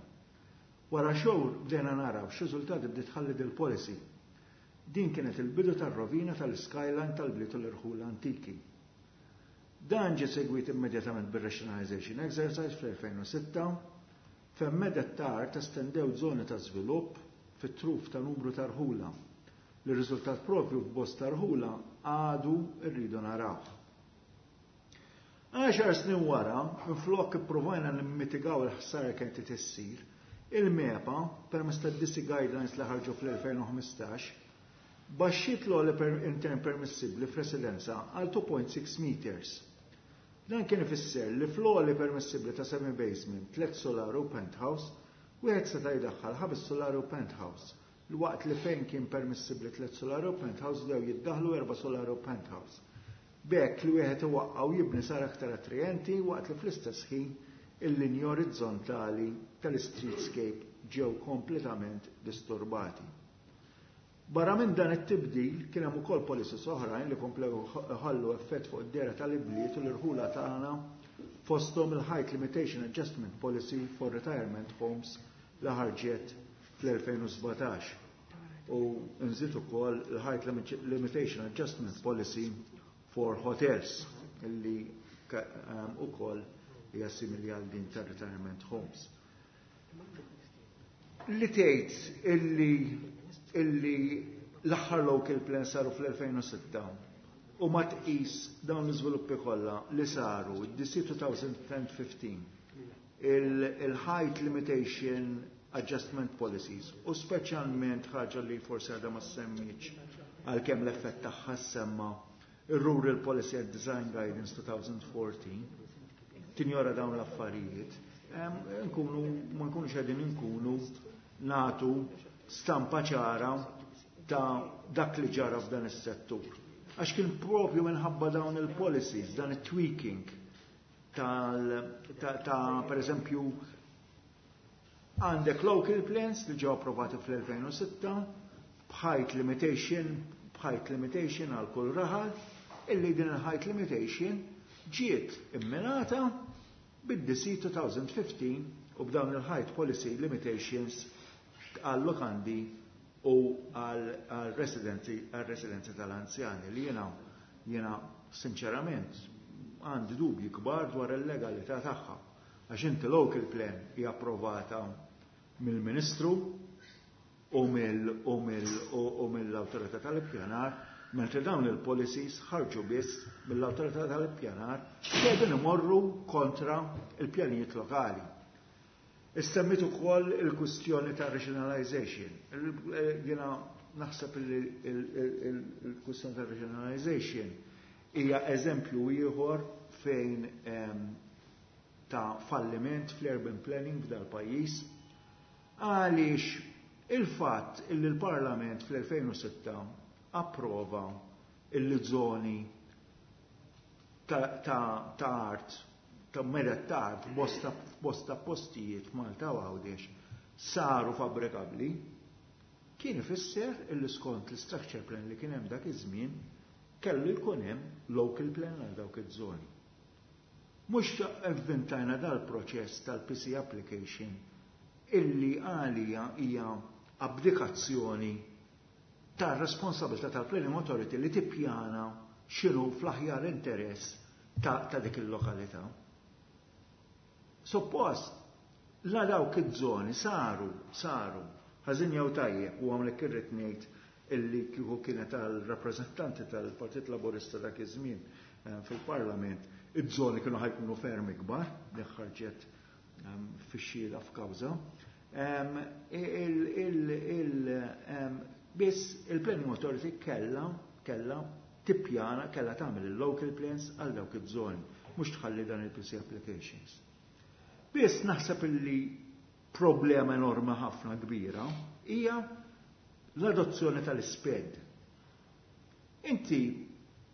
Wara xhur bdejna naraw x'riżultati bdiet tħalli dil-policy. Din kienet il-bidu tar-rovina tal-skyline tal-bliet u l-irħula antiki. Dan ġie segwit immedjatament bir-rationalization exercise fl-2006, fejn medet ta' art estendew żoni ta' żvilupp fit-truf ta' numru ta' rħula. Li riżultat propju f'bosta rħula għadu rridu naraw. 10 snin wara, minflok ippruvajna nimmitigaw il-ħsara kienet tissir, il-MEPA, permezz tad-DC Guidelines li ħarġu fl-2015, baxxiet l-għoli intern permissibbli f'residenza għal 2.6 meters. Dan kien ifisser li fl-għoli permissibbli ta' semi-basement, 3 solar u penthouse, wieħed seta' jdaħħal 5 solar u penthouse, l-waqt li fejn kien permissibbli 3 solar u penthouse dew jiddaħlu 4 solar u penthouse. B'hekk li wieħed iwaqqa' u jibni sar aktar attrajenti waqt li fl-istess ħin il-linji orizzontali tal-streetscape ġew kompletament disturbati. Barra minn dan it-tibdil kien hemm ukoll policies oħrajn li komplew ħallu effett fuq id-dehra tal-ibliet u l-irħula tagħna, fosthom il-Height Limitation Adjustment Policy for Retirement Homes li ħarġet fl-2017 u nżid ukoll il-Height Limitation Adjustment Policy for Hotels illi ukoll hija simili għal din ta' retirement homes. Li tgħid illi l-aħħar local plan saru fl-2006 u ma tqis dawn l-iżviluppi kollha li saru d-DC 2015, il-height limitation adjustment policies u speċjalment ħaġa li forsi għadha ma semmitx għalkemm l-effett tagħha semma, ir-Rural Policy and Design Guidance 2014, tinjora dawn l-affarijiet, nkunu ma nkunux qegħdin inkunu nagħtu stampa ċara ta' dak li ġara f'dan is-settur. Għax kien propju minħabba dawn il-policies, dan it-tweaking ta' per eżempju għandek local plans li ġew approvati fl-2006 b'height limitation għal kull raħal, illi din il-height limitation ġiet imminata bid-DC 2015 u b'dawn il-height policy limitations għal lokandi u għal residenzi tal-anzjani li jena sinċerament għandi dubji kbar dwar il-legalità tagħha. Għax inti local plan hija approvata mill-Ministru u mill-Awtorità tal-Ippjanar, mentri dawn il-policies ħarġu biss mill-Awtorità tal-Ippjanar, qegħdin imorru kontra il-pjanijiet lokali. Issemmit ukoll il-kwistjoni ta' regionalization. Jiena naħseb il-kwistjoni ta' regionalization hija eżempju ieħor fejn ta' falliment fl-urban planning f'dal pajjiż, għaliex il-fatt illi l-Parlament fl-2006 approva il-żoni ta' art, ta' meda ta' art bosta postijiet Malta u Għawdex saru fabbrikabbli, kien ifisser illi skont l-structure plan li kien hemm dak iż-żmien kellu jkun hemm local plan għal dawk iż-żoni. Mhux avventajna dal-proċess tal-PC application illi għalija hija abdikazzjoni tar-responsabilità tal-Planning Authority li tippjana x'inhu fl-aħjar interess ta' dik il-lokalità. Suppost, la dawk iż-żoni saru, ħażin jew tajjeb, u hawnhekk irrid ngħid illi kieku kienet għal-rappreżentanti tal-Partit Laburista dak iż-żmien fil-Parlament, iż-żoni kienu ħa jkunu ferm ikbar, li ħarġet fix-xhieda f'kawża. Biss il-Planning Authority kella tippjana, kella tagħmel il-local plans għal dawk iż-żoni, mhux tħalli dan il-PC applications. Biss naħseb illi problema enormi ħafna kbira hija l-adozzjoni tal-SPED. Inti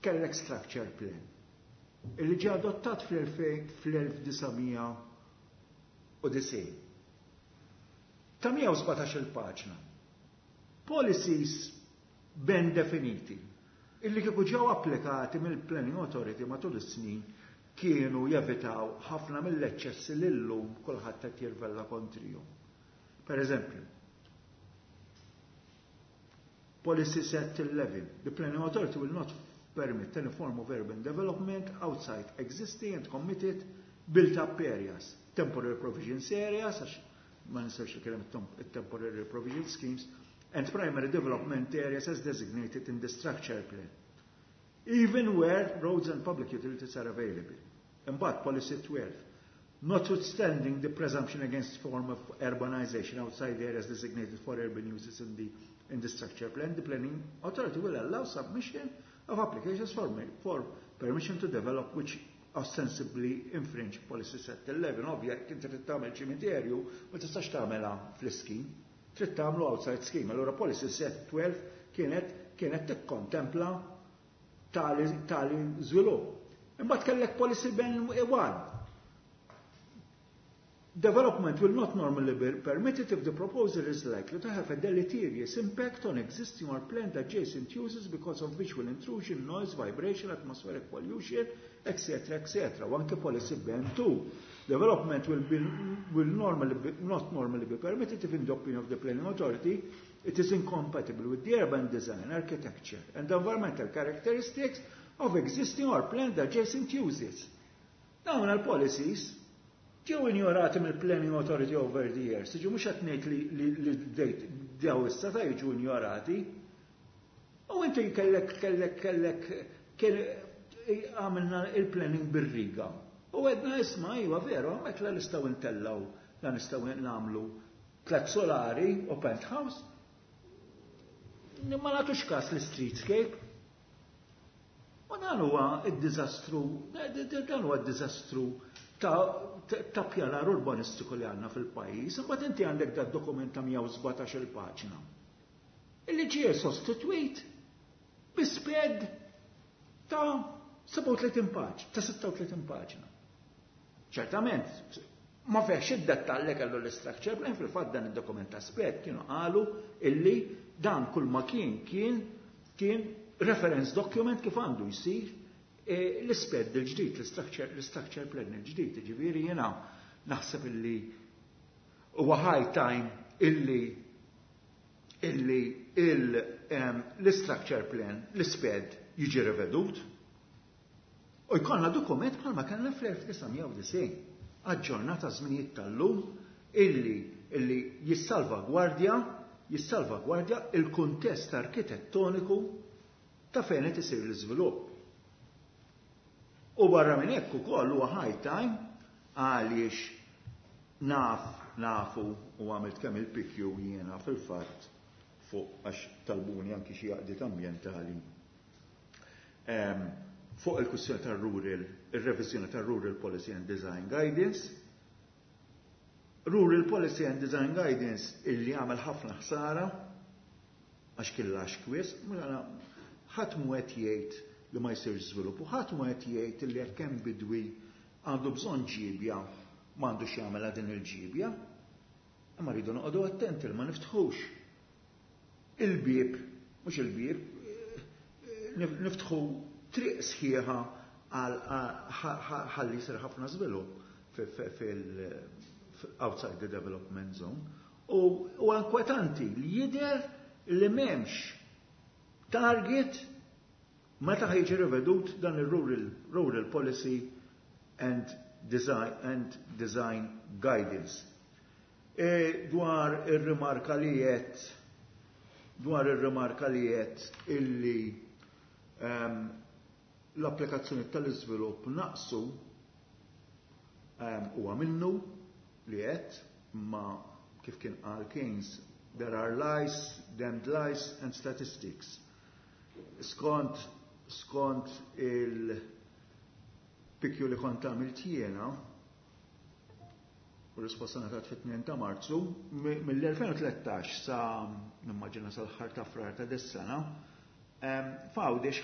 kellek structure plan illi ġie adottat fl-1990 ta' 117 il-paġna. Policies ben definiti illi kieku ġew applikati mill-Planning Authority matul is-snin kienu jevitaw ħafna mill-eċċessi li llum kulħadd qed jirvella kontrihom. Per eżempju, Policy Set 11. The Planning Authority will not permit any form of urban development outside existing and committed built-up areas, temporary provisions areas, għax ma nistax li temporary provision schemes, and primary development areas as designated in the structure plan, even where roads and public utilities are available. Imbagħad Policy 12. Notwithstanding the presumption against form of urbanization outside areas designated for urban uses in the structure plan, the planning authority will allow submission of applications for permission to develop which ostensibly infringe Policy Set 11. Ovvja, inti trid tagħmel ċimiterju, ma tistax tagħmelha fl-scheme, trid tagħmlu outside scheme. Allura Policy Set 12 kienet tikkontempla tali żvilupp. Imbagħad kellek Policy BEN 1. Development will not normally be permitted if the proposal is likely to have a deleterious impact on existing or planned adjacent uses because of visual intrusion, noise, vibration, atmospheric pollution, etc., etc. U anke policy BN2. Development will normally be, not normally be permitted if, in the opinion of the planning authority, it is incompatible with the urban design, architecture, and environmental characteristics of existing or planned adjacent uses. Dawn il-policies ġew injorati mill-Planning Authority over the years. Ġew mhux qed ngħid li bdejt dew issa ta' jiġu injorati. U inti kellek għamilna il-planning bir-riga. U għedna, isma', iva veru, hemmhekk la nistgħu ntellaw, la nistgħu nagħmlu tlet solari u penthouse. Ma nagħtux kas l-streetscape. U dan huwa id-diżastru, dan huwa d-diżastru ta' pjanar urbanistiku li għandna fil-pajjiż. Imbagħad inti għandek dat dokument ta' 117 il-paġna, illi ġie sostitwit bi SPED ta' 37 paġna, ta' 36 paġna. Ċertament, ma fehx id-dettall li kellu l-structure plan. Fil-fatt dan id-dokument ta' SPED kienu qalu illi dan kull ma kien reference document kif għandu jsir l-SPED il-ġdid, l-structure plan il-ġdid, ġifieri jiena naħseb illi huwa high time illi l-structure plan, l-SPED jiġi revedut u jkollna dokument bħalma kellna fl-1990, aġġornata żminijiet tal-lum, illi jissalvagwardja il-kuntest arkitettoniku ta' fejn qed isir l-iżvilupp. U barra minn hekk ukoll huwa high time għaliex nafu u għamilt kemm il-PQ jiena fil-fatt fuq, għax talbuni anki xi għaqdiet ambjentali fuq il-kwistjoni tar-rural, ir-reviżjoni tar-Rural Policy and Design Guidance. Rural Policy and Design Guidance illi għamel ħafna ħsara għax kien lax kwies, ħadd mu qed jgħid li ma jsirx żvilupp u ħadd mu qed jgħid li jekk hemm bidwi għandu bżonn ġibja m'għandux jagħmel din il-ġibja. Imma rridu noqogħdu attenti li ma niftħux il-bieb, mhux il-bieb, niftħu triq sħiħa għal ħalli jsir ħafna żvilupp fil outside the development zone. U inkwetanti li jidher li m'hemmx target meta ħa jiġi rivedut dan il-Rural Policy and Design Guidance. E dwar ir-rimarka li qed illi l-applikazzjoni tal-iżvilupp naqsu, huwa minnu li qed, ma kif kien qal Keynes, there are lies, damned lies and statistics. Skont il-PQ li kont għamilt jiena, u risposta ngħatat fit-2 ta' Marzu, mill-2013 sa nimmaġina sal-aħħar ta' Frar ta' dis-sena, f'Għawdex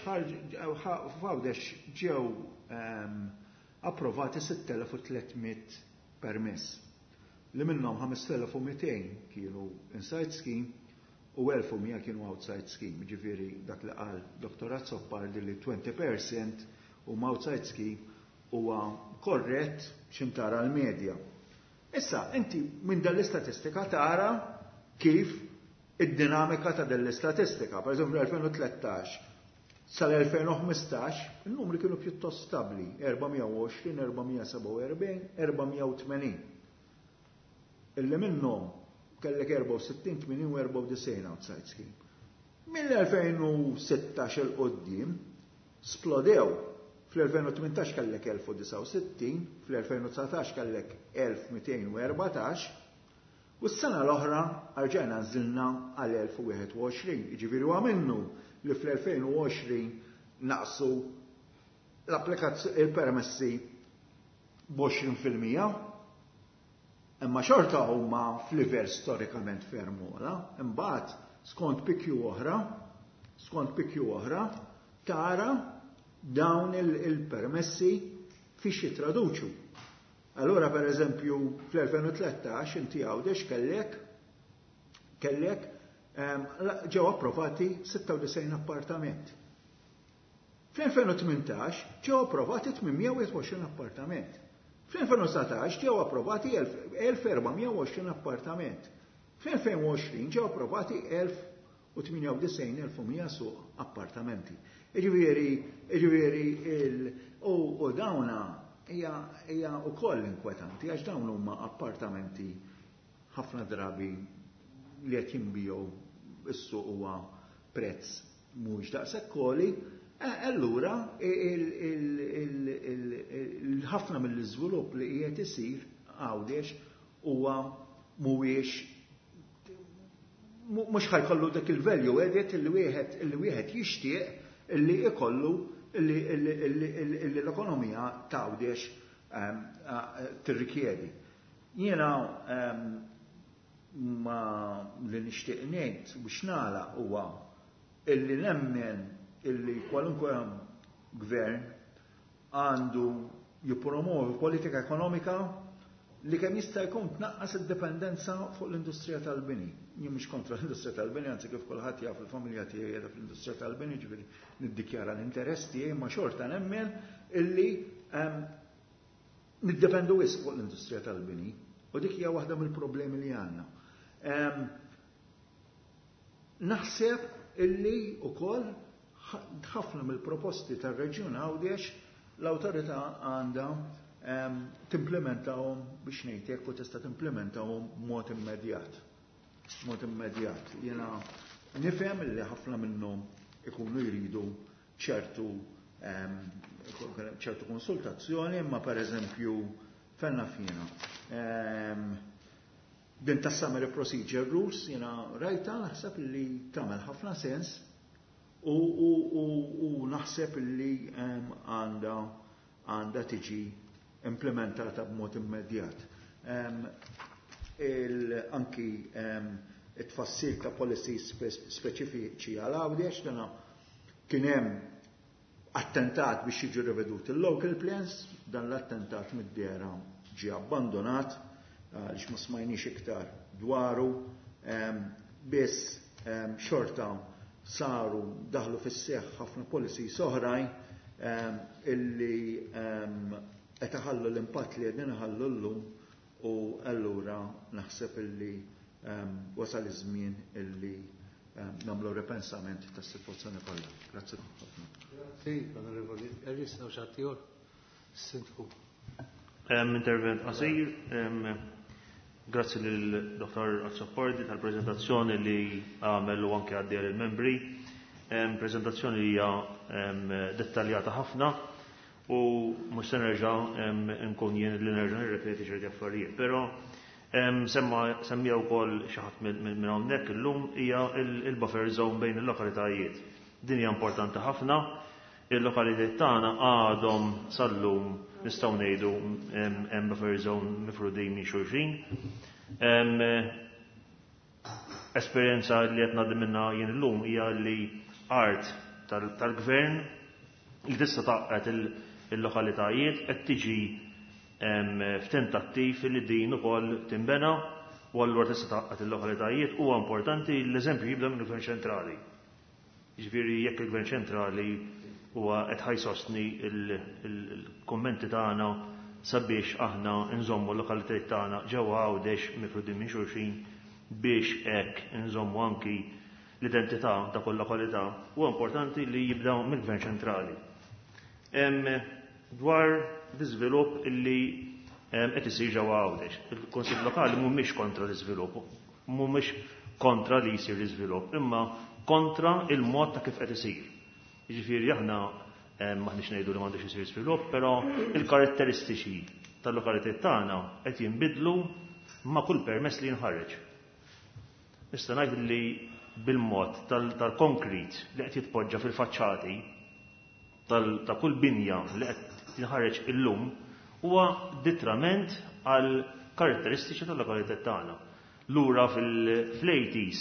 ġew approvati 6300 permess li minnhom 5200 kienu inside scheme u 1100 kienu outside scheme. Ġifieri dak li qal Dr. Azzopardi li 20% huma outside scheme huwa korrett x'intara l-medja. Issa, inti minn dan l-istatistika tara kif id-dinamika ta' din l-istatistika. Per eżempju, 2013 sal-2015 il-numri kienu pjuttost stabli, 420, 447, 480. Illi minnhom kellek 64, 80 u 94 outside scheme. Mill-2016 'il quddiem splodew. Fl-2018 kellek 1069, fl-2019 kellek 1214, u s-sena l-oħra rġajna nżilna għal 1021. Jiġifieri huwa minnu li fl-2020 naqsu il-permessi b'20%, imma xorta huma f'livell storikament ferm ogħla. Imbagħad skont PQ oħra, tara dawn il-permessi fiex jitraduċu. Allura per eżempju fl-2013 inti Għawdex kellek ġew approvati 96 appartament. Fl-2018 ġew approvati 821 appartament. Fl-2019 ġew approvati 1420 appartament. Fl-2020 ġew approvati 1098,100 suq appartamenti. Jiġifieri, u dawna hija wkoll inkwetanti għax dawn huma appartamenti ħafna drabi li qed jinbiegħu is-suq huwa prezz mhux daqshekk għoli, allura ħafna mill-iżvilupp li qiegħed isir Għawdex huwa mhuwiex mhux ħa jkollu dak il-value added li wieħed jixtieq illi ikollu illi l-ekonomija t'Għawdex tirrikjedi. Jiena ma li nixtieq ngħid biex nagħlaq huwa illi nemmen illi kwalunkwe gvern għandu jippromovi politika ekonomika li kemm jista' jkun tnaqqas id-dipendenza fuq l-industrija tal-bini. Jien mhux kontra l-industrija tal-bini, anzi kif kulħadd jaf il-familja tiegħi qiegħda fl-industrija tal-bini, ġifieri niddikjara l-interess tiegħi, ma xorta nemmen illi niddependu wisq fuq l-industrija tal-bini. U dik hija waħda mill-problemi li għandna. Naħseb illi ukoll ħafna mill-proposti tar-Reġjun Għawdex l-awtorità għandha timplementahom biex ngħid u tista' timplementahom mod immedjat. Mod immedjat. Jiena nifhem li ħafna minnhom ikunu jridu ċertu konsultazzjoni, imma per eżempju fenna fina. Din ta' summary procedure rules jiena rajta, naħseb li tagħmel ħafna sens u naħseb li għandha tiġi implementata b'mod immedjat. Anki it-tfassil ta' policies speċifiċi għal Għawdex, dana kien hemm attentat biex jiġu riveduti il-local plans, dan l-attentat mid-dehra ġie abbandonat għaliex ma smajniex iktar dwaru, biss xorta saru daħlu fis-seħħ ħafna policies oħrajn illi qed iħallu l-impatt li qegħdin iħallu llum u allura naħseb illi wasal iż-żmien illi nagħmlu ripensament tas-sitwazzjoni kollha. Grazzi ħafna. Grazzi, Onorevoli Ellis, hawn xi ħadd ieħor? Sindku. Intervent qasir. Grazzi lil Dr. Azzopardi tal-prezentazzjoni li għamel u anke għaddi il-membri. Prezentazzjoni li hija dettaljata ħafna u mhux se nerġa' nkun jien li nerġa' nirrepeti ċerti affarijiet. Però semma semmija wkoll xi ħadd minn hawnhekk illum hija il-buffer zone bejn il-lokalitajiet. Din hija importanti ħafna. Il-lokalitajiet tagħna għadhom sal-lum nistgħu ngħidu hemm buffer zone mifrudin minn xulxin. Esperjenza li qed ngħaddi minnha jien illum hija li art tal-gvern li tista' tgħaqqad il-lokalitajiet qed tiġi f'tentattiv li din ukoll tinbena u allura tista' tgħaqqad il-lokalitajiet. Huwa importanti l-eżempju jibda minn gvern ċentrali. Jiġifieri jekk il-gvern ċentrali huwa qed ħa jsostni il-kummenti tagħna sabiex aħna nżommu l-lokalitajiet tagħna ġewwa Għawdex mifrudin minn xulxin biex hekk nżommu anki l-identità ta' kull lokalità, huwa importanti li jibda mill-gvern ċentrali. Dwar l-iżvilupp illi qed isir ġewwa Għawdex. Il-Kunsill Lokali mhumiex kontra l-iżvilupp, mhumiex kontra li jsir l-iżvilupp, imma kontra il-mod ta' kif qed isir. Jiġifieri aħna maħniex ngħidu li m'għandux isir żvilupp, però il-karatteristiċi tal-lokalitajiet tagħna qed jinbidlu ma' kull permess li jinħareġ. Nista' ngħid li bil-mod tal-konkrit li qed jitpoġġa fil-faċċati ta' kull binja li qed tinħareġ illum huwa detriment għal karatteristiċi tal-lokalità tagħna. Lura fil-80s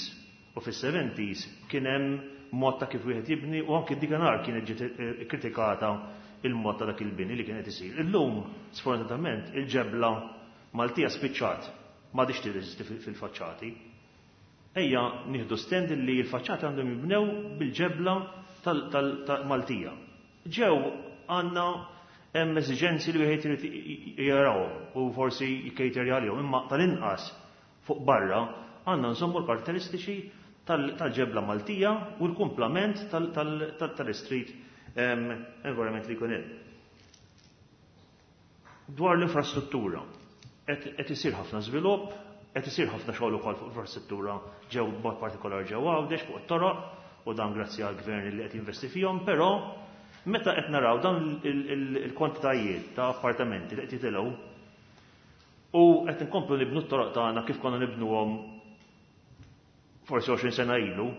u fis-70s kien hemm mod ta' kif wieħed jibni u anki dikanhar kienet ġiet kritikata il-mod ta' dak il-bini li kien qed isir. Illum, sfortunatament, il-ġebla Maltija spiċċat, m'għadhiex tirreżisti fil-faċċati. Ejja nieħdu stand li l-faċċati għandhom jibnew bil-ġebla tal-Maltija. Ġew għandna hemm eżiġenzi li wieħed irid jarawhom u forsi jikkejterja għalihom, imma tal-inqas fuq barra għandna nżommu l-karatteristiċi tal-ġebla Maltija u l-kumplament tal-street environment li jkun hemm. Dwar l-infrastruttura, qed isir ħafna żvilupp, qed isir ħafna xogħol ukoll fuq infrastruttura ġew b'mod partikolari ġew Għawdex fuq it-toroq u dan grazzi għall-gvern li qed jinvesti fihom, però meta qed naraw dan il-kwantitajiet ta' appartamenti li qed jitilgħu u qed inkomplu nibnu t-toroq tagħna kif konna nibnuhom forsi 20 sena ilu,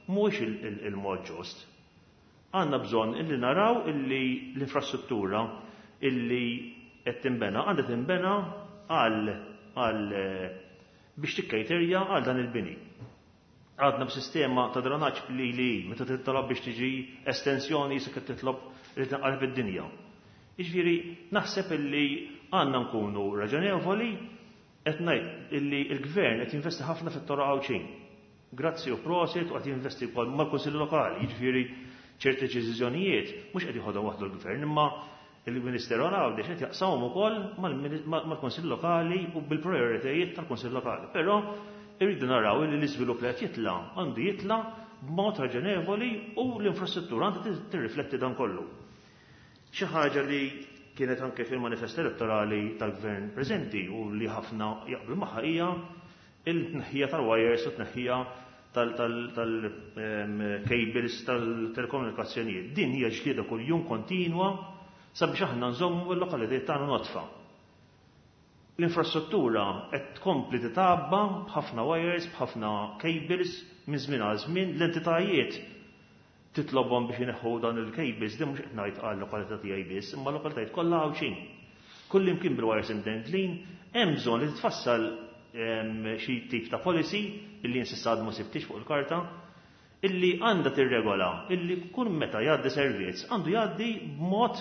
mhuwiex il-mod ġust. Għandna bżonn illi naraw illi l-infrastruttura illi qed tinbena għandha tinbena għal għal biex tikkejterja għal dan il-bini. Għadna b'sistema ta' drenaġġ li li meta titlob biex tiġi estensjoni se titlob li tinqaleb id-dinja. Jiġifieri naħseb illi għandna nkunu raġonevoli qed ngħid illi l-gvern qed jinvesti ħafna fit-toroq Għawdxin. Grazzi u prosit u qed jinvesti wkoll mal-Kunsilli Lokali, jiġifieri ċerti deċiżjonijiet mhux qed jieħodhom waħdu l-gvern, imma il-Ministeru għal Għawdex qed jaqsamhom ukoll mal-Kunsill Lokali u bil-prioritajiet tal-Kunsill Lokali. Però irridu naraw li l-iżvilupp li qed jitla' għandu jitla' b'mod raġonevoli u l-infrastruttura għandha tirrifletti dan kollu. Xi ħaġa li kienet anke fil-manifest elettorali tal-gvern preżenti u li ħafna jaqblu magħha hija il-tneħħija tal-wires u tneħħija tal-cables tal-telekomunikazzjonijiet. Din hija ġlieda kuljum kontinwa sabiex aħna nżommu l-lokalitajiet tagħna nodfa. L-infrastruttura qed tkompli titgħabba b'ħafna wires, b'ħafna cables minn żmien għal żmien, l-entitajiet titlobhom biex ineħħu dan il-cables, din mhux qed ngħid għal lokalità tiegħi biss, imma lokalitajiet kollha Għawdxin. Kullimkien bil-wires imdendlin, hemm bżonn li titfassal xi tip ta' policy illi insissa għad ma sibtix fuq il-karta, illi għandha tirregola illi kull meta jgħaddi servizz għandu jgħaddi b'mod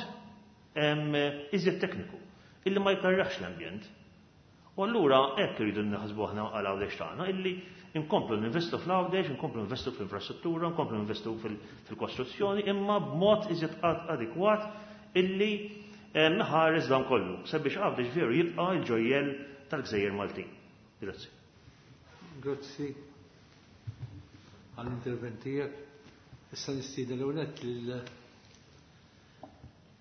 iżjed tekniku, illi ma jkarraħx l-ambjent. U allura hekk irridu naħsbu aħna għal Għawdex tagħna illi nkomplu ninvestu fl-Għawdex, nkomplu ninvestu fl-infrastruttura, nkomplu ninvestu fil-kostruzzjoni, imma b'mod iżjed adekwat illi ħares dan kollu, sabiex Għawdex veru jibqa' l-ġojjel tal-Gżejjer Maltin. Grazzi. Grazzi għall-intervent tiegħek. Issa nistieden l-ewwel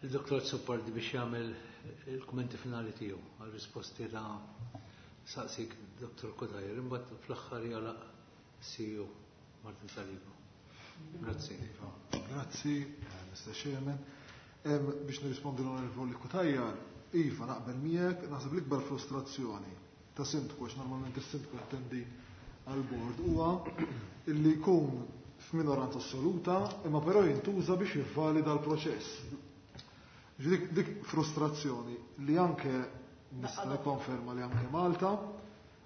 lil-Dottor Azzopardi biex jagħmel il-kummenti finali tiegħu għal-risposti ta' saqsik Dr. Cutajar, imbagħad fl-aħħar jagħlaq CEO Martin Saliba. Grazzi. Iva, grazzi, Mr. Chairman. Biex nirrispondi l-Onorevoli Cutajar, Iva, naqbel miegħek, naħseb l-ikbar frustrazzjoni ta' sindku, għax normalment is-sindku jattendi għal-bord, huwa illi jkun f'minoranza assoluta, imma però jintuża biex jivvalida l-proċess. Dik, dik frustrazzjoni li anke nista' nikkonferma li anke Malta,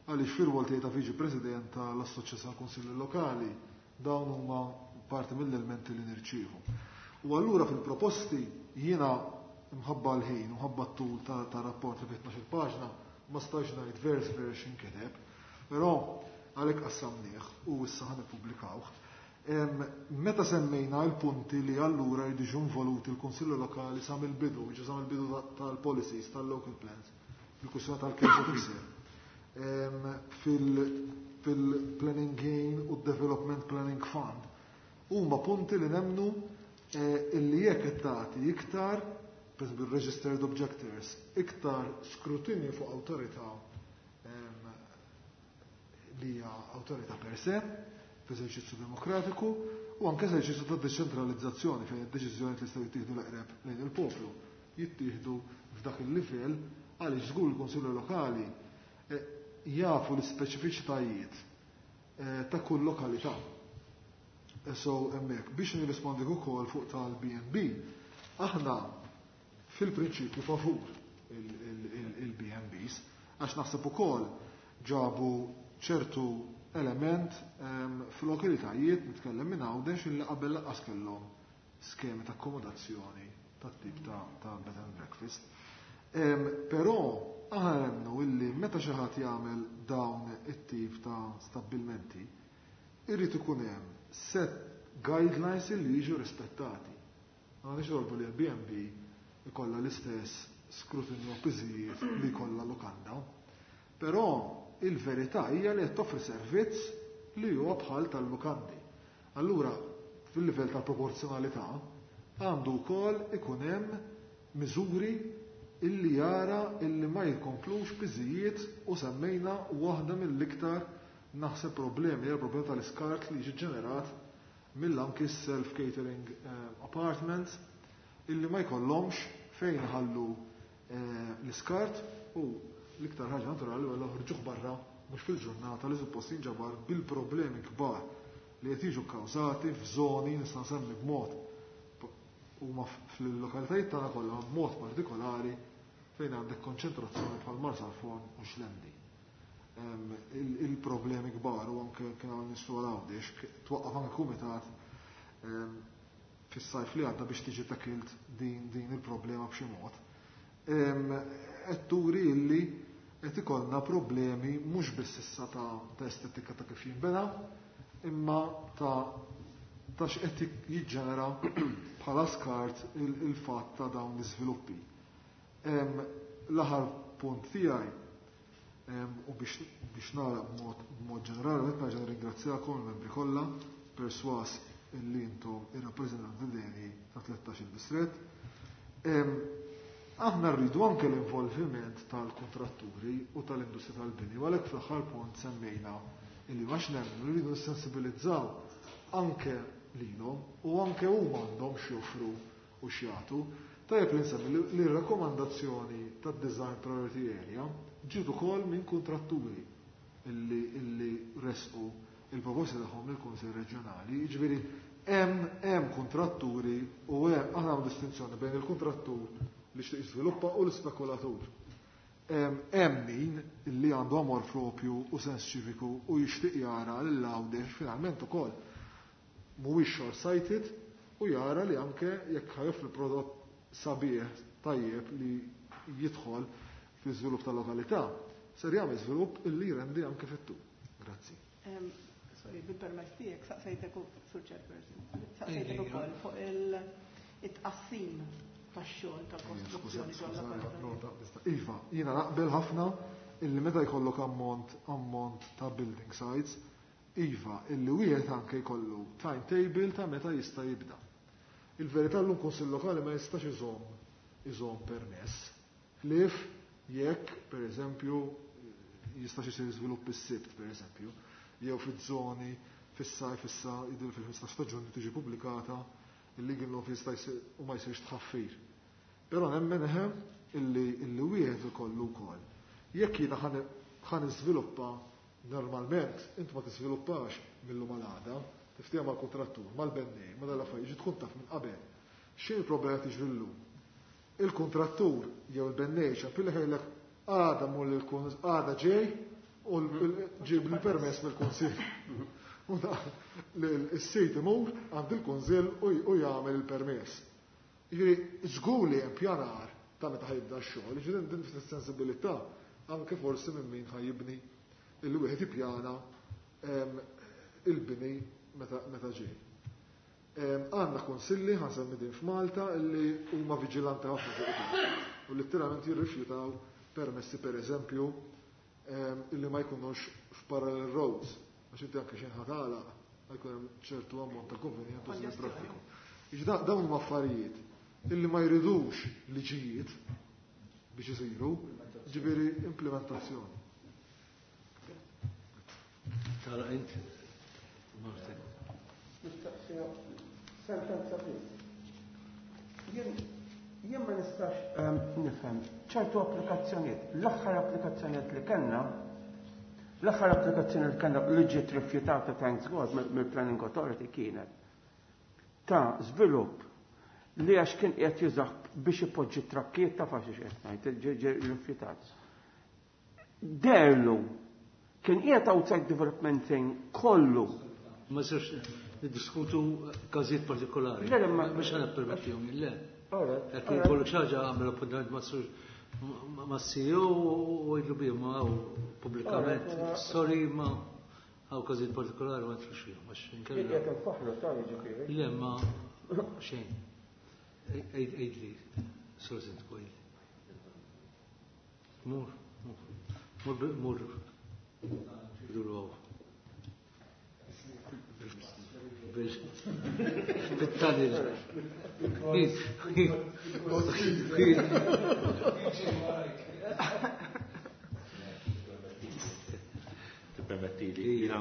għaliex fir-rwol tiegħi ta' Viċi President tal-Assoċjazzjoni tal-Kunsilli Lokali, dawn huma parti mill-elementi li nirċievu. U allura fil-proposti jiena mħabba l-ħin, mħabba t-tul ta' rapport li fi 12 paġna, ma stajx ngħid vers vers inkiteb, però għalhekk qassamnieh u issa ħa nippubblikawh. Meta semmejna l-punti li allura jridu involuti l-Kunsilli Lokali sa mill-bidu, ġi sa mill-bidu tal-policies, tal-local plans, fil-kwistjoni tal-case officer, fil-Planning Gain u Development Planning Fund, huma punti li nemnu illi jekk qed tagħti iktar, per esempio registered objectors, iktar skrutinju fuq awtorità li hija awtorità per se, f'eżerċizzju demokratiku, u anke eżerċizzju ta' deċentralizzazzjoni fejn id-deċiżjoni li jistgħu jittieħdu l-eqreb lejn il-poplu jittieħdu f'dak il-livell għaliex żgur il-Kunsilli Lokali jafu l-ispeċifiċitajiet ta' kull lokalità. So hemmhekk biex nirrispondi ukoll fuq tal-B&B, aħna fil-prinċipju favur il-B&Bs, għax naħseb ukoll ġabu ċertu element f'lokalitajiet, nitkellem minn Għawdex, illi qabel lanqas kellhom skemi ta' akkomodazzjoni tat-tip ta' bed and breakfast. Però aħna nemmnu illi meta xi ħadd jagħmel dawn it-tip ta' stabbilmenti, irid ikun hemm set guidelines illi jiġu rispettati. Ma nixtiequ li l-B&B ikollha l-istess skrutinju u piżijiet li jkollha lukanda. Però il-verità hija li qed toffri servizz li huwa bħal tal-lukandi. Allura, fil-livell tal-proporzjonalità, għandu wkoll ikun hemm miżuri illi jara illi ma jkomplux piżijiet u semmejna waħda mill-iktar naħseb problemi, hija problema tal-iskart li jiġi ġenerat mill-anki self-catering apartments illi ma jkollhomx fejn ħallu l-iskart u l-iktar ħaġa naturali huwa joħorġuh barra mhux fil-ġurnata li suppost jinġabar bil-problemi kbar li qed jiġu kkawżati f'żoni nista' nsemmi b'mod huma fil-lokalitajiet tagħna kollha b'mod partikolari fejn għandek konċentrazzjoni bħal Marsalforn u Xlendi. Il-problemi kbar u anke kien hawn nies Għawdex twaqqaf anke kumitat fis-sajf li għadda biex tiġi takilt din il-problema b'xi mod. Qed turi illi qed ikollna problemi mhux biss issa ta' estetika ta' kif jinbena, imma ta' x'qed jiġġenera bħala skart il-fatt ta' dawn l-iżviluppi. L-aħħar punt tiegħi u biex nagħlaq b'mod ġenerali, qed nerġa' nirringrazzjakom il-membri kollha perswas illi intom ir-rappreżentanti deni ta' 13 distret. Aħna rridu anke l-involviment tal-kontratturi u tal-industrija tal-bini, u għalhekk fl-aħħar punt semmejna illi għax nemmnu rridu nissensibilizzaw anke lilhom u anke huma għandhom x'joffru u x'jagħtu. Tajjeb li nsemmi li r-rakkomandazzjoni tad-Design Priority Area ġiet ukoll minn kontratturi illi resqu il-proposti tagħhom lill-Kunsill Reġjonali. Jiġifieri hemm kontratturi u hemm aħna għandna distinzjoni bejn il-kontrattur li xtieq jiżviluppa u l-ispekulatur. Hemm min li għandu amor propju u sens ċiviku u jixtieq jara lil Għawdex finalment ukoll mhuwiex short-sighted u jara li anke jekk ħajoffri prodott sabiħ tajjeb li jidħol fi żvilupp tal-lokalità, ser jagħmel żvilupp illi jrendi anke fit-tul. Grazzi. Sorry, bil-permess tiegħek saqsejtek sur chairperson. Saqsejtek ukoll fuq il-tqassim tax-xogħol tal-kostruzzjoni ġol-lokalitajiet. Iva, jiena naqbel ħafna illi meta jkollok ammont ta' building sites, iva, illi wieħed anke jkollu timetable ta' meta jista' jibda. Il-verità llum kunsill lokali ma jistax iżomm permess. Ħlief jekk, per eżempju, jistax isir żvilupp is-Sibt, per eżempju, jew fiż-żoni fis-sajf issa jidher fil-15 ta' Ġunju tiġi pubblikata il-legal law jista' jsir u ma jsirx tħaffir. Però nemmen eħem illi wieħed ikollu wkoll. Jekk jiena ħan iżviluppa normalment, int ma tiżviluppax mill-lum għal għada, tiftiehem mal-kuntrattur, mal-bennej, ma dal-affarijiet, tkun taf minn qabel. X'inhi l-problema tiġri llum? Il-kuntrattur jew il-bennej ċampilli ħajlek għada mur għada ġej u ġib l-permess mill-kunsill. U s-sit imur għand il-kunsill u jagħmel il-permess. Jiġifieri żgur li hemm pjanar ta' meta ħajibda x-xogħol, jiġifieri din sensibilità anke forsi minn min ħajibni illi wieħed jippjana il-bini meta ġej. Għandna kunsilli, ħansemmi din f'Malta, illi huma viġilanti ħafna fuq din. U letteralment jirrifjutaw permessi per eżempju illi ma jkunux f'parallel roads, għax inti anke xejn ħatala jkun hemm ċertu ammont ta' konvenjent u żmien traffiku. Jiġi dawn huma affarijiet illi ma jridux liġijiet biex isiru, ġifieri implementazzjoni. Tara int, Martin. Mistaqsija sentenza biss. Jien ma nistax nifhem ċertu applikazzjonijiet. L-aħħar applikazzjonijiet li kellna, l-aħħar applikazzjoni li kellna li ġiet rifjutata thanks God mill-Planning Authority kienet ta' żvilupp li għax kien qiegħed jużah biex ipoġġi trakkiet ta' faxix qed ngħid, ġie rifjutat. Derlu Kien qiegħed outside development thing kollu. Ma sirx niddiskutu każijiet partikolari. Le, le, ma- Mhux ħa nippermettihom, le. Alright, Jekk jkollok xi ħaġa għamel appuntament ma' sur ma' CEO u għidlu bihom ma' pubblikament. Sorry ma hawn każijiet partikolari ma nidħlux fihom għax inkella. Qiegħed infaħħru ta' jiġifieri. Le ma xejn. Għidli, Sur Sindku, għidli. Mur, mur, mur, mur. Duru għaw. Bit-tanil. Tippermetti li jiena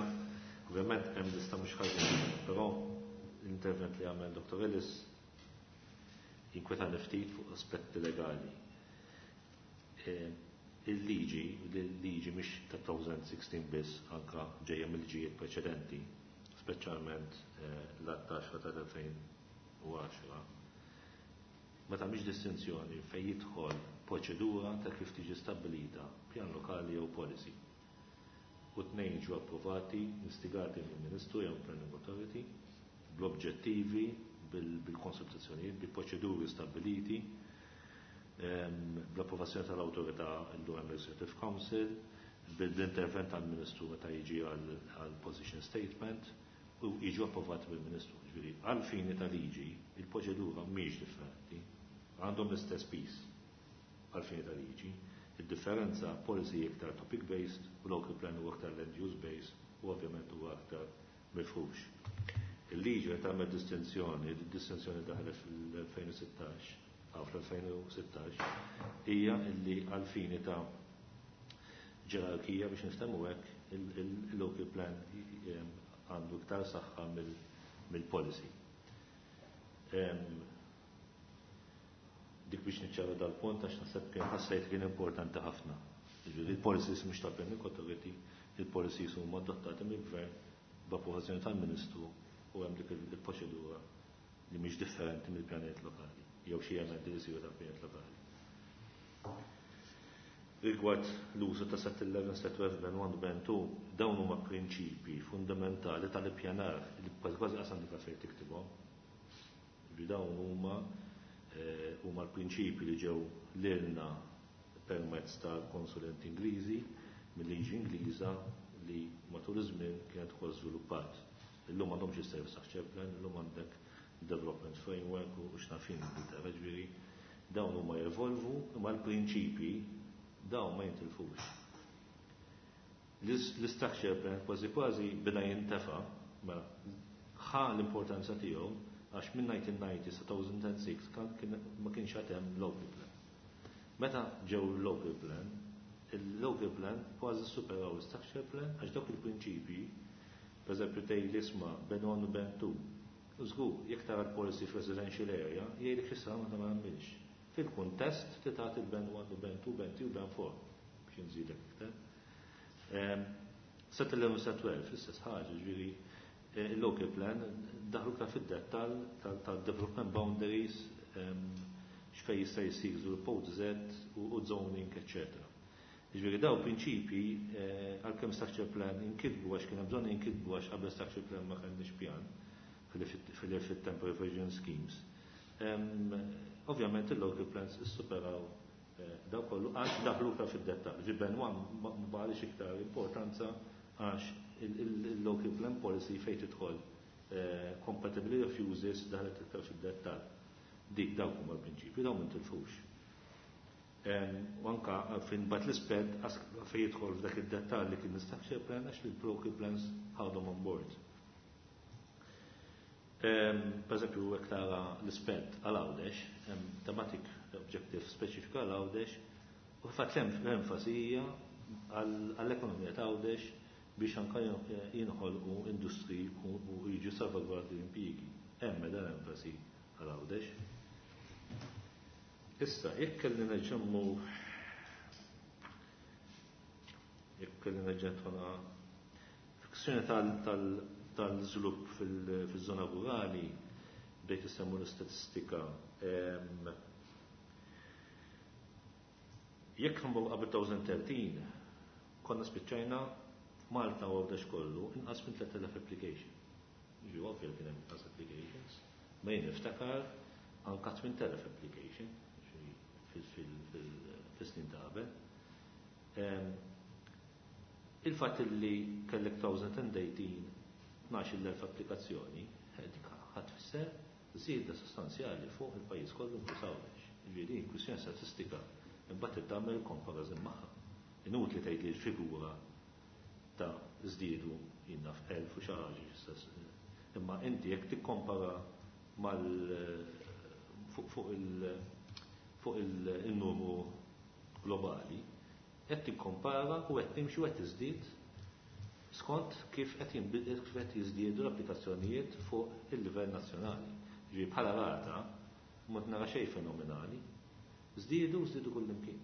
ovvjament hemm lista mhux ħażin, però l-intervent li għamel Dr. Ellis jinkwetani ftit fuq aspetti legali. Il-liġi, il-liġi mhix ta' 2016 biss, anka ġejja mill-liġijiet preċedenti, speċjalment l-10 tal-2010, ma tagħmilx distinzjoni fejn jidħol proċedura ta' kif tiġi stabbilita pjan lokali jew policy. U tnejn ġew approvati, instigati mill-Ministru jew Planning Authority, bl-obġettivi, bil-konsultazzjonijiet, bil-proċeduri stabbiliti, bl-approvazzjoni tal-awtorità l-Hemm Executive Council, bil-intervent tal-Ministru meta jiġi għal position statement, u jiġu approvati bil-Ministru. Ġifieri, għal fini ta' liġi, il-proċedura mhijiex differenti, għandhom l-istess piż għal fini ta' liġi. Il-differenza policy iktar topic based u local plan u aktar land use based u ovvjament huwa aktar mifrux. Il-liġi qed tagħmel distinzjoni, il-distinzjoni daħlet fil-2016, għaw fl-2016, hija li għal fini ta' ġerarkija biex niftemmu hekk il-local plan għandu iktar saħħa mill-policy. Dik biex niċċara dal-punt għax naħseb kien ħassejt kien importanti ħafna. Jiġifieri il-policies mhux ta' Planning Authority, il-policies huma adottati mill-gvern b'approvazzjoni tal-Ministru u hemm dik il-proċedura li mhix differenti mill-pjanijiet lokali jew xi emendi li jsiru tal-pjanijiet lokali. Rigward l-użu ta' set 11, set 12, band 1, band 2, dawn huma prinċipi fundamentali tal-ippjanar li kważi kważi qasam dik fejn tiktibhom. Ġifieri dawn huma l-prinċipi li ġew lilna permezz tal-konsulenti Ingliżi mill-liġi Ingliża li matul iż-żmien kienet ukoll żviluppat. Illum m'għandhomx is-service structure plan, illum għandek development framework u x'nafin Ingilterra, ġifieri dawn huma jevolvu imma l-prinċipi dawn ma jintilfux. L-structure plan kważi kważi beda jintefa, ma ħa l-importanza tiegħu għax minn 1990 sa 2006 ma kienx għad hemm local plan. Meta ġew local plan, il-local plan kważi superaw l-structure plan għax dawk il-prinċipji, per eżempju tgħid l-isma' band 1 u band 2. Żgur, jekk tara l-policy f'residential area, jgħidlek x'issa ma nagħmilx. Fil-kuntest li tagħti il-band 1 u band 2, band 3 u band 4 biex nżidek iktar. Set 11 u set 12, l-istess ħaġa, ġifieri il-local plan daħlu iktar fid-dettall tal-development boundaries, x'fejn jista' jsir żvilupp Z u zoning, eċċetera. Ġifieri daw prinċipji għalkemm structure plan inkitbu għax kien hemm bżonn inkitbu għax qabel structure plan ma kellniex pjan fil-temporary provision schemes. Ovvjament il-local plans issuperaw daw kollu għax daħlu iktar fid-dettall. Ġifieri band 1 ma baqalix iktar importanza għax il-local plan policy fejn tidħol compatibility of uses daħlet iktar fid-dettall. Dik dawk huma l-prinċipji, dawn ma ntilfux. U anka fin bat l-isped fejn jidħol f'dak id-dettall li kien structure plan għax il-local plans ħadhom on board. Per eżempju, jekk tara l-isped għal Għawdex, hemm thematic objective speċifika għal Għawdex, u fatt l-enfasi hija għall-ekonomija ta' Għawdex biex anka jinħolqu industri u jiġu salvagwardi l-impjiegi. Hemm dan enfasi għal Għawdex. Issa, jekk kelli nerġa' jekk kelli nerġa' nidħol f'kwistjoni tal-żvilupp fil-żona rurali, bdejt isemmu l-istatistika. Jekk nbogħu qabel 2013, konna spiċċajna Malta u Għawdex kollu inqas minn 3000 application. Ġi ovvja kien hemm inqas applications, ma jien niftakar anka 8000 application fis-snin ta' qabel. Il-fatt li kellek 2018 12,000 applikazzjoni, dik ħadd tfisser żieda sostanzjali fuq il-pajjiż kollu inkluż Għawdex. Ġifieri kwistjoni statistika imbagħad tagħmel comparison magħha. Inutli tgħid li l-figura ta' żdiedu jinnaf 1000 u xi ħaġa, imma inti jekk tikkompara mal fuq il-numru globali, qed tikkompara u qed timxi u qed tiżdied skont kif qed jiżdiedu l-applikazzjonijiet fuq il-livell nazzjonali. Ġifieri bħala rata ma nara xejn fenomenali. Żdiedu żdiedu kullimkien.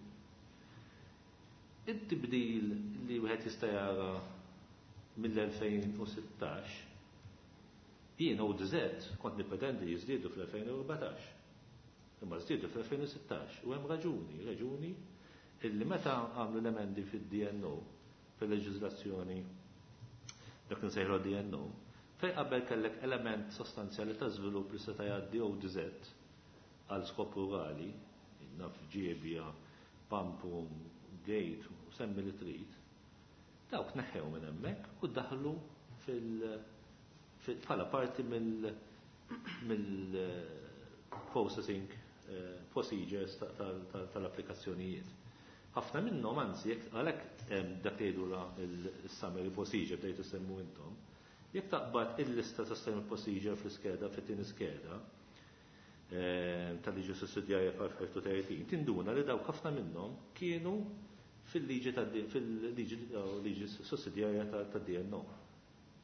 It-tibdil li wieħed jista' jara mill-2016 jien ODZ kont nippretendi jiżdiedu fl-2014. Imma żdiedu fl-2016 u hemm raġuni, raġuni illi meta għamlu l-emendi fid-DNO, fil-leġiżlazzjoni dak nsejħlu DNO, fej qabel kellek element sostanzjali ta' żvilupp li seta' jgħaddi ODZ għal skop rurali, naf ġiebja, pampum, gate, u semmi li trid, dawk neħew minn hemmhekk u daħlu bħala parti mill-processing procedures tal-applikazzjonijiet. Ħafna minnhom anzi jekk għalhekk dak li jgħidu il-summary procedure bdejtu semmu intom, jekk taqbad il-lista ta' summary procedure fl-iskeda fit-tieni skeda tal-liġi sussidjarja 535, tinduna li dawk ħafna minnhom kienu fil-liġi fil-liġi sussidjarja tad-DNO.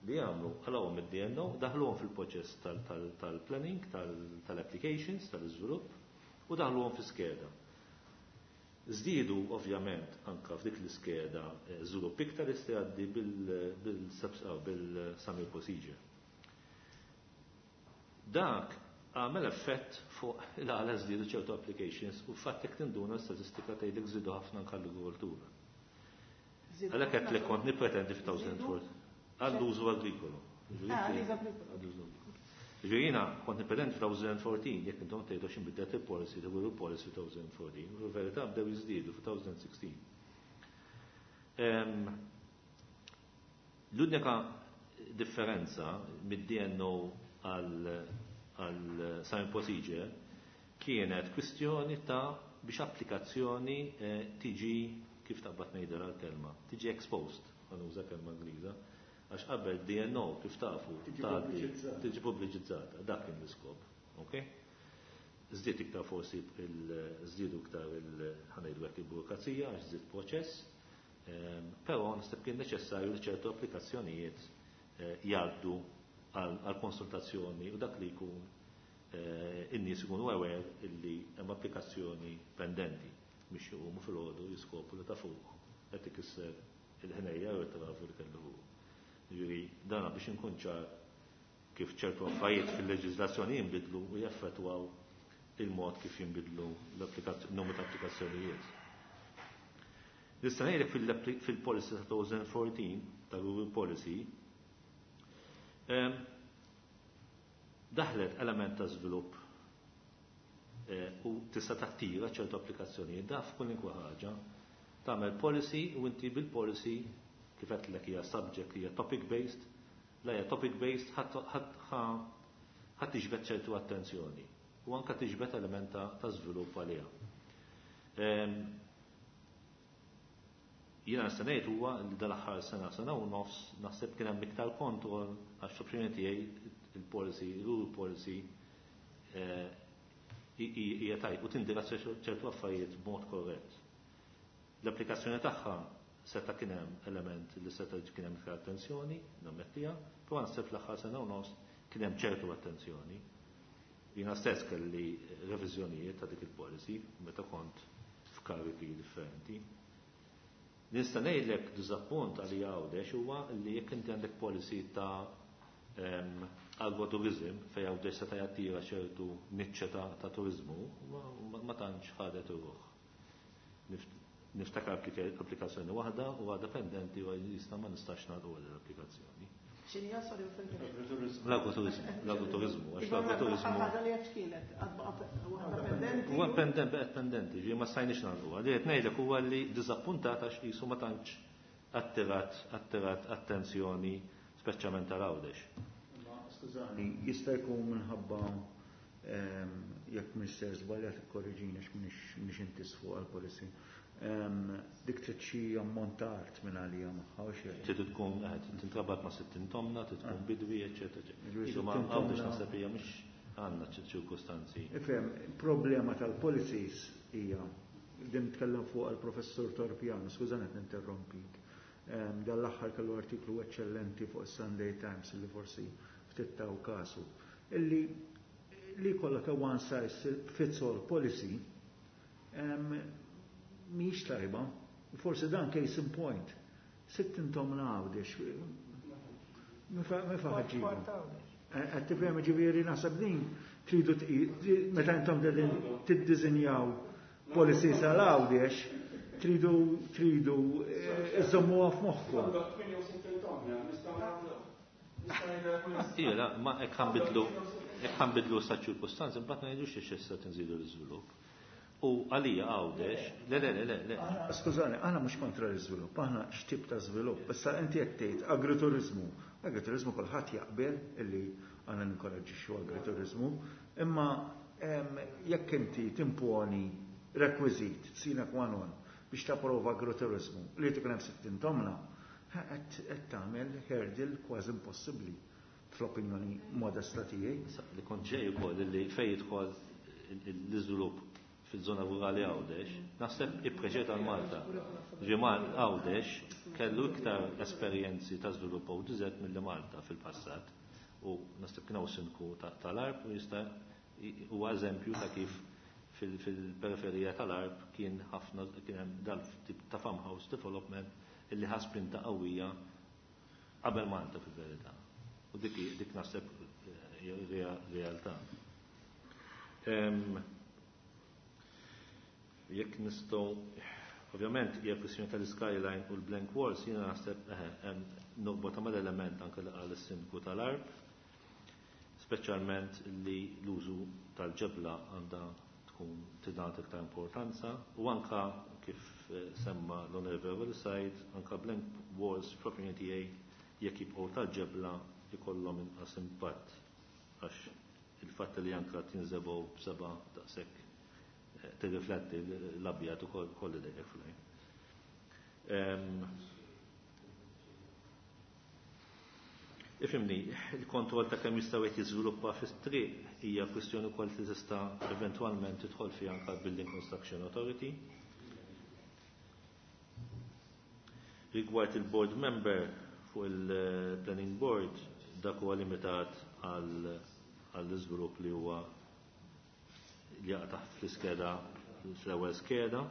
Li għamlu għalawhom id-DNO, daħluhom fil-proċess tal-planning, tal-applications, tal-iżvilupp u daħluhom fi skeda. Żdiedu ovvjament anka f'dik l-iskeda żvilupp iktar jista' jgħaddi bil-summary procedure. Dak għamel effett fuq il-għala żdiedu ċertu applications u fatt jekk tinduna statistika tgħidlek żdiedu ħafna anke l-agrikoltura. Għalhekk qed li kont nippretendi f'2004 għall-użu agrikolu. Ġifieri jiena kont nippretendi f'2014 jekk intom tgħidu x'inbidlet il-policy, il policy 2014, u fil-verità bdew jiżdiedu f'2016. L-unika differenza mid-DNO għal summary procedure kienet kwistjoni ta' biex applikazzjoni tiġi, kif taqbad ngħidha l-kelma, tiġi exposed, għan uża kelma Ingliża, għax qabel DNO kif tafu tiġi pubbliċizzata, dak kien l-iskop, ok? Żdied iktar forsi żdiedu iktar ħanejdu hekk il-burokrazija għax żdied proċess, però naħseb kien neċessarju li ċertu applikazzjonijiet jgħaddu għal konsultazzjoni u dak li jkun in-nies ikunu aware illi hemm applikazzjoni pendenti biex jqumu fil-ħodu jiskopru li ta' fuq qed ikisser il-ħnejja u t-trafu li kellu fuq. Ġifieri dana biex inkun ċar kif ċertu affarijiet fil-leġiżlazzjoni jinbidlu u jaffettwaw il-mod kif jinbidlu l-numru ta' applikazzjonijiet. Nista' ngħidlek fil-policy ta' 2014 ta' Rural Policy daħlet element ta' żvilupp u tista' tattira ċertu applikazzjonijiet da f'kwalunkwe ħaġa. Tagħmel policy u inti bil-policy kif qedlek hija subject hija topic based, la hija topic based ħadd tiġbed ċertu attenzjoni u anke tiġbed element ta' żvilupp għaliha. Jiena nista' ngħid huwa li dal-aħħar sena sena u nofs naħseb kien hemm iktar kontroll għax l-opinjoni tiegħi il-policy, il-rural policy hija tajb u tindirizza ċertu affarijiet b'mod korrett. L-applikazzjoni tagħha seta' kien hemm element li seta' kien hemm iktar attenzjoni, nammettiha, però naħseb l-aħħar sena u nofs kien hemm ċertu attenzjoni. Jiena stess kelli reviżjonijiet ta' dik il-policy meta kont f'kariki differenti. Nista' ngħidlek diżappunt għalija Għawdex huwa li jekk inti għandek policy ta' agroturizm fejn Għawdex seta' jattira ċertu niċċa ta' turizmu, ma tantx ħadet ruħ. Niftakar applikazzjoni waħda u għadha pendenti u jista' ma nistax nagħlqu l-applikazzjoni. X'inhi sorry? L-agroturizmu, l-agroturizmu, għax l-agroturizmu. Ħaġa li qed kienet, waħda pendenti. Huwa pendent, baqgħet pendenti, ġi ma stajniex nagħlquha. Li qed ngħidlek huwa li diżappuntat għax qisu ma tantx attirat attenzjoni, speċjalment tal-Għawdex. Skużani, jista' jkun minħabba, jekk mister żbaljat ikkorriġini għax m'iniex intis fuq għall-policy. Dik trid xi ammont ta' art minn għalija magħha u xejn. Trid tkun tintrabat ma' 60 tomna, trid tkun bidwi, eċetera, eċetera. Jiġifieri Isu ma' 60 Għawdex tomna. naħseb hija mhux għandna ċirkustanzi. Ifhem, problema tal-policies hija, din tkellem fuq għall-professur Torpiano, skużani qed ninterrompik. Dan l-aħħar kellu artiklu eċċellenti fuq is-Sunday Times li forsi ftit taw kasu. Illi li jkollok a one size fits all policy mhijiex tajba. Forsi dan case in point. 60 tomna Għawdex. Mifa ħaġġibu. Qed tifhem, ġifieri naħseb din tridu meta intom qegħdin tiddisinjaw policies għal Għawdex, tridu iżommuha f'moħħkom. Ija, la, ma hekk ħanbidlu sa ċirkustanzi, mbagħad ngħidux xi issa tinżidu l-iżvilupp. U għalija Għawdex, le, le, le, le, le. Skużani, aħna mhux kontra l-iżvilupp, aħna x'tip ta' żvilupp. Issa inti qed tgħid agriturizmu. Agriturizmu kulħadd jaqbel illi għandna ninkoraġġixxu agriturizmu, imma jekk inti timponi rekwiżit sine qua non biex tapprova agriturizmu li tkun hemm 60 tomna, qed tagħmel hurdle kważi impossibbli fl-opinjoni modesta tiegħi. Issa, li kont ġej ukoll li fejn jidħol l-iżvilupp fil-żona rurali Għawdex, naħseb ippreċeda l-Malta. Ġimal Għawdex kellu iktar esperjenzi ta' żvilupp ODZ milli Malta fil-passat. U naħseb kien hawn sindku tal-Għarb u jista' huwa eżempju ta' kif fil-periferija tal-Għarb kien ħafna, kien hemm dal-tip ta' farmhouse development illi ħa spinta qawwija qabel Malta fil-verità. U dik naħseb realtà. Jekk nistgħu, ovvjament hija kwistjoni tal-skyline u l-blank walls, jiena naħseb hemm norbota mal-element anke li qal is-sindku tal-Għarb, speċjalment li l-użu tal-ġebla għandha tkun tingħata iktar importanza u anka kif semma l-Onorevoli Said, anka blank walls fl-opinjoni tiegħi jekk jibqgħu tal-ġebla jkollhom inqas impatt għax il-fatt li anka tinżebgħu b'seba' daqshekk tirrifletti l-abjad ukoll kolli dejjek fl-għajn. Ifimni, il-kontroll ta' kemm jistgħu qed jiżviluppa fis-triq hija kwistjoni wkoll li tista' eventwalment tidħol fiha anke Building Construction Authority. Rigward il-board member fuq il-planning board, dak huwa limitat għall-iżvilupp li huwa li jaqa' taħt fl-iskeda, fl-ewwel skeda,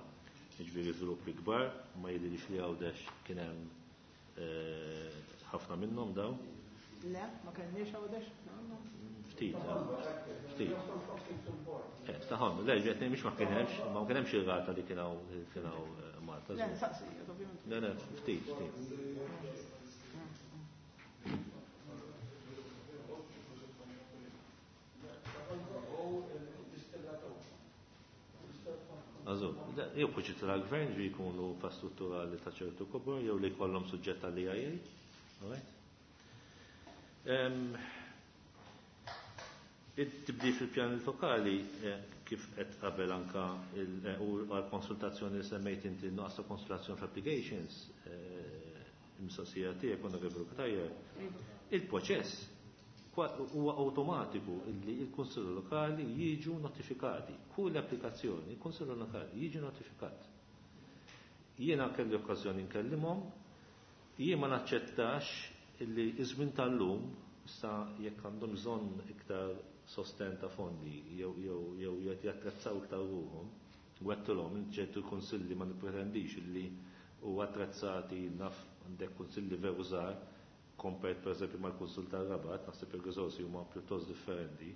jiġifieri żviluppi kbar, ma jidhirx li Għawdex kien hemm ħafna minnhom daw. Le, ma kellniex Għawdex? Ftit, ftit. Taħon, le, ġetni mhix ma kien hemmx, ma kien hemmx ir-rata li kien hawn Malta. Le, nsaqsi, ovvjament. Le, le, ftit, ftit. Għazu, jew proġetti tal-gvern ġi jkunu infrastrutturali ta' ċertu kobor, jew li jkollhom suġġett tal-EIA. All right? It-tibdil fil-pjan lokali, kif qed qabel anka u għal-konsultazzjoni li semmejt inti nuqqas ta' konsultazzjoni fl-applications, il-mistoqsija tiegħek Onorevoli Cutajar, il-proċess huwa awtomatiku li l-Kunsill Lokali jiġu notifikati. Kull applikazzjoni, il-Kunsill Lokali jiġu notifikat. Jiena kelli okkażjoni nkellimhom, jien ma naċċettax li iż-żmien tal-lum issa jekk għandhom bżonn iktar sosten ta' fondi jew jattrezzaw iktar ruhom, u għedtilhom ċertu kunsilli ma nippretendix li huwa attrezzati, naf għandek kunsilli veru żgħar, kompet per eżempju mal-Kunsill tar-Rabat, naħseb il-riżorsi huma pjuttost differenti.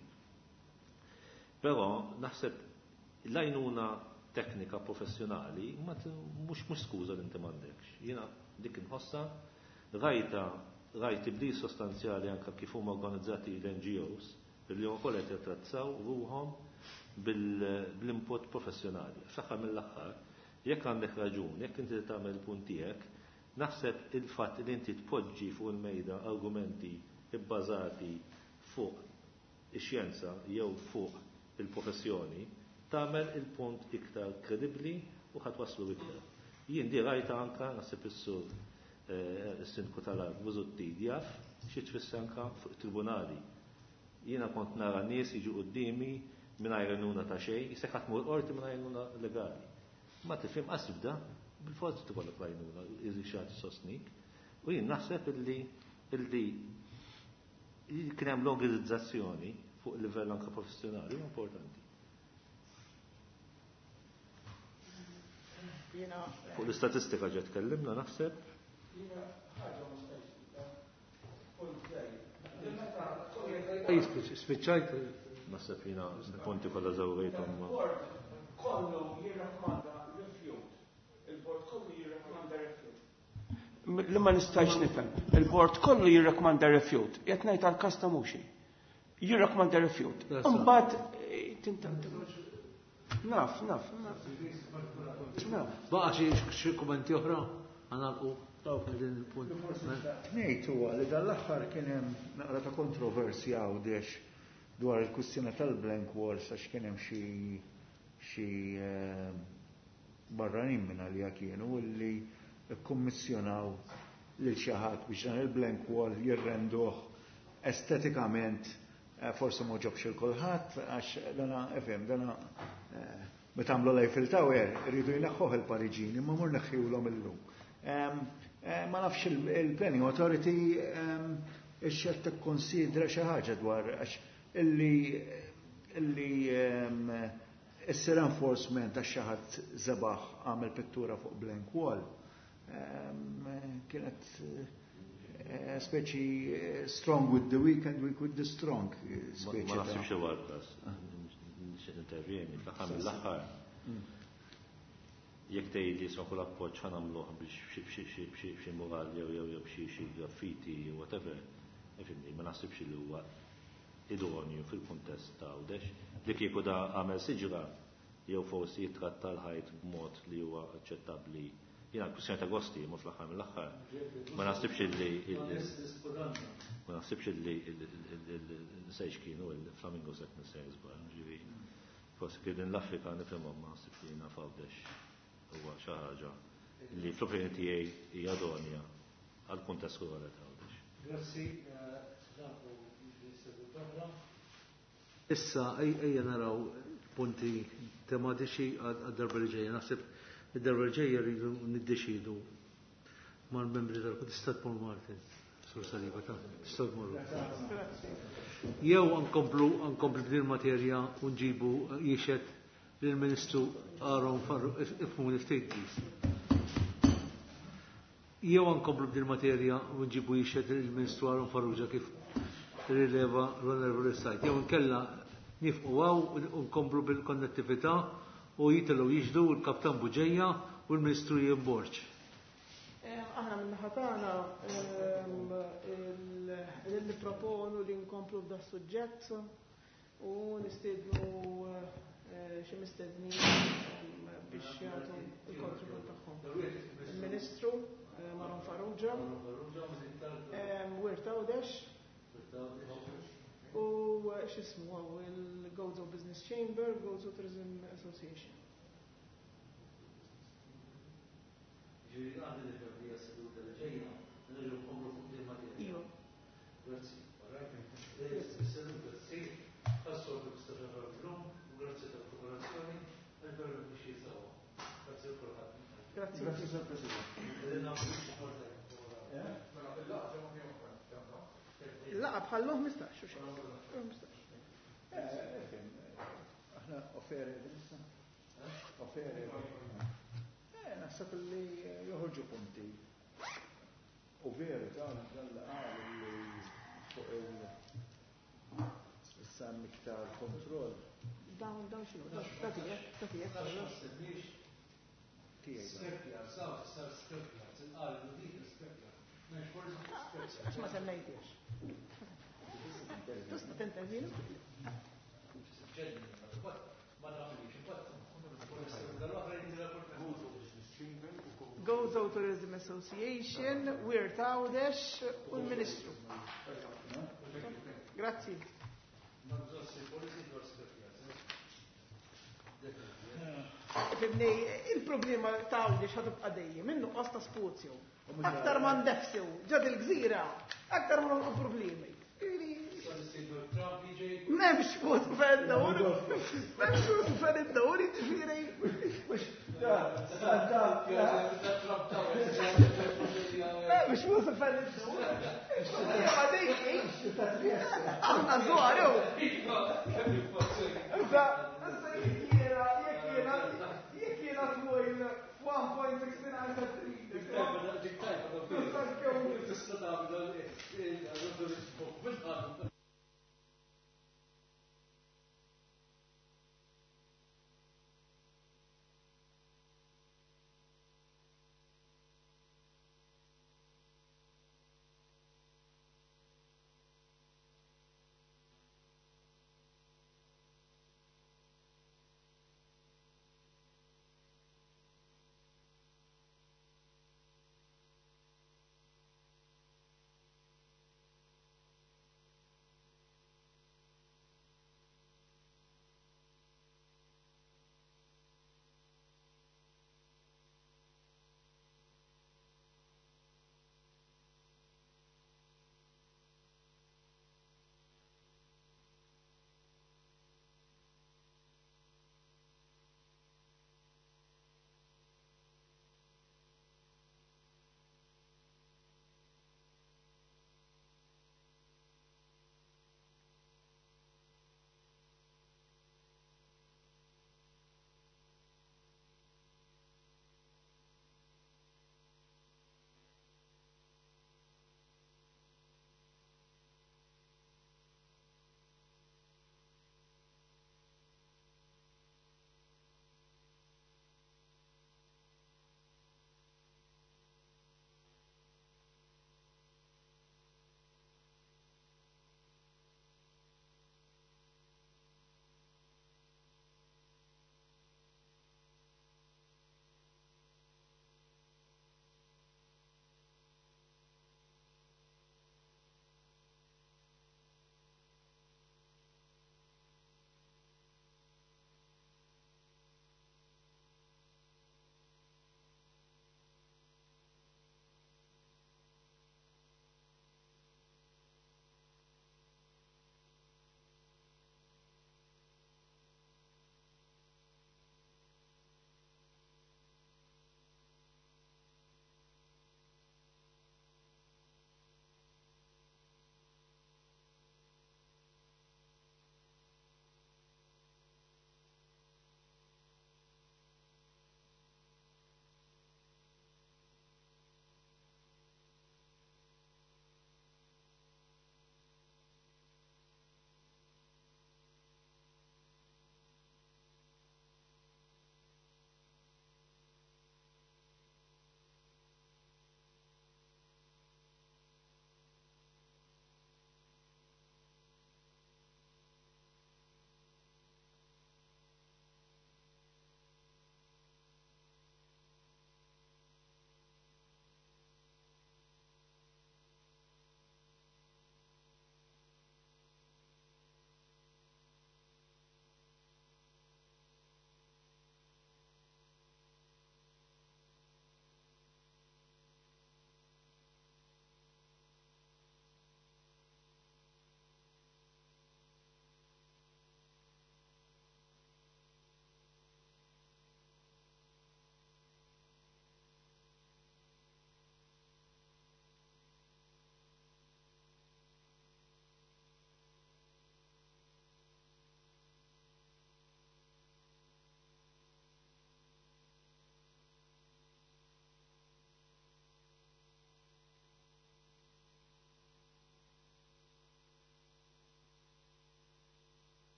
Però naħseb l-għajnuna teknika professjonali ma mhux skuża li inti m'għandekx. Jiena dik inħossha rajta rajt tibdil sostanzjali anke kif huma organizzati l-NGOs li wkoll qed jattrezzaw ruħhom bil-input professjonali. Fl-aħħar mill-aħħar, jekk għandek raġun, jekk inti tagħmel punt tiegħek, naħseb il-fatt li inti tpoġġi fuq il-mejda argumenti bbażati fuq ix-xjenza jew fuq il-professjoni, tagħmel il-punt iktar kredibbli u ħa twasslu iktar. Jien di rajta anka naħseb is-sur is-sindku tal-Għarb Busuttil jaf xi tfisser anka fuq tribunali. Jiena kont nara nies jiġu quddiemi mingħajr għajnuna ta' xejn, jisek ħadd mur qorti mingħajr għajnuna legali. Ma tifhem qas tibda, bil-forzi tikollok l-għajnuna, iżi xi ħadd isostnik. U jien naħseb illi illi kien hemm l-organizzazzjoni fuq livell anke professjonali huwa importanti. Fuq l-istatistika ġa tkellimna naħseb. Spiċċajt. Naħseb jiena punti kollha żewrejthom. Il-bord kollu jirrakkomanda rifjut. Il-bord kollu jirrakkomanda rifjut. Li ma nistax nifhem. Il-bord kollu jirrakkomanda rifjut. Qed ngħid għall-każ ta' Muxi. Jirrakkomanda rifjut. Imbagħad naf, naf, naf. Baqa' xi kummenti oħra? Ħanalqu din il-punt. Ngħid huwa li dan l-aħħar kien hemm naqra ta' kontroversja Għawdex dwar il-kwistjoni tal-blank walls għax kien hemm xi barranin minn għalija kienu illi kkummissjonaw lil xi ħadd biex dan il-blank wall jirrenduh estetikament forsi ma ġobx il kulħadd għax dana ifhem dana meta għamlu l-Eiffel Tower iridu jneħħuh il-Pariġini imma mur neħħiwlhom illum. Ma nafx il-Planning Authority ix-xed tikkonsidra xi ħaġa dwar għax illi issir enforcement għax xi ħadd żebaħ għamel pittura fuq blank wall. Kienet speċi strong with the weak and weak with the strong. Ma naħsibx huwa l-każ. Nixtieq intervjeni fl-aħħar mill-aħħar. Jekk tgħidli sa kull appoġġ ħa nagħmluh biex b'xi mural jew jew jew b'xi xi graffiti whatever, ifhimni, ma naħsibx li huwa idonju fil-kuntest ta' Għawdex. Li kieku da għamel siġra jew forsi jitratta l-ħajt b'mod li huwa aċċettabbli. Jiena kwistjoni ta' gosti, ma fl-aħħar mill-aħħar. Ma naħsibx li ma naħsibx li nsejx kienu il-flamingo set nisejn żball, ġifieri. Forsi kif din l-Afrika nifhimhom ma naħsibx li jiena f'Għawdex huwa xi ħaġa li fl-opinjoni tiegħi hija idonja għall-kuntest rurali ta' Għawdex. Grazzi, Issa ejja naraw punti tematiċi għad-darba li ġejja. Naħseb id-darba li ġejja rridu niddeċidu mal-membri tal-Tista' tmur Martin, Sur Saliba, ta' tista' tmur. Jew nkomplu b'din materja u nġibu jixed lill-Ministru Aaron Farru ifhmuni ftit please. Jew nkomplu b'din materja u nġibu jixed lill-Ministru Aaron Farrugia kif rileva l-Onorevoli Sajt. Jew nkella nifqu għaw u nkomplu bil-konnettività u jitilgħu jiġdu l-Kaptan Buġeja u l-Ministru Ian Borg. Aħna minn-naħa tagħna li proponu li nkomplu b'da suġġett u nistiednu xi mistednin biex jagħtu l-kontribut tagħhom. Il-Ministru Maron Farrugia, Wirt Għawdex, u x'ismu għaw il-Gozo Business Chamber, Gozo Tourism Association. Ġifieri għandi nifhem li hija seduta li ġejja, nerġgħu nkomplu fuq din materja. Iva. Grazzi. Seduta ssir, għas-soltu tista' illum, u grazzi tal-kooperazzjoni, għal-veru biex jisawa. Grazzi l kulħadd. Grazzi. Grazzi, Sir President. Il-laqa bħallum 15, u xejn. 15. Aħna offeri issa. Offeri. Naħseb li joħorġu punti. U veru ta' dan qal li fuq il issa iktar kontroll. Dawn Dan x'inhu? Da tiegħek, da tiegħek. Għax ma semmejtiex. Tista' tintervjeni? Gozo Tourism Association, Wirt Għawdex u l-Ministru. Grazzi. Fimni, il-problema ta' Għawdex ħa tibqa' dejjem, in-nuqqas ta' spazju. Aktar ma ndefsew ġad il-gżira, aktar ma nolqu problemi. M'hemmx fuq fejn id-dawr, m'hemmx fuq fejn id-dawr, jiġifieri. M'hemmx fuq fejn id-dawr. Ma dik Aħna żgħar jew.